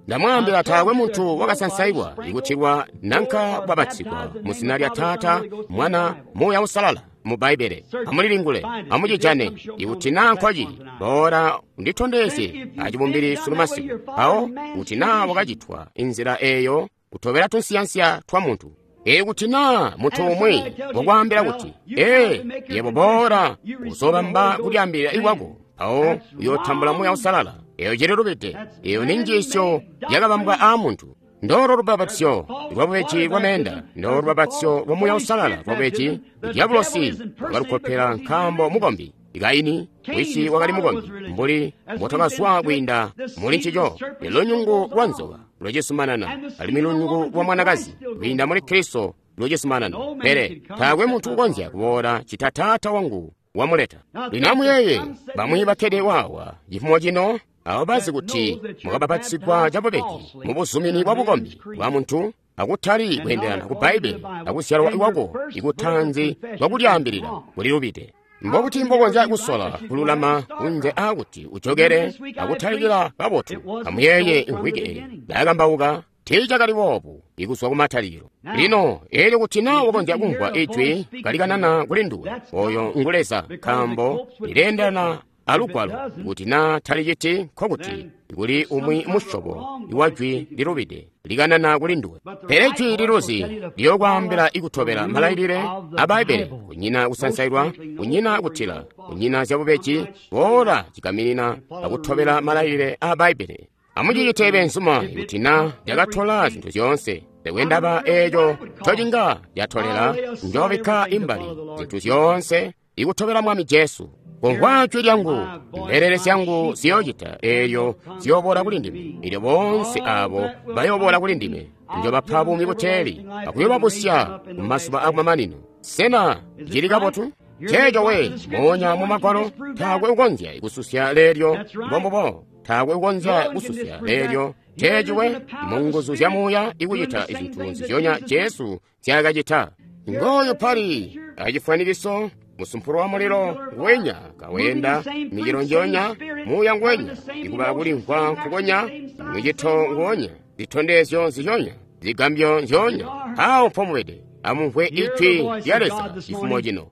Ndamwaambila taakwe muntu wakasansailwa ikutilwa nanka bwabatsigwa mu zina lya Taata, Mwana, Muuya Uusalala mu Bbaibbele. Amulilingule, amucijane ikuti naa nkwacili, boola unditondezye acibumbili sunu masiku. Mpawo kuti naa wakacitwa inzila eeyo kutobela tunsiyansiya twa muntu. Ikuti naa muntu umwi wakwaambila kuti, ee, yebo boola uzobamba kulyaambilila ikwako, mpawo uyootambula Muuya Uusalala. Eyo cililubide. Eyo ni njiisyo yakabambwa aamuntu. Ndolo lubapatizyo lwabubeji bwa meenda, ndolo lubapatizyo lwa Muuya Uusalala lwabubeji. Dyabulosi wakalukkopela nkaambo mukombi. Kaini wisi wakali mukombi, mbuli mbotwakazwa kwiinda muli ncico. Lunyungu lwa nzoka lwacisumanana, alimwi lunyungu lwa mwanakazi kwiinda muli Kristo lwacisumanana. Pele taakwe muntu ukonzya kuboola cita Taata wangu wamuleta. Lino amuyeeye bamwi bakkede waawa cifumo cino, abo bazi kuti mwakabapatizigwa cabubeji mu buzumini bwa bukombi bwa muntu, akutali kweendelana ku Bbaibbele akuzyalwa kwako ikutanzi lwakulyaambilila kulilubide. Mbobuti mbokonzya kusola kululama kunze aakuti ujokele akutalikila kabotu? Amuyeeye imvwiki eyi ndakambauka tiicakali boobu ikuzwa kumatalikilo. Lino eelyo kuti naa wakonzya kumvwa ijwi kalikanana kuli nduwe, oyo ngu Leza, nkaambo lileendelana alugwalo. Kuti naa taliciti, nkokuti kuli umwi musyobo wa jwi lilubide likanana kuli nduwe. Pele jwi liluzi liyokwaambila ikutobela malailile a Bbaibbele, kunyina kusansailwa, kunyina kutila, kunyina zyabubeji, boola cigaminina akutobela malailile a Bbaibbele. Amucicite beenzuma kuti naa lyakatola zintu zyoonse. Tekwe ndaba eeco ncocinga lyatolela, njoobikka imbali zintu zyoonse ikutobela Mwami Jesu. Kumvwa jwi lyangu, mbelele zyangu ziyoocita eelyo ziyooboola kuli ndime. Eelyo boonse aabo bayooboola kuli ndime, njobapa buumi buteeli akuyobabusya kumazuba akumamanino. Sena cili kabotu? Nceeco we, moonya mu Magwalo, taakwe ukonzya kususya leelyo. Mbombubo, taakwe ukonzya kususya leelyo. Nceeci we, mu nguzu zya Muuya ikucita izintu nzizyonya Jesu nzyaakacita. Ngooyu pali acifwanikiso Musumpulu wa mulilo nguwenya kaweenda micelo njoonya, muuya nguwenya, ikuba kulimvwa nkukonya, micito nguwonya, zitondezyo nzizyonya, zigambyo nzyoonya. Awo mpomubede. Amumvwe ijwi lya Leza cifumo cino.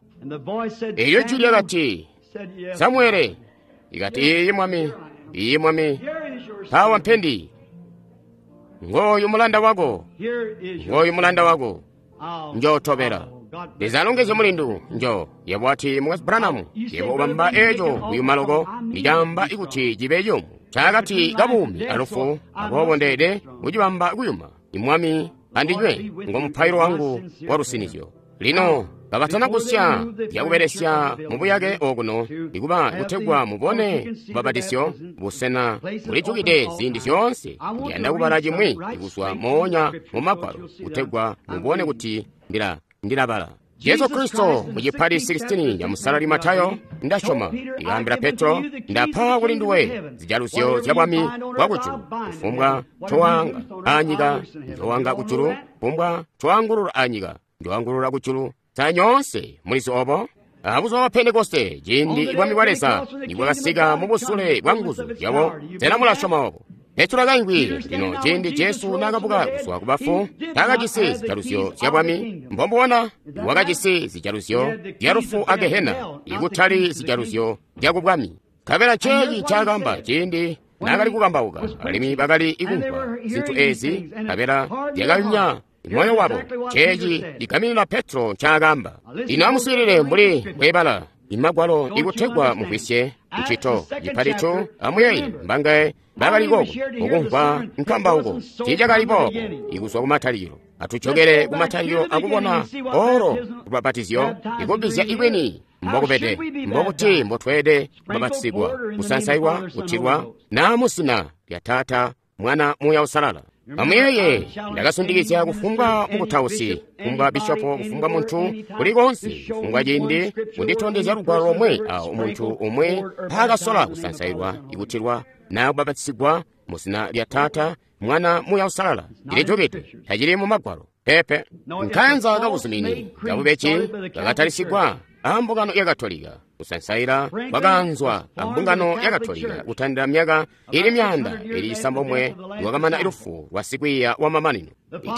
Elyo jwi lyakati, Samuele. Ikati, iiyi mwami, iiyi mwami. Mpawa mpendi. Ngooyu mulanda wako, ngooyu mulanda wako. Njootobela. Leza alongezye mulindu njo yebo ati Mukwesu Branham, yebo ubamba eco kuyuma loko, nicamba ikuti cibe ciyumu cakati kabuumi alufu, aboobo ndeede kucibamba kuyuma. Imwami andinywe ngo mupailo wangu wa lusinizyo. Lino kabatana kusya zyakubelesya mubuyake okuno ikuba kutegwa mubone lubbapatizyo busena bulijukide ziindi zyoonse. Ndiyanda kubala cimwi kuzwa moonya mu Magwalo kutegwa mubone kuti ndilabala. Jesu Kristo mu cipali 16 ca musalali Matayo, ndasyoma, ikaambila Petro, ndapa kuli nduwe zijaluzyo zya bwami bwa kujulu, kufumbwa ncowaanga anyika njowaanga kujulu, kufumbwa ncowaangulula anyika njowaangulula kujulu. Sa nyoonse mulizi obo? Abuzuba bwa Pentekoste, ciindi bwami bwa Leza nibwakasika mu busule bwa nguzu zyabo, sena mulasyoma obo? Petro akaingwi. Lino ciindi Jesu naakabuka kuzwa ku bafu, taakajisi zijaluzyo zya bwami. Mbombubona wakajisi zijaluzyo zya lufu a Gehena, ikutali zijaluzyo zya ku bwami. Nkabela nceeci ncaakaamba ciindi naakali kukambauka, alimwi bakali kumvwa zintu eezi, nkabela zyakayumya moyo wabo. Nceeci cigaminina Petro ncaakaamba. Lino amuswiilile mbuli bwebala imagwalo ikutegwa mumvwisye ncito cipalico. Amuyeeye mbangaye bakali koko mukumvwa nkambauko tiicakali boobo ikuzwa kumatalikilo. Atujokele kumatalikilo akubona olo lubbapatizyo ikubbizya ikweni mbokubede, mbokuti mbotweede kubbapatizigwa, kusansailwa, kutilwa naa muzina lya Taata, Mwana, Muuya Uusalala. Amuyeeye, ndakasundikizya kufumbwa mukutausi, kufumbwa bishopo, kufumbwa muntu kuli konse, kufumbwa ciindi kunditondezya lugwalo lomwe awo muntu umwe mpaakasola kusansailwa, ikutilwa naa kubbapatizigwa muzina lya Taata, Mwana, Muuya Uusalala. Cilijukide, tacili mu Magwalo. Pepe. Nkaanza kabuzumini kabubeji kakatalisigwa ambungano ya Katolika. Kusansaila kwakaanzwa ambungano ya Katolika kutandila myaka ili 900 lwakamana lufu lwa sikwiiya wa mamanino.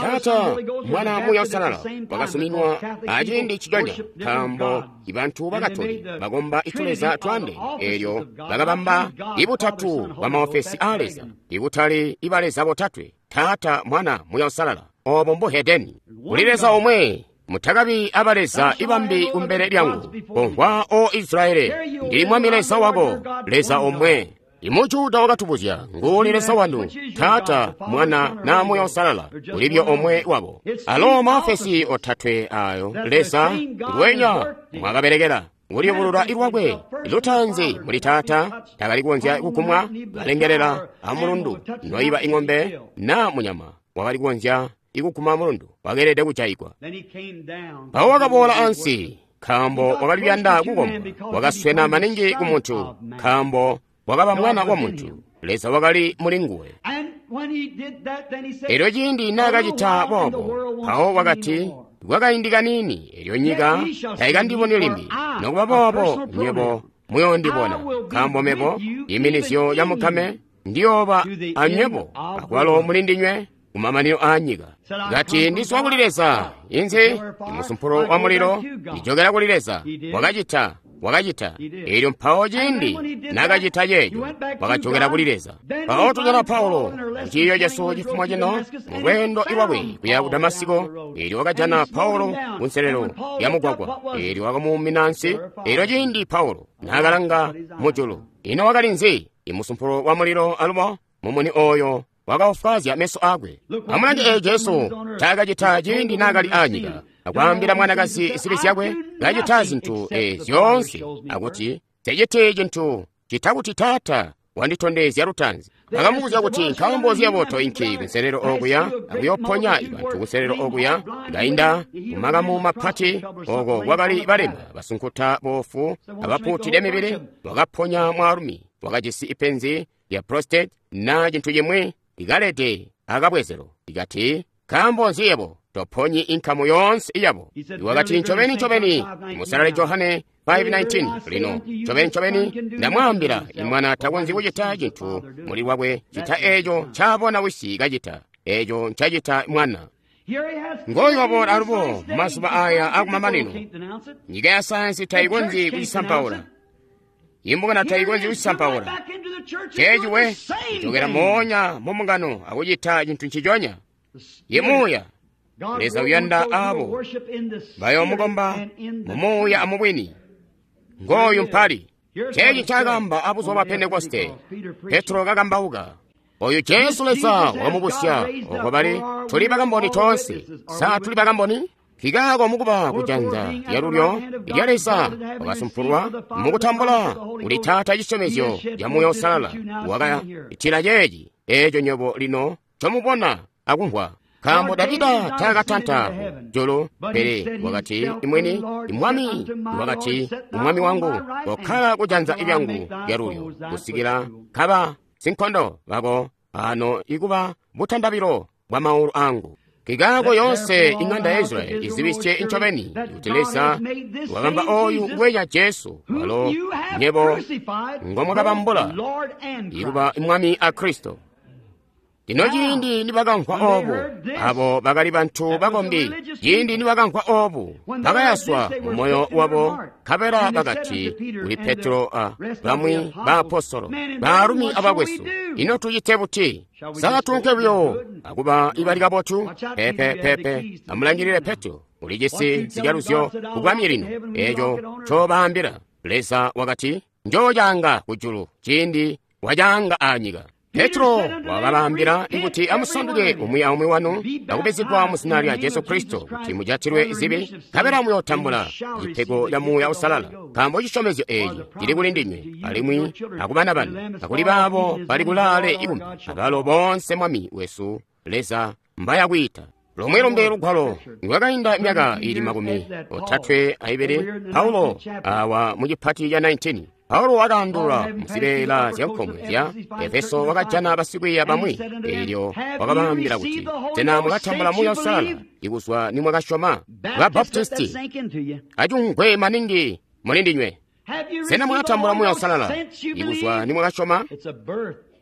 Taata, Mwana, Muuya Uusalala wakasuminwa aciindi ciconya, nkaambo ibantu ba Katolika bakomba ituleza twaandeene, eelyo bakabamba ibutatu bwa maofesi aa Leza, ikutali ibaleza botatwe, Taata, Mwana, Muuya Uusalala. Obo mbuhedeni. Kuli Leza omwe. Mutakabi abaleza ibambi kumbele lyangu. Komvwa, O Israeli, ndili Mwami Leza wako, Leza omwe. Imujuda wakatubuzya, nguuli Leza wanu, Taata, Mwana, na Muuya Uusalala, ulibyo omwe wabo. Alo maofesi otatwe ayo Leza nguwenya mwakabelekela kuliyubulula ilwakwe. Lutaanzi muli Taata, takali kukonzya kukumwa, kalengelela amulundu, noiba ing'ombe na munyama wakali kukonzya ikuguma mulundu, wakeelede kujaigwa. Mpawo wakaboola ansi, nkaambo wakali kuyanda kukombwa, wakaswena maningi ku muntu, nkaambo wakaba mwana wa muntu. Leza wakali muli nguwe. Elyo ciindi naakacita boobo, mpawo wakati, kwakaindi kaniini, elyo nyika taikandiboni limbi. Nokuba boobo, nywebo muyoondibona, nkaambo mebo, iminizyo ya mukame, ndiyooba anywebo, akwalo muli ndinywe, kumamanino a nyika. Ngati ndizwa kuli Leza, inzi imusumpulo wa mulilo, ndijokera kuli Leza. Wakacita, wakacita. Elyo mpawo ciindi nakacita ceeco, wakajokera kuli Leza. Mpawo tujana Paulo muciiyo cesu cifumo cino mu lweendo lwakwe kuya ku Damasiko. Elyo wakajana Paulo kunselelo ya mugwagwa, elyo wakamuumina ansi. Elyo ciindi Paulo nakalanga mujulu, ino wakali nzi? Imusumpulo wa mulilo alubo mumuni oyo wakaofwaazya meso akwe. Amulange eeyo Jesu ncaakacita ciindi naakali aanyika, akwaambila mwanakazi zibi zyakwe, kacita zintu eezi zyoonse, akuti nseciti cintu cita kuti Taata wanditondezya lutaanzi. Akamubuzya kuti nkaambo nzi yebo toinki kunselelo okuya akuyoponya bantu kunselelo okuya, ngainda kumakamu mapati oko kwakali balema, basunkuta, boofu, abapuutide mibili. Wakaponya mwaalumi wakajisi ipenzi lya prostate na cintu cimwi ikalede akabwezelo. Ikati, nkaambo nzi yebo Toponyi inkamu yoonse iyabo. Wakati ncobeni ncobeni, Musalali Johane 5:19 lino ncobeni ncobeni ndamwaambila, imwana takonzyi kucita cintu muli lwakwe cita eeco ncaabona wisi kacita, eeco ncacita mwana. Ngoyu waboola alubo mazuba aya akumamanino. Nyika ya sayansi tayikonzyi kucisampaula. Imbungano tayikonzyi kucisampaula. Ceeci we kucokera moonya mu mbungano akucita cintu nciconya. Ye muuya. Leza uyanda abo bayoomukomba mumuuya amubwini. Ngooyu mpali. Ceeci ncaakamba abuzuba bwa Pentekoste. Petro kakambauka. Oyu Jesu Leza wakamubusya, oko bali tuli bakamboni toonse. Sa tuli bakamboni? Kikaako mukuba kujanza lyalulyo lya Leza wakasumpulwa mukutambula kuli Taata cisyomezyo ca Muuya Uusalala. Wakacitila ceeci eeco nywebo lino ncomubona akumvwa. Nkaambo Davida taakatanta julu, pele wakati imwini, Mwami wakati kumwami wangu, kokkala kujanza lyangu lyalulyo kusikila kaba sinkondo bako ano ikuba butandabilo bwa maulu angu. Kikaako yonse ing'anda ya Israeli izibisye ncobeni kuti Leza wakamba oyu ngwenya Jesu walo nyebo ngomwakabambula ikuba Mwami a Kristo. Lino ciindi nibakamvwa oobu, abo bakali bantu bakombi, ciindi nibakamvwa oobu, bakayaswa mu moyo wabo, nkabela bakati kuli Petro a bamwi baapostolo, baalumi abakwesu, ino tucite buti? Sa tuunke buyo akuba ibali kabotu? Pepe, pepe, amulangilile Petro, ulijisi zijaluzyo kubwami lino, eeco ncobaambila. Leza wakati, njoocaanga kujulu ciindi wacaanga anyika. Petro wakabaambila kuti amusanduke umwi aumwi wanu akubizigwa mu zina lya Jesu Kristo kuti mujatilwe zibi, nkabela muyootambula cipego ca Muuya Uusalala. Nkaambo cisyomezyo eeci cili kuli ndinywe alimwi akubana banu akuli baabo bali kulaale ikumbi, abalo boonse Mwami wesu Leza mbayakwiita. Lomwe lumbe lugwalo lwakainda myaka ili 32 Paulo awa mu cipati ca 19. Paulo wakaandulula muzibeela zyankomwe zya Efeso wakajana basikwiiya bamwi, eelyo wakabaambila kuti, sena mwakatambula Muuya Uusalala ikuzwa nimwakasyoma? Ba Baptisti acungwe maningi muli ndinywe. Sena mwakatambula Muuya Uusalala ikuzwa nimwakasyoma?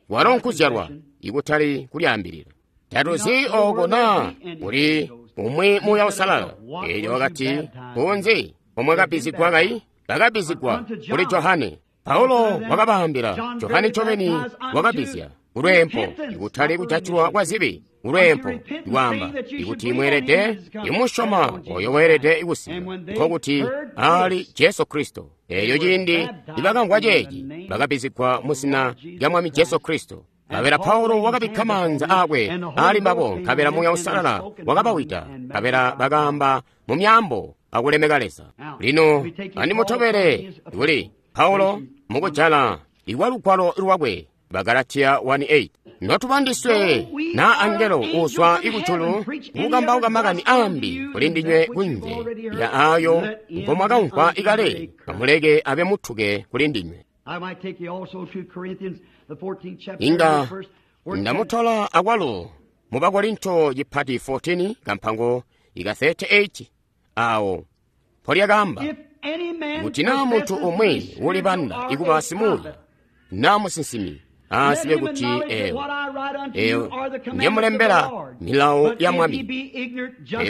Walo nkuzyalwa ikutali kulyaambilila. Tatuzi ooko naa kuli umwi Muuya Uusalala. Eelyo wakati, kunzi omwakabbizigwa kayi? Bakabbizigwa kuli Johane. Paulo wakabaambila, Johane ncobeni wakabbizya kulweempo, ikutali kujatilwa kwa zibi, kulweempo, ikwaamba ikuti mweelede imusyoma oyo weelede kusika, nkokuti ali Jesu Kristo. Eeyo ciindi nibakamvwa ceeci, bakabbizigwa mu zina lya Mwami Jesu Kristo. Nkabela Paulo wakabikka maanza aakwe ali mbabo, nkabela Muuya Uusalala wakabawida, nkabela bakaamba mu myaambo akulemeka Leza. Lino andimutobele kuli Paulo mukujala ikwa lugwalo lwakwe Bagalatiya 1:8. Notubandiswe na angelo uzwa ikujulu kukambauka makani ambi kuli ndinywe kunze ya ayo ngomwakamvwa ikale, amuleke abe muthuke kuli ndinywe. Inga ndamutola akwalo mu Bakorinto chipati 14 kampango ika 38 awo polyakamba kuti naa munthu umwe wulibanda ikuba simuuya naa musinsimi aasibe kuti ewo eyo njemulembela milawo ya Mwami,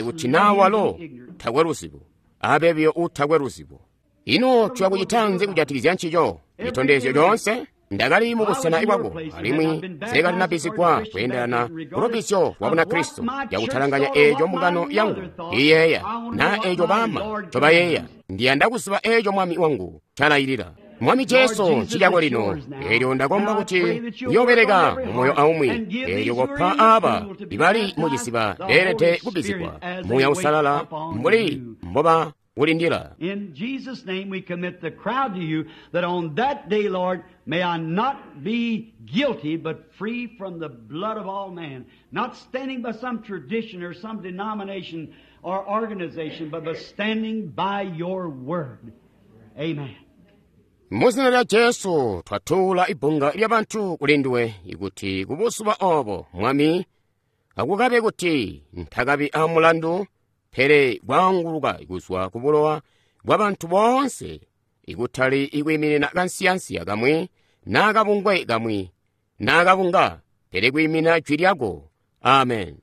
kuti naa walo takwe luzibo abe biyo utakwe luzibo. Ino tuyakucitanzi kujatikizya ncico citondezyo coonse? Ndakali mubusena bwako alimwi nsekalinabbizigwa kweendelana kulubizyo lwa Bunakristo yakutalanganya eeco mbungano yangu iyeeya naa eeco baama ncobayeeya. Ndiyanda kuziba eeco Mwami wangu ncalayilila. Mwami Jesu ncicako lino, eelyo ndakomba kuti uyoobeleka mu moyo aumwi, eelyo kopa aaba ibali muciziba beelede kubbizigwa Muuya Uusalala mbuli mboba kulindila. In Jesus' name we commit the crowd to you, that on that day, Lord, may I not be guilty, but free from the blood of all man, not standing by some tradition or some denomination or organization, but by standing by your word. Amen. Muzina lya Jesu twatuula ibunga lya bantu kuli nduwe, ikuti kubuzuba obo Mwami Akukabe kuti ntakabi amulandu, pele kwaanguluka kuzwa ku bulowa bwa bantu boonse, ikutali ikwiiminina kansiyansiya kamwi naa kabungwe kamwi naa kabunga, pele kwiiminina jwi lyako. Amen.